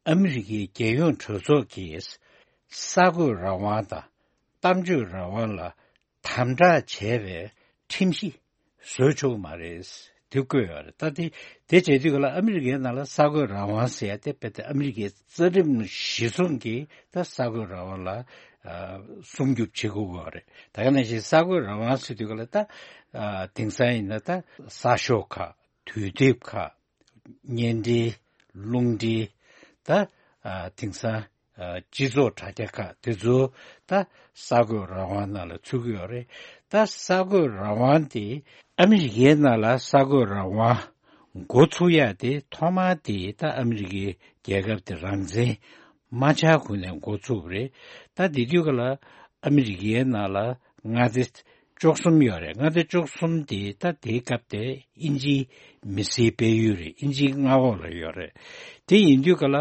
ཨ་མི་རི་ཀའི་རྒྱལ་ཡོངས་གྲོས་ཚོགས་ཀྱིས་གསར་འགོད་རང་དབང་དང་གཏམ་བརྗོད་རང་དབང་ལ་དམ་དྲག་བྱས་པའི་ཁྲིམས་གཞི་བཟོ་ཆོག་གི་མ་རེད། དེ་བཀོད་ཡོད་རེད། ད་དེ་དེ་བྱེད་དུས་ག་ལ་ཨ་མི་རི་ཀའི་ནང་ལ་གསར་འགོད་རང་དབང་ཟེར་ཡ་དེ་རྦད་དེ་ཨ་མི་རི་ཀའི་རྩ་ཁྲིམས་གཞི་བཟུང་གིས་ད་གསར་འགོད་རང་དབང་ལ་ཨ་སྲུང་སྐྱོབ་བྱེད་དགོས་ཀྱི་ཡོད་རེད། ད་ག་ནང་བཞིན་གསར་འགོད་རང་དབང་ཟེར་དུས་ག་ལ་ད་ཨ་དེང་སང་ཡིན་ན་ད་གསར་ཤོག་ཁག་དུས་དེབ་ཁག་བརྙན་འཕྲིན་རླུང་འཕྲིན་ད་ཨ་དེང་སང་ཨ་སྤྱི་ཚོགས་དྲ་རྒྱ་ཁག་དེ་ཚོ་ད་གསར་འགོད་རང་དབང་ནང་ལ་ཚུད་ཀྱི་ཡོད་རེད། ད་གསར་འགོད་རང་དབང་དེ་ཨ་མི་རི་ཀའི་ནང་ལ་གསར་འགོད་རང་དབང་འགོ་ཚུགས་ཡ་དེ་ཐོག་མར་དེ་ད་ཨ་མི་རི་ཀའི་རྒྱལ་ཁབ་དེ་རང་བཙན་མ་ཆགས་གོང་ནས་འགོ་ཚུགས་པ་རེད། ད་དེ་དུས་ག་ལ་ཨ་མི་རི་ཀའི་ནང་ལ་མངའ་སྡེ་བཅུ་གསུམ་ཡོད་རེད། མངའ་སྡེ་བཅུ་གསུམ་དེ་ད་དེའི་སྐབས་དེ་དབྱིན་ཇིའི་མི་སེར་སྤེལ་ཡུལ་རེད། དབྱིན་ཇིའི་མངའ་འོག་ལ་ཡོད་རེད། དེ་ཡིན་དུས་ག་ལ་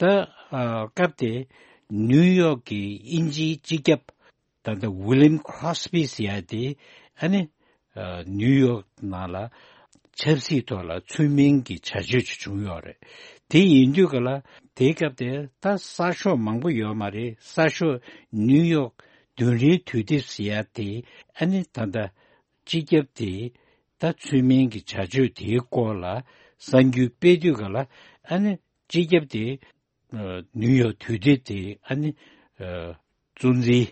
ད་ཨ་སྐབས་དེ་ནིའུ་ཡོག་གི་དབྱིན་ཇིའི་སྤྱི་ཁྱབ་ད་ལྟ་ཝི་ལིམ་ཁྲོ་སི་པི་ཟེར་ཡ་དེ་ཨ་ནི་ཨ་ནིའུ་ཡོག་ནང་ལ་ཆབ་སྲིད་ཐོག་ལ་ཚུལ་མིན་གྱི་བྱ་སྤྱོད་ཅིག་བྱུང་ཡོད་རེད། དེ་ཡིན་དུས་ག་ལ་དེའི་སྐབས་དེ་ད་གསར་ཤོག་མང་པོ་ཡོད་མ་རེད། གསར་ཤོག་ནིའུ་ཡོག་བདུན་རེའི་དུས་དེབ་ཟེར་ཡ་དེ་ཨ་ནི་ད་ལྟ་སྤྱི་ཁྱབ་དེ་ད་ཚུལ་མིན་གྱི་བྱ་སྤྱོད་དེའི་སྐོར་ལ་གསར་འགྱུར་སྤེལ་དུས་ག་ལ་ཨ་ནི་སྤྱི་ཁྱབ་དེ་ཨ་ནིའུ་ཡོག་དུས་དེབ་དེ་ཨ་ནི་ཨ་གཙོ་འཛིན་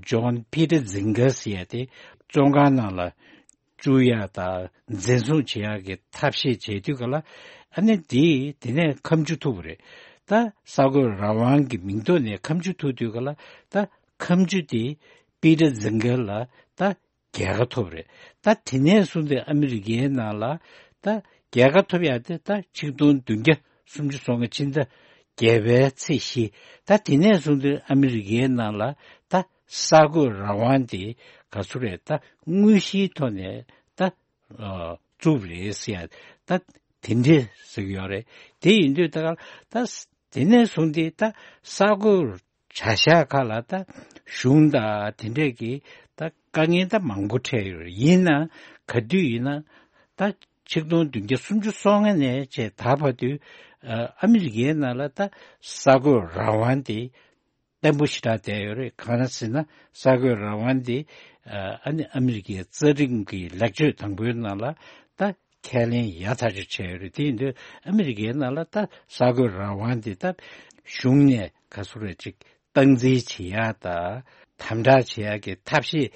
ཇོན་པི་ཏར་ཛིང་གར་ཟེར་ཡ་དེ་བཙོན་ཁང་ནང་ལ་བཅུག་ཡ་དང་འཛིན་བཟུང་བྱེད་ཡ་གི་ཐབས་ཤེས་བྱེད་དུས་ག་ལ་ཨ་ནི་དེ་དེ་ནས་ཁ་མཆུ་ཐུག་པ་རེད། ད་གསར་འགོད་རང་དབང་གི་མིང་ཐོག་ནས་ཁ་མཆུ་ཐུག་དུས་ག་ལ་ད་ཁ་མཆུ་དེ་པི་ཏར་ཛིང་གར་ལ་ད་རྒྱལ་ཁ་ཐོབ་རེད། ད་དེ་ནས་བཟུང་སྟེ་ཨ་མི་རི་ཀའི་ནང་ལ་ད་རྒྱལ་ཁ་ཐོབ་ཡ་དེ་ད་ཆིག་སྟོང་བདུན་བརྒྱ་སུམ་ཅུ་སོ་ལྔ་ཕྱི་ཟླ་བརྒྱད་པའི་ཚེས་བཞི། ད་དེ་ནས་བཟུང་སྟེ་ཨ་མི་རི་ཀའི་ནང་ལ་ད་གསར་འགོད་རང་དབང་དེ་ག་ཚོད་རེད། ད་དངོས་གཞིའི་ཐོག་ནས་ད་ཨ་བཙུགས་རེད་ཟེར་ཡ་ད་དེ་འདྲས་ཟེར་གྱི་ཡོད་རེད། དེ་ཡིན་དུས་ད་ག་ད་དེ་ནས་བཟུང་སྟེ་ད་གསར་འགོད་བྱ་གཞག་ཁག་ལ་ད་གཞུང་དང་དེ་འདྲས་ཀྱི་ད་དཀའ་ངལ་ད་མང་པོ་འཕྲད་ཡོད་རེད། ཡིན་ན་ག་དུས་ཡིན་ན་ད་ཆིག་སྟོང་བདུན་བརྒྱ་སུམ་ཅུ་སོ་ལྔ་ནས་བྱས་ད་བར་དུ་ཨ་ཨ་མི་རི་ཀའི་ནང་ལ་ད་གསར་འགོད་རང་དབང་དེ་བརྟན་པོ་ཞེ་དྲག་བསྡད་ཡོད་རེད། གང་ཡིན་ཟེར་ན་གསར་འགོད་རང་དབང་དེ་ཨ་ཨ་ནི་ཨ་མི་རི་ཀའི་རྩ་ཁྲིམས་ཀྱི་ལེགས་བཅོས་དང་པོའི་ནང་ལ་ད་ཁས་ལེན་ཡག་ཐག་ཆོད་བྱས་ཡོད་རེད། དེ་ཡིན་དུས་ཨ་མི་རི་ཀའི་ནང་ལ་ད་གསར་འགོད་རང་དབང་དེ་ད་གཞུང་ནས་ག་ཚོད་རེད་ཅིག་སྟངས་འཛིན་བྱེད་ཡག་དང་དམ་དྲག་བྱེད་ཡག་གི་ཐབས་ཤེས་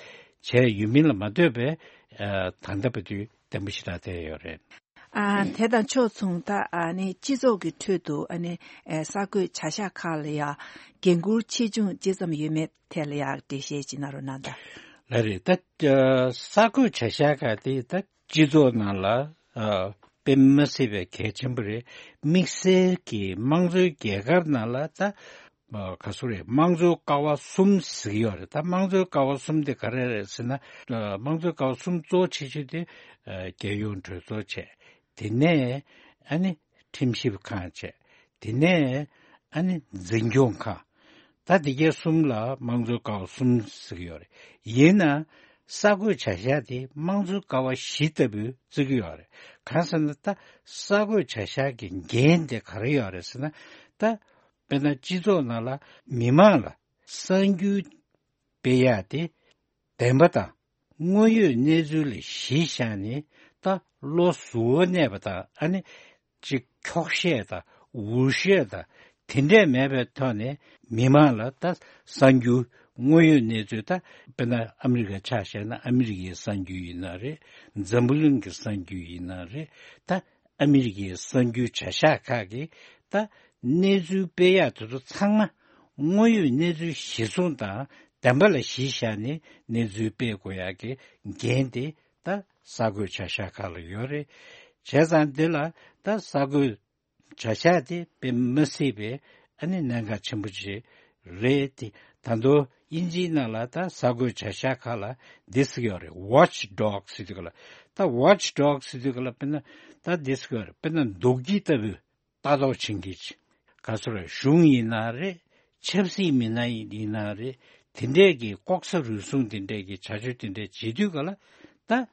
བྱས་ཡོད་མིན་ལ་མ་ལྟོས་པའི་ཨ་ད་ལྟ་བར་དུ་བརྟན་པོ་ཞེ་དྲག་བསྡད་ཡོད་རེད། ཨ་དེ་དང་ཕྱོགས་མཚུངས་ད་ཨ་ནི་སྤྱི་ཚོགས་ཀྱི་ཁྲོད་དུ་ཨ་ནི་ཨེ་གསར་འགོད་བྱ་གཞག་ཁག་ལ་ཡང་འགན་འཁུར་ཆེ་ཆུང་ཇི་ཙམ་ཡོད་མེད་ཐད་ལ་ཡང་འགྲེལ་བཤད་ཅིག་གནང་རོགས་གནང་དང་། ལགས་རེད། ད་ཨ་གསར་འགོད་བྱ་གཞག་ཁག་དེ་ད་སྤྱི་ཚོགས་ནང་ལ་ཨ་དཔེ་མི་སྲིད་པའི་གལ་ཆེན་པོ་རེད། དམིགས་བསལ་གྱི་དམངས་གཙོའི་རྒྱལ་ཁབ་ནང་ལ་ད་ཨ་ག་ཚོད་རེད། དམངས་གཙོའི་ཀ་བ་གསུམ་ཟེར་གྱི་ཡོད་རེད། ད་དམངས་གཙོའི་ཀ་བ་གསུམ་དེ་ག་རེ་རེད་ཟེར་ན། ཨ་དམངས་གཙོའི་ཀ་བ་གསུམ་གཙོ་ཆེ་ཤོས་དེ་ཨ་རྒྱལ་ཡོངས་གྲོས་ཚོགས་བྱས། དེ་ནས་ཨ་ནི་ཁྲིམས་ཞིབ་ཁང་བྱས། དེ་ནས་ཨ་ནི་འཛིན་སྐྱོང་ཁང་། ད་དེ་གའི་གསུམ་ལ་དམངས་གཙོའི་ཀ་བ་གསུམ་ཟེར་གྱི་ཡོད་རེད། ཡིན་ན་གསར་འགོད་བྱ་གཞག་དེ་དམངས་གཙོའི་ཀ་བ་བཞི་ལྟ་བུ་བརྩི་གི་ཡོད་རེད། གང་ཟེར་ན་ད་གསར་འགོད་བྱ་གཞག་གི་འགན་དེ་ག་རེ་ཡོད་རེད་ཟེར་ན། ད་དཔེར་ན་སྤྱི་ཚོགས་ནང་ལ་མི་མང་ལ་གསར་འགྱུར་སྤེལ་ཡག་དེ་བདེན་པ་དང་དངོས་ཡོད་གནས་ཚུལ་ལ་གཞི་བཞག་ནས་ད་བློ་གཟུ་བོ་གནས་པ་དང་ཨ་ནི་ཅིག་འཁྱོག་བཤད་དང་འུར་བཤད་དང་དེ་འདྲས་མེད་པའི་ཐོག་ནས་མི་མང་ལ་ད་གསར་འགྱུར་དངོས་ཡོད་གནས་ཚུལ། ད་དཔེར་ན་ཨ་མི་རི་ཀ་ཆ་བཞག་ན་ཨ་མི་རི་ཀའི་གསར་འགྱུར་ཡིན་ན་རེད། འཛམ་བུ་གླིང་གི་གསར་འགྱུར་ཡིན་ན་རེད། ད་ཨ་མི་རི་ཀའི་གསར་འགྱུར་བྱ་གཞག་ཁག་གིས་ད་གནས་ཚུལ་སྤེལ་ཡག་དེ་ཚོ་ཚང་མ་དངོས་ཡོད་གནས་ཚུལ་གཞིར་བཟུང་དང་བདེན་པ་ལ་གཞི་བཞག་ནས་གནས་ཚུལ་སྤེལ་དགོས་ཡག་གི་འགན་དེ་ད་གསར་འགོད་བྱ་གཞག་ཁག་ལ་ཡོད་རེད། བྱས་ཙང་འདི་ལ་ད་གསར་འགོད་བྱ་གཞག་དེ་དཔེ་མི་སྲིད་པའི་ཨ་ནི་གནད་འགག་ཆེན་པོ་ཅིག་རེད་དེ། ད་དུང་དབྱིན་ཇིའི་ནང་ལ་ད་གསར་འགོད་བྱ་གཞག་ཁག་ལ་འདི་ཟེར་གྱི་ཡོད་རེད། Watch Dog ཟེར་དུས་ག་ལ། ད་Watch Dog ཟེར་དུས་ག་ལ་དཔེར་ན་ད་འདི་ཟེར་གྱི་ཡོད་རེད། དཔེར་ན་འདུག་ཁྱི་ལྟ་བུ་ལྟ་རྟོག་བྱེད་མཁན་ཅིག་ག་ཚོད་རེད། གཞུང་ཡིན་ན་རེད། ཆབ་སྲིད་མི་སྣ་ཡིན་ན་རེད། དེ་འདྲས་ཀྱི་ལྐོག་ཟ་རུལ་སུངས་དེ་འདྲས་ཀྱི་བྱ་སྤྱོད་དེ་འདྲས་བྱེད་དུས་ག་ལ་ད།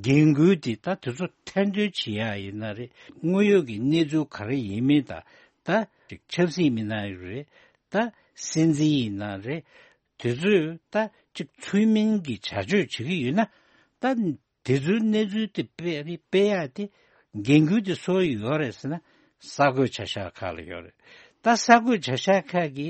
འགན་ཁུར་དེ་ད་དེ་ཚོ་ཐེར་འདོན་བྱེད་ཡག་ཡིན་ན་རེད། དངོས་ཡོད་ཀྱི་གནས་ཚུལ་ག་རེ་ཡིན་མིན་དང་། ད་ཅིག་ཆབ་སྲིད་མི་སྣ་ཡོད་རེད། ད་སྲིད་འཛིན་ཡིན་ན་རེད། དེ་ཚོས་ད་ཅིག་ཚུལ་མིན་གྱི་བྱ་སྤྱོད་བྱེད་ཀྱི་ཡོད་ན། ད་ དེ་ཚོའི་གནས་ཚུལ་དེ་སྤེལ་སྤེལ་ཡག་དེ་འགན་ཁུར་དེ་སུ་ཡོད་རེད་ཟེར་ན། གསར་འགོད་བྱ་གཞག་ཁག་ལ་ཡོད་རེད། ད་གསར་འགོད་བྱ་གཞག་ཁག་གི་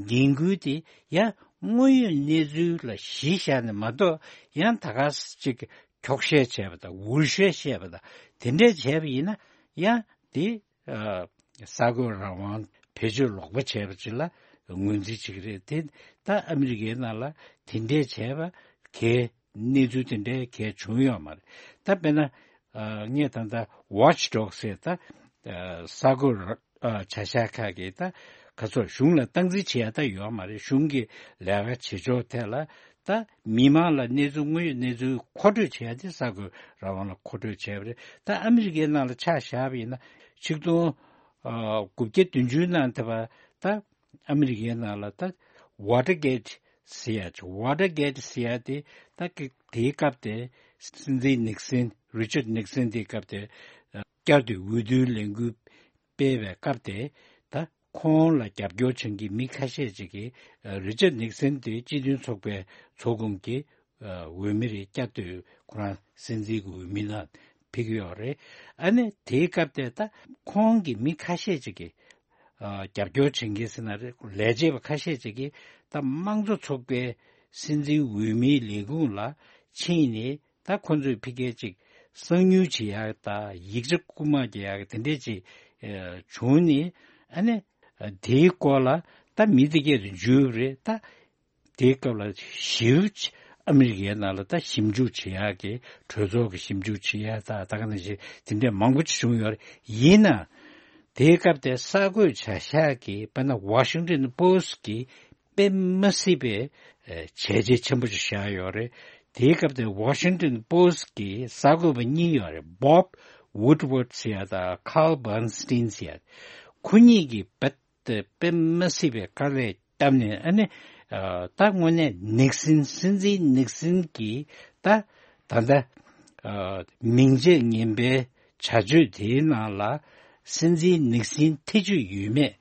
འགན་ཁུར་དེ་ཡང་དངོས་ཡོད་གནས་ཚུལ་ལ་གཞི་བཞག་ནས་མ་གཏོགས། ཡང་ད་ག་ཅིག་འཁྱོག་བཤད་བྱས་པ་དང་འུར་བཤད་བཤད་པ་དང་དེ་འདྲས་བྱས་པ་ཡིན་ན། ཡང་དེ་ཨ་གསར་འགོད་རང་དབང་བེད་སྤྱོད་ལོག་པ་བྱས་པ་ཅིག་ལ་ངོས་འཛིན་བྱེད་ཀྱི་རེད་དེ། ད་ཨ་མི་རི་ཀའི་ནང་ལ་དེ་འདྲས་བྱས་པ་གས་གནས་ཚུལ་དེ་འདྲའི་གས་བྱུང་ཡོད་མ་རེད། ད་དཔེར་ན་ཨ་ངས་ད་ལྟ་Watch Dogs ཟེར་ད་ཨ་གསར་འགོད་ར་ཨ་བྱ་གཞག་ཁག་གིས་ད་ག་ཚོད་གཞུང་ལ་སྟངས་འཛིན་བྱེད་ཡ་ད་ཡོད་མ་རེད། གཞུང་གི་ལས་ཀ་བྱེད་ཕྱོགས་ཐད་ལ་ད་མི་མང་ལ་གནས་ཚུལ་དངོས་ཡོད་གནས་ཚུལ་མཁོ་སྤྲོད་བྱེད་ཡ་དེ་གསར་འགོད་རང་དབང་ལ་མཁོ་སྤྲོད་བྱས་པ་རེད། ད་ཨ་མི་རི་ཀའི་ནང་ལ་ཆ་བཞག་པ་ཡིན་ན་ཆིག་སྟོང་ཨ་དགུ་བརྒྱ་བདུན་ཅུ་ནང་དེ་བ་ད་ཨ་མི་རི་ཀའི་ནང་ལ་ད་Watergate ཟེར་ཡ་ཅིག Watergate ཟེར་ཡ་དེ་ད་གི་དེའི་སྐབས་དེ་སྲིད་འཛིན་ནིག་སན། Richard Nixon དེའི་སྐབས་དེ་ཨ་བསྐྱར་དུ་འོས་བསྡུའི་ལས་འགུལ་སྤེལ་བའི་སྐབས་དེ་ད་ཁོང་ལ་རྒྱབ་སྐྱོར་བྱེད་མཁན་གྱི་མི་ཁ་ཤས་ཅིག་གིས་ཨ་Richard Nixon དེ་སྤྱི་མཐུན་ཚོགས་པའི་ཚོགས་ཁོངས་ཀྱི་ཨ་འོས་མི་རེད། བསྐྱར་དུ་ཁོ་རང་སྲིད་འཛིན་གྱི་འོས་མི་ནང་ཕེབས་ཀྱི་ཡོད་རེད། ཨ་ནི་དེའི་སྐབས་དེ་ད་ཁོང་གི་མི་ཁ་ཤས་ཅིག་གིས་ཨ་རྒྱབ་སྐྱོར་བྱེད་མཁན་ཟེར་ན་རེད། ལས་བྱེད་པ་ཁ་ཤས་ཅིག་གིས་ད་དམངས་གཙོ་ཚོགས་པའི་སྲིད་འཛིན་འོས་མིའི་ལས་ཁུངས་ལ་ཕྱིན་ནས་ད་ཁོ་ཚོས་ཕ་གིར་ཅིག་གསང་ཉུལ་བྱེད་ཡག་ད་ཡིག་ཆ་རྐུ་མ་རྒྱག་ཡག་དེ་འདྲས་ཅིག་ཨ་བྱུང་ནས། ཨ་ནི་ཨ་དེའི་སྐོར་ལ་ད་མི་དེ་གས་དུ་འཇུས་པ་རེད། ད་དེའི་སྐབས་ལ་ཞིབ་ཨ་མི་རི་ཀའི་ནང་ལ་ད་ཞིབ་འཇུག་བྱེད་ཡག་གི་གྲོས་ཚོགས་ཀྱི་ཞིབ་འཇུག་བྱེད་ཡག་ད་ད་ག་ནང་བཞིན་དེ་འདྲས་མང་པོ་ཅིག་བྱུང་ཡོད་རེད། ཡིན་ན་དེའི་སྐབས་དེ་གསར་འགོད་བྱ་གཞག་གི་དཔེར་ན་Washington Post གི་དཔེ་མ་སྲིད་པའི་ཨ་བྱས་རྗེས་ཆེན་པོ་ཞིག་བཞག་ཡོད་རེད། དེའི་སྐབས་དེ་Washington Post གི་གསར་འགོད་པ་གཉིས་ཡོད་རེད། Bob Woodward ཟེར་ཡ་དང་Carl Bernstein ཟེར་ཡ། ཁོ་གཉིས་ཀྱིས་རྦད་དེ་དཔེ་མ་སྲིད་པའི་དཀའ་ལས་བརྒྱབ་ནས། ཨ་ནི་ཨ་ད་དངོས་གནས་ནིག་སན། སྲིད་འཛིན་ནིག་སན་གྱི་ད་ད་ལྟ་ཨ་མིང་རྗེས་ངན་པའི་བྱ་སྤྱོད་དེའི་ནང་ལ་སྲིད་འཛིན་ནིག་སན་ཐེ་བྱུས་ཡོད་མེད་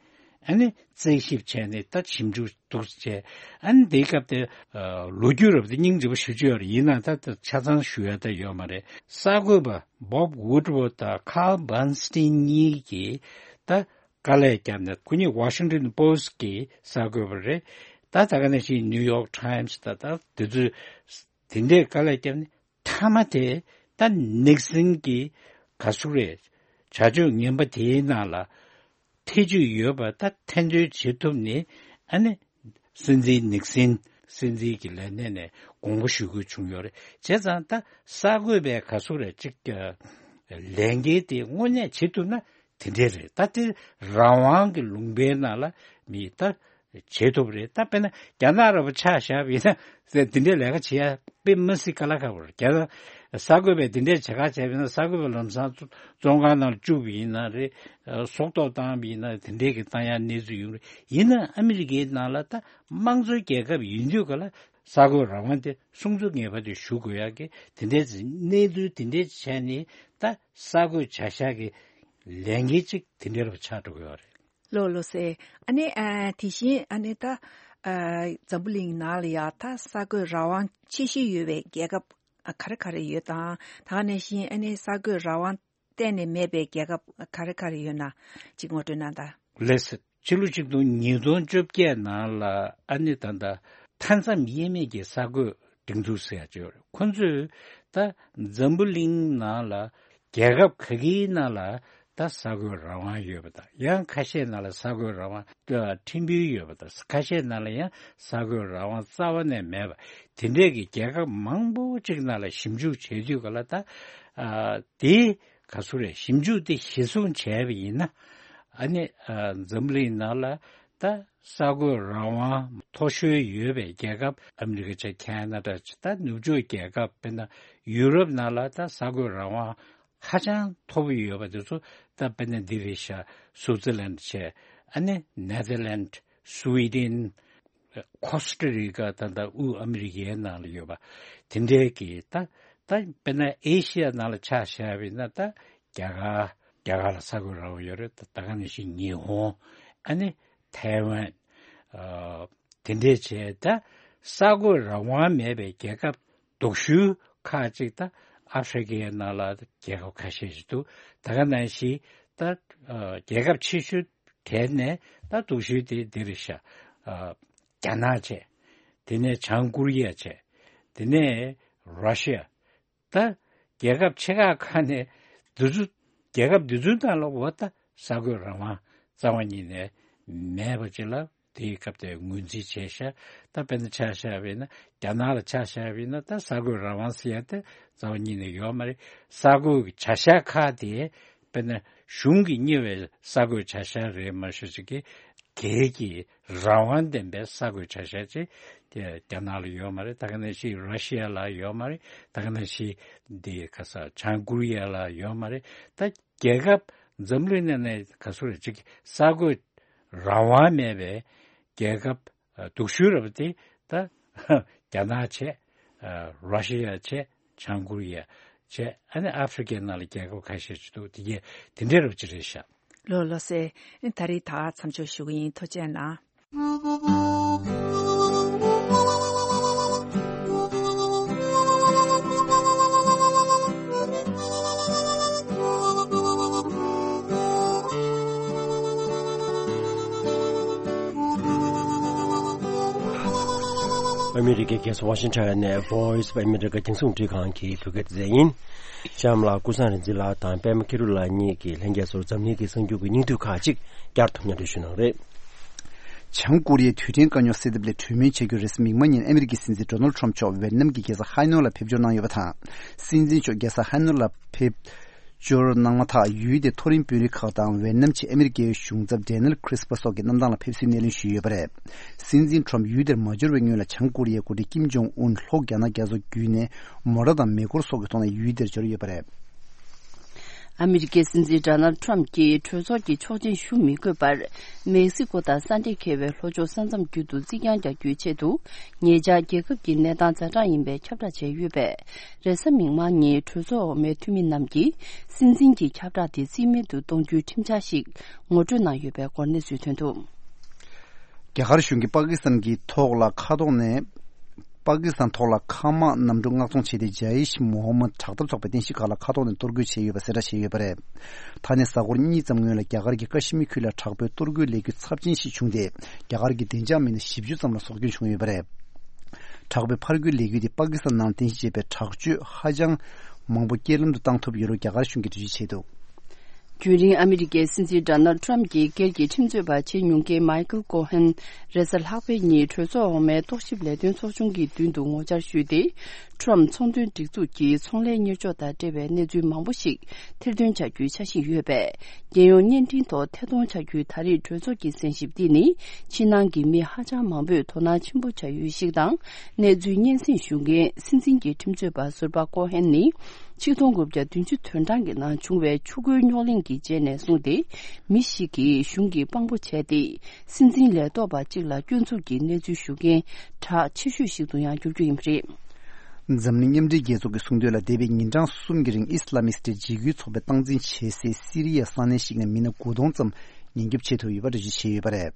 ཨ་ནི་རྩད་ཞིབ་བྱས་ནས་ད་ཞིབ་འཇུག་འདུག་བྱས། ཨ་ནི་དེའི་སྐབས་དེ་ཨ་ལོ་རྒྱུས་རབ་དེ་སྙིང་རྗེ་པོ་ཞེ་པོ་ཅིག་ཡོད་རེད། ཡིན་ན་ད་ད་ཆ་ཚང་ཞུ་ཡ་ད་ཡོད་མ་རེད། གསར་འགོད་པ་Bob Woodward དང་Carl Bernstein གཉིས་ཀྱིས་ད་དཀའ་ལས་བརྒྱབ་ནས། ཁོ་གཉིས་Washington Post གི་གསར་འགོད་པ་རེད། ད་ད་ག་ནང་བཞིན་New York Times ད་ད་དེ་ཚོས་དེ་འདྲའི་དཀའ་ལས་བརྒྱབ་ནས། མཐའ་མ་དེ་ད་ནིག་སན་གྱི་ག་ཟེར་རེད། བྱ་སྤྱོད་ངན་པ་དེའི་ནང་ལ་ཐེ་བྱུས་ཡོད་པ་ད་ཐེར་འདོན་བྱེད་ཐུབ་ནས། ཨ་ནི་སྲིད་འཛིན་ནིག་སན་སྲིད་འཛིན་གྱི་ལས་གནས་ནས་དགོངས་པ་ཞུ་དགོས་བྱུང་ཡོད་རེད། བྱས་ཙང་ད་གསར་འགོད་པའི་ག་ཟེར་རེད་ཅིག་ལས་འགན་དེ་དངོས་གནས་བྱེད་ཐུབ་ན་དེ་འདྲས་རེད། ད་དེ་རང་དབང་གི་ལུང་པའི་ནང་ལ་མི་ད་བྱེད་ཐུབ་རེད། ད་དཔེར་ན་རྒྱ་ནག་ར་བ་ཆ་བཞག་པ་ཡིན་ན་དེ་འདྲའི་ལས་ཀ་བྱེད་ཡ་དཔེ་མ་སྲིད་དཀའ་ལས་ཁག་པོ་རེད། རྒྱ་ནག་གསར་འགོད་པས་དེ་འདྲའི་བྱེད་ཁག་བྱས་པ་ཡིན་ན། གསར་འགོད་པ་ལམ་སང་བཙོན་ཁང་ནང་ལ་བཅུག་པ་ཡིན་ན་རེད། ཨ་སྲོག་ཐོག་བཏང་བ་ཡིན་ན་དེ་འདྲའི་གི་བཏང་ཡ་གནས་ཚུལ་ཡོང་རེད། ཡིན་ན་ཨ་མི་རི་ཀའི་ནང་ལ་ད་དམངས་གཙོའི་རྒྱལ་ཁབ་ཡིན་དུས་ག་ལ་གསར་འགོད་རང་དབང་དེ་སྲུང་སྐྱོབ་ངེས་པར་དུ་ཞུ་དགོས་ཡ་གི་དེ་འདྲའི་གནས་ཚུལ་དེ་འདྲའི་བྱས་ནས་ད་གསར་འགོད་བྱ་གཞག་གི་ལས་འགན་ཅིག་དེ་འདྲའི་རུ་ཆགས་འགྲོ་གི་ཡོད་རེད། ལགས་ལགས་སེ། ཨ་ནི་ཨ་དེ་བཞིན་ཨ་ནི་ད་ཨ་འཛམ་བུ་གླིང་ནང་ལ་ཡ་ད་གསར་འགོད་རང་དབང་ཆེ་ཤོས་ཡོད་པའི་རྒྱལ་ཁབ་ག་རེ་ག་རེ་ཡོད་དང་། ད་ག་ནང་བཞིན་ཨ་ནི་གསར་འགོད་རང་དབང་གཏན་ནས་མེད་པའི་རྒྱལ་ཁབ་ག་རེ་ག་རེ་ཡོད་ན་ཅིག་ངོ་སྤྲོད་གནང་དང་། ལགས་སེ། ཕྱི་ལོ་ཆིག་སྟོང་ཉིས་སྟོང་བཅོ་བརྒྱད་ནང་ལ་ཨ་ནི་ད་ལྟ་མཐའ་མཚམས་དབྱེ་མེད་ཀྱི་གསར་འགོད་སྒྲིག་འཛུགས་ཟེར་ཡ་ཅིག་ཡོད་རེད། ཁོ་ཚོས་ད་འཛམ་བུ་གླིང་ནང་ལ་རྒྱལ་ཁབ་ག་གིའི་ནང་ལ་ད་གསར་འགོད་རང་དབང་ཡོད་པ་དང་། ཡང་ཁ་ཤས་ནང་ལ་གསར་འགོད་རང་དབང་ད་ཕྲན་བུ་ཡོད་པ་དང་། ཁ་ཤས་ནང་ལ་ཡང་གསར་འགོད་རང་དབང་རྩ་བ་ནས་མེད་པ། དེ་འདྲས་ཀྱི་རྒྱལ་ཁབ་མང་པོ་ཅིག་ནང་ལ་ཞིབ་འཇུག་བྱེད་དུས་ག་ལ་ད་ཨ་དེ་ག་ཚོད་རེད། ཞིབ་འཇུག་དེ་གཞིར་བཟུང་བྱས་པ་ཡིན་ན། ཨ་ནི་ཨ་འཛམ་གླིང་ནང་ལ་ད་གསར་འགོད་རང་དབང་མཐོ་ཤོས་ཡོད་པའི་རྒྱལ་ཁབ་ཨ་མི་རི་ཀ་བྱས། ཁེ་ན་ཌ་བྱས། ད་ནུབ་ཕྱོགས་རྒྱལ་ཁབ་དཔེར་ན་ཡུ་རོབ་ནང་ལ་ད་གསར་འགོད་རང་དབང་ཧ་ཅང་མཐོ་པོ་ཡོད་པ་དེ་ཚོ་ད་དཔེར་ན་འདི་རེད་ཤག་སུའུ་ཙི་ལན་བྱས། ཨ་ནི་ནེ་ཐར་ལན། སུའི་ཌེན། ཁོ་སི་ཊ་རི་ཀ། ད་ལྟ་དབུས་ཨ་མི་རི་ཀའི་ནང་ལ་ཡོད་པ་དེ་འདྲའི་གི་ད་ད་དཔེར་ན་ཨེ་ཤི་ཡ་ནང་ལ་ཆ་བཞག་པ་ཡིན་ན་ད་རྒྱ་གར། རྒྱ་གར་ལ་གསར་འགོད་རང་དབང་ཡོད་རེད། ད་ད་ག་ནང་བཞིན་ཉི་ཧོང་། ཨ་ནི་ཐའེ་ཝན། ཨ་དེ་འདྲས་བྱས། ད་གསར་འགོད་རང་དབང་མེད་པའི་རྒྱལ་ཁབ་སྡུག་ཤོས་ཁག་ཅིག་ད་ ཨ་ཧྥེ་རི་ཀའི་ནང་ལ་རྒྱལ་ཁབ་ཁ་ཤས་ཤིག་འདུག་ད་ག་ནང་བཞིན་ད་ཨ་རྒྱལ་ཁབ་ཆེ་ཤོས་གྲས་ནས་ད་སྡུག་ཤོས་དེ་འདི་རེད་ཤག་ཨ་རྒྱ་ནག་བྱས། དེ་ནས་བྱང་ཀོ་རི་ཡ་བྱས། དེ་ནས་ར་ཤི་ཡ། ད་རྒྱལ་ཁབ་ཆེ་ཁག་ཁག་ནས་འདི་ཚོ་རྒྱལ་ཁབ་འདི་ཚོའི་ནང་ལ་འོ་ད་གསར་འགོད་རང་དབང་རྩ་བ་ཉིད་ནས་མེད་པ་ཅིག་ལ་དེའི་སྐབས་དེ་ངོས་འཛིན་བྱས་ཤག་ད་དཔེར་ན་ཆ་བཞག་པ་ཡིན་ན་རྒྱ་ནག་ལ་ཆ་བཞག་པ་ཡིན་ན་ད་གསར་འགོད་རང་དབང་ཟེར་ཡ་དེ་རྩ་བ་ཉིད་ནས་ཡོད་མ་རེད། གསར་འགོད་ཀྱི་བྱ་གཞག་ཁག་དེ་དཔེར་ན་གཞུང་གིས་གཉེར་བའི་གསར་འགོད་བྱ་གཞག་རེད་མ་གཞི་ཅིག་གི་སྒེར་གྱི་རང་དབང་ལྡན་པའི་གསར་འགོད་བྱ་གཞག་ཅིག་དེ་རྒྱ་ནག་ལ་ཡོད་མ་རེད། ད་ག་ནང་བཞིན་ར་ཤི་ཡ་ལ་ཡོད་མ་རེད། ད་ག་ནང་བཞིན་འདི་ག་ས་བྱང་ཀོ་རི་ཡ་ལ་ཡོད་མ་རེད། ད་རྒྱལ་ཁབ་འཛམ་གླིང་ནང་ནས་ག་ཚོད་རེད་ཅིག་གསར་འགོད་རང་དབང་མེད་པའི་རྒྱལ་ཁབ་ཨ་སྡུག་ཤོས་རེད་པ་དེ་ད་རྒྱ་ནག་བྱས། ཨ་ར་ཤི་ཡ་བྱས། བྱང་ཀོ་རི་ཡ་བྱས། ཨ་ནི་ཨ་ཧྥེ་རི་ཀའི་ནང་ལ་རྒྱལ་ཁབ་ཁ་ཤས་ཅིག་འདུག་དེ་གས་དེ་འདྲའི་རབ་ཅིག་རེད་ཤག་ལོ་ལོ་སེ། ད་རེས་ད་མཚམས་འཇོག་ཞུ་གི་ཡིན། ཐུགས་རྗེ་གནང་། ཨ་མི་རི་ཀའི་རྒྱལ་ས་ཝ་ཤིང་ཊོན་ནས་Voice of America རྒྱང་སྲིང་རླུང་འཕྲིན་ཁང་གི་བོད་སྐད་སྡེ་ཚན་ཡིན། གཤམ་ལ་ཀུན་བཟང་རིག་འཛིན་ལགས་དང་པད་མ་ཁེ་རུ་ལགས་གཉིས་ཀྱིས་ལྷན་རྒྱས་ཚོར་འཛམ་གླིང་གི་གསར་འགྱུར་གྱི་སྙིང་བསྡུས་ཁག་ཅིག་བསྐྱར་དུ་སྙན་སྒྲོན་ཞུ་གནང་རེད། བྱང་ཀོ་རི་ཡའི་རྡུལ་ཕྲན་དཀའ་རྙོག་སེལ་ཐབས་སླད་གྲོས་མོལ་བྱ་རྒྱུར་རེས་གཟའ་མིག་དམར་ཉིན་ཨ་མི་རི་ཀའི་སྲིད་འཛིན་ཌོ་ནལ་ཊམ་མཆོག་ཝེ་ཏི་ནམ་གྱི་རྒྱལ་ས་ཧའེ་ནོ་ལ་ཕེབས་འབྱོར་གནང་ཡོད་པ་དང་། སྲིད་འཛིན་མཆོག་རྒྱལ་ས་ཧའེ་ནོ་ལ་ཕེབས་འབྱོར་གནང་མ་ཐག་ཡུལ་དེའི་མཐོ་རིམ་དཔོན་རིགས་ཁག་དང་ཝེ་ཏི་ནམ་གྱི་ཨ་མི་རི་ཀའི་གཞུང་ཚབ་ཌེ་ནེལ་ཁྲིས་པ་སོགས་ཀྱི་གནམ་ཐང་ལ་ཕེབས་བསུའི་སྣེ་ལེན་ཞུས་ཡོད་པ་རེད། སྲིད་འཛིན་ཁྲོམ་ཡུལ་དེར་མ་འབྱོར་བའི་སྔོན་ལ་བྱང་ཀོ་རི་ཡའི་འགོ་ཁྲིད་ཀིམ་ཇོང་ཨུན་ལྷོ་རྒྱ་ནག་རྒྱ་མཚོ་བརྒྱུད་ནས་མོ་ཊ་དང་མེ་འཁོར་སོགས་ཀྱི་ཐོག་ནས་ཡུལ་དེར་འབྱོར་ཡོད་པ་རེད། ཨ་མི་རི་ཀའི་སྲིད་འཛིན་ཌོ་ནལ་ཊམ་གྱིས་གྲོས་ཚོགས་ཀྱི་ཆོག་མཆན་ཞུ་མི་དགོས་པར། མེག་སི་ཀོ་དང་ས་འབྲེལ་འཁེལ་བའི་ལྷོ་ཕྱོགས་ས་མཚམས་བརྒྱུད་དུ་རྩིག་གྱང་རྒྱག་རྒྱུའི་ཆེད་དུ། ཉེ་ཆར་རྒྱལ་ཁབ་ཀྱི་གནས་སྟངས་ཛ་དྲག་ཡིན་པའི་ཁྱབ་བསྒྲགས་བྱས་ཡོད་པས། རེས་གཟའ་མིག་དམར་ཉིན་གྲོས་ཚོགས་འོག་མའི་འཐུས་མི་རྣམས་ཀྱིས་སྲིད་འཛིན་གྱི་ཁྱབ་བསྒྲགས་དེ་རྩིས་མེད་དུ་གཏོང་རྒྱུའི་ཁྲིམས་འཆར་ཞིག་ངོ་སྤྲོད་གནང་ཡོད་པའི་སྐོར་གནས་ཚུལ་ཐོན་འདུག་རྒྱ་གར་གཞུང་གིས་པ་ཀི་སི་ཐན་གྱི་ཐོག་ལ་མཁའ་ཐོག་ནས། པ་ཀི་སི་ཐན་ཐོག་ལ་མཁའ་དམག་གནམ་གྲུ་མངགས་གཏོང་བྱས་ཏེ། ཇའི་ཤི་མོ་ཧ་མད་དྲག་འཐབ་ཚོགས་པའི་རྟེན་གཞི་ཁག་ལ་མཁའ་ཐོག་ནས་གཏོར་རྒོལ་བྱས་ཡོད་པ་གསལ་བསྒྲགས་བྱས་ཡོད་པ་རེད། ད་ནས་གཟའ་འཁོར་གཉིས་ཙམ་སྔོན་ལ་རྒྱ་གར་གྱི་ཀ་ཤི་མིར་ཁུལ་ལ་དྲག་པོའི་གཏོར་རྒོལ་ལས་འགུལ་ཚབས་ཆེན་ཞིག་བྱུང་སྟེ། རྒྱ་གར་གྱི་བདེ་འཇགས་མི་སྣ་བཞི་བཅུ་ཙམ་ལ་སྲོག་སྐྱོན་བྱུང་ཡོད་པ་རེད། དྲག་པོའི་ཕར་རྒོལ་ལས་འགུལ་དེ་པ་ཀི་སི་ཐན་ནང་རྟེན་གཞི་བྱས་པའི་དྲག་སྤྱོད་ཧ་ཅང་མང་པོ་རྐྱེན་ལམ་དུ་བཏང་ཐུབ་ཡོད་ལུགས་རྒྱ་གར་གཞུང་གིས་འགྲེལ་བརྗོད་བྱས་འདུག་རྒྱུན་རིང་ཨ་མི་རི་ཀའི་སྲིད་འཛིན་ཌོ་ནལ་ཊམ་གྱི་སྒེར་གྱི་ཁྲིམས་རྩོད་པ་བྱེད་མྱོང་མཁན་མའི་ཁལ་ཀོ་ཧན། རེས་གཟའ་ལྷག་པའི་ཉིན་གྲོས་ཚོགས་འོག་མའི་རྟོག་ཞིབ་ལས་དོན་ཚོགས་ཆུང་གི་མདུན་དུ་ངོ་བཅར་ཞུས་ཏེ། ཊམ་ཚོང་དོན་སྒྲིག་འཛུགས་ཀྱི་ཚོང་ལས་གཉེར་ཕྱོགས་དང་འབྲེལ་བའི་གནས་ཚུལ་མང་པོ་ཞིག་ཐེར་འདོན་བྱ་རྒྱུའི་འཆར་གཞི་ཡོད་པས། རྒྱལ་ཡོངས་བརྙན་འཕྲིན་ཐོག་ཐད་གཏོང་བྱ་རྒྱུའི་ད་རེས་གྲོས་ཚོགས་ཀྱི་གསན་ཞིབ་འདི་ནི། ཕྱི་ནང་གི་མི་ཧ་ཅང་མང་པོས་དོ་སྣང་ཆེན་པོ་བྱ་ཡུལ་ཞིག་དང་། གནས་ཚུལ་སྙན་སེང་ཞུ་མཁན་སྲིད་འཛིན་གྱི་ཁྲིམས་རྩོད་པ་ཟུར་པ་ཀོ་ཧན་ནི། ཆིག་སྟོང་དགུ་བརྒྱ་བདུན་ཅུ་དོན་གྲངས་ཀྱི་ནང་བྱུང་བའི་ཆུ་ཁོལ་རྙོག་གླེང་གི་རྗེས་ནས་བཟུང་སྟེ། མི་ཞིག་གིས་གཞུང་གི་དཔང་པོ་བྱས་ཏེ། སྲིད་འཛིན་ལས་ཐོག་པ་གཅིག་ལ་སྐྱོན་འཛུགས་ཀྱི་གནས་ཚུལ་ཞུ་མཁན་གྲགས་ཆེ་ཤོས་ཤིག་ཏུ་ཡང་འགྱུར་རྒྱུ་ཡིན་པ་རེད། འཛམ་གླིང་མཉམ་འབྲེལ་རྒྱལ་ཚོགས་ཀྱིས་གསུངས་དོན་ལ། འདས་པའི་ཉིན་གྲངས་གསུམ་གྱི་རིང་ཨི་སི་ལ་མིག་སི་ཊི་འཇིགས་སྐུལ་ཚོགས་པས་སྟངས་འཛིན་བྱེད་སའི་སི་རི་ཡའི་ས་གནས་ཤིག་ནས་མི་སྣ་དགུ་སྟོང་ཙམ་ཉེན་སྐྱོབ་བྱེད་ཐུབ་ཡོད་པ་འགྲེལ་བརྗོད་བྱས་ཡོད་པ་རེད།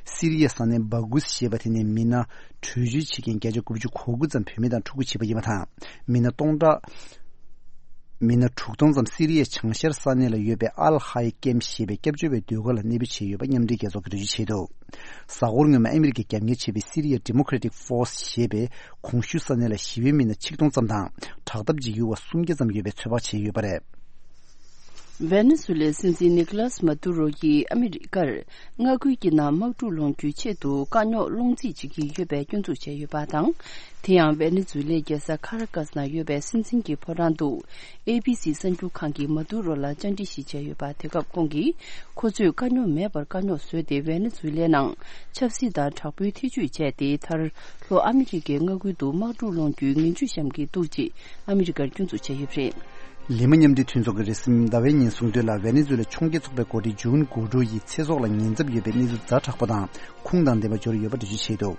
སི་རི་ཡའི་ས་གནས་སྦ་གུས་ཞེས་པ་དེ་ནས་མི་སྣ་བྲོས་བྱོལ་བྱེད་མཁན་བརྒྱ་ཆ་དགུ་བཅུ་གོ་དགུ་ཙམ་བུད་མེད་དང་ཕྲུ་གུ་བྱིས་པ་ཡིན་པ་དང་། མི་སྣ་སྟོང་ཕྲག་མི་སྣ་དྲུག་སྟོང་ཙམ་སི་རི་ཡའི་བྱང་ཤར་ས་གནས་ལ་ཡོད་པའི་ཨལ་ཧའེ་ཀེམ་ཞེས་པའི་སྐྱབས་བཅོལ་བའི་སྡོད་སྒར་ལ་གནས་སྤོས་བྱས་ཡོད་པ་མཉམ་འབྲེལ་རྒྱལ་ཚོགས་ཀྱིས་འགྲེལ་བརྗོད་བྱས་འདུག་གཟའ་འཁོར་སྔོན་མ་ཨ་མི་རི་ཀས་རྒྱབ་གཉེར་བྱས་པའི་སི་རི་ཡའི་ཌི་མོ་ཀེ་ར་ཊིག་ཕོར་སི་ཞེས་པའི་གོང་ཞུས་ས་གནས་ལ་ཞི་བའི་མི་སྣ་ཆིག་སྟོང་ཙམ་དང་། དྲག་འཐབ་འཇིགས་སྐུལ་བ་སུམ་བརྒྱ་ཙམ་ཡོད་པའི་ཚོད་དཔག་བྱས་ཡོད་པ་རེད། ཝེ་ནེ་ཛུ་ལའི་སྲིད་འཛིན་ནི་ཀོ་ལཱས་མཱ་ཏུ་རོ་ཡིས་ཨ་མི་རི་ཀར་མངའ་ཁུལ་གྱི་ནང་དམག་འཁྲུག་སློང་རྒྱུའི་ཆེད་དུ་དཀའ་རྙོག་སློང་རྩིས་བྱེད་ཀྱི་ཡོད་པའི་སྐྱོན་འཛུགས་བྱས་ཡོད་པ་དང་། དེ་ཡང་ཝེ་ནེ་ཛུ་ལའི་རྒྱལ་ས་ཁ་ར་ཀ་སི་ནང་ཡོད་པའི་སྲིད་འཛིན་གྱི་ཕོ་བྲང་དུ་ཨེ་བྷི་སི་གསར་འགྱུར་ཁང་གིས་མཱ་ཏུ་རོ་ལ་བཅར་འདྲི་ཞིག་བྱས་ཡོད་པ། དེ་སྐབས་ཁོང་གིས་ཁོ་ཚོས་དཀའ་རྙོག་མེད་པར་དཀའ་རྙོག་བཟོས་ཏེ་ཝེ་ནེ་ཛུ་ལའི་ནང་ཆབ་སྲིད་དང་དྲག་པོའི་ཐེ་ཇུས་བྱས་ཏེ། མཐར་ལྷོ་ཨ་མི་རི་ཀའི་མངའ་ཁུལ་དུ་དམག་འཁྲུག་སློང་རྒྱུའི་ངན་ཇུས་བཤམས་ཀྱི་འདུག་ཅེས་ཨ་མི་རི་ཀར་སྐྱོན་འཛུགས་བྱས་ཡོད་པ་རེད། ལི་མ་མཉམ་འབྲེལ་མཐུན་ཚོགས་ཀྱིས་རེས་གཟའ་ཟླ་བའི་ཉིན་གསུངས་དོན་ལ། ཝེ་ནེ་ཛུ་ལའི་ཕྱོགས་འགལ་ཚོགས་པའི་འགོ་ཁྲིད་ཇུན་གུའུ་ཌོ་ཡི་ཚེ་སྲོག་ལ་ཉེན་ཚབས་ཡོད་པའི་གནས་ཚུལ་ཛ་དྲག་པོ་དང་ཁུངས་དང་ལྡན་པ་འབྱོར་ཡོད་པ་འགྲེལ་བརྗོད་བྱས་འདུག་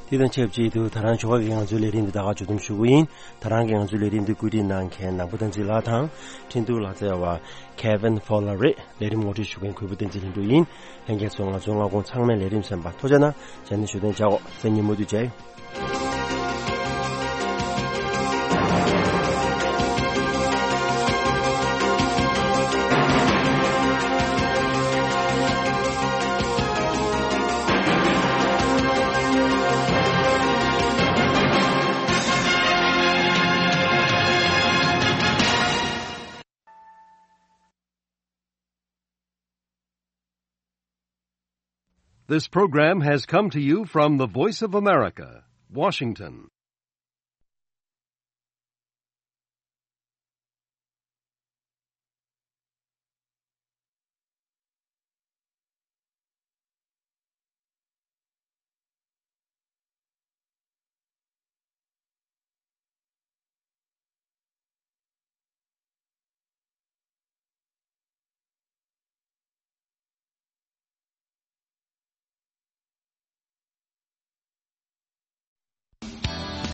དེ་དང་ཆབས་ཅིག་ཏུ་ད་རང་ཆོ་ག་གི་ང་ཚོའི་ལས་རིམ་འདི་ད་ག་མཇུག་བསྡོམས་ཞུ་གི་ཡིན། ད་རང་གི་ང་ཚོའི་ལས་རིམ་འདི་བཀོད་སྒྲིག་གནང་མཁན་ནག་པོ་བསྟན་འཛིན་ལགས་དང་། འཕྲིན་གཏོང་ལག་རྩལ་བ་Kevin Fowler རེད། ལས་རིམ་ངོ་སྤྲོད་ཞུ་མཁན་གུས་པ་བསྟན་འཛིན་ལྷུན་གྲུབ་ཡིན། ལྷན་རྒྱས་ཚོ་ང་ཚོའི་སྔ་དགོང་ཚང་མའི་ལས་རིམ་གསན་པར་ཐུགས་རྗེ་གནང་། ཇ་ནི་ཞུ་དོན་བྱ་འོ། སེ་ཉིན་མུ་དུ་མཇལ། This program has come to you from the Voice of America, Washington.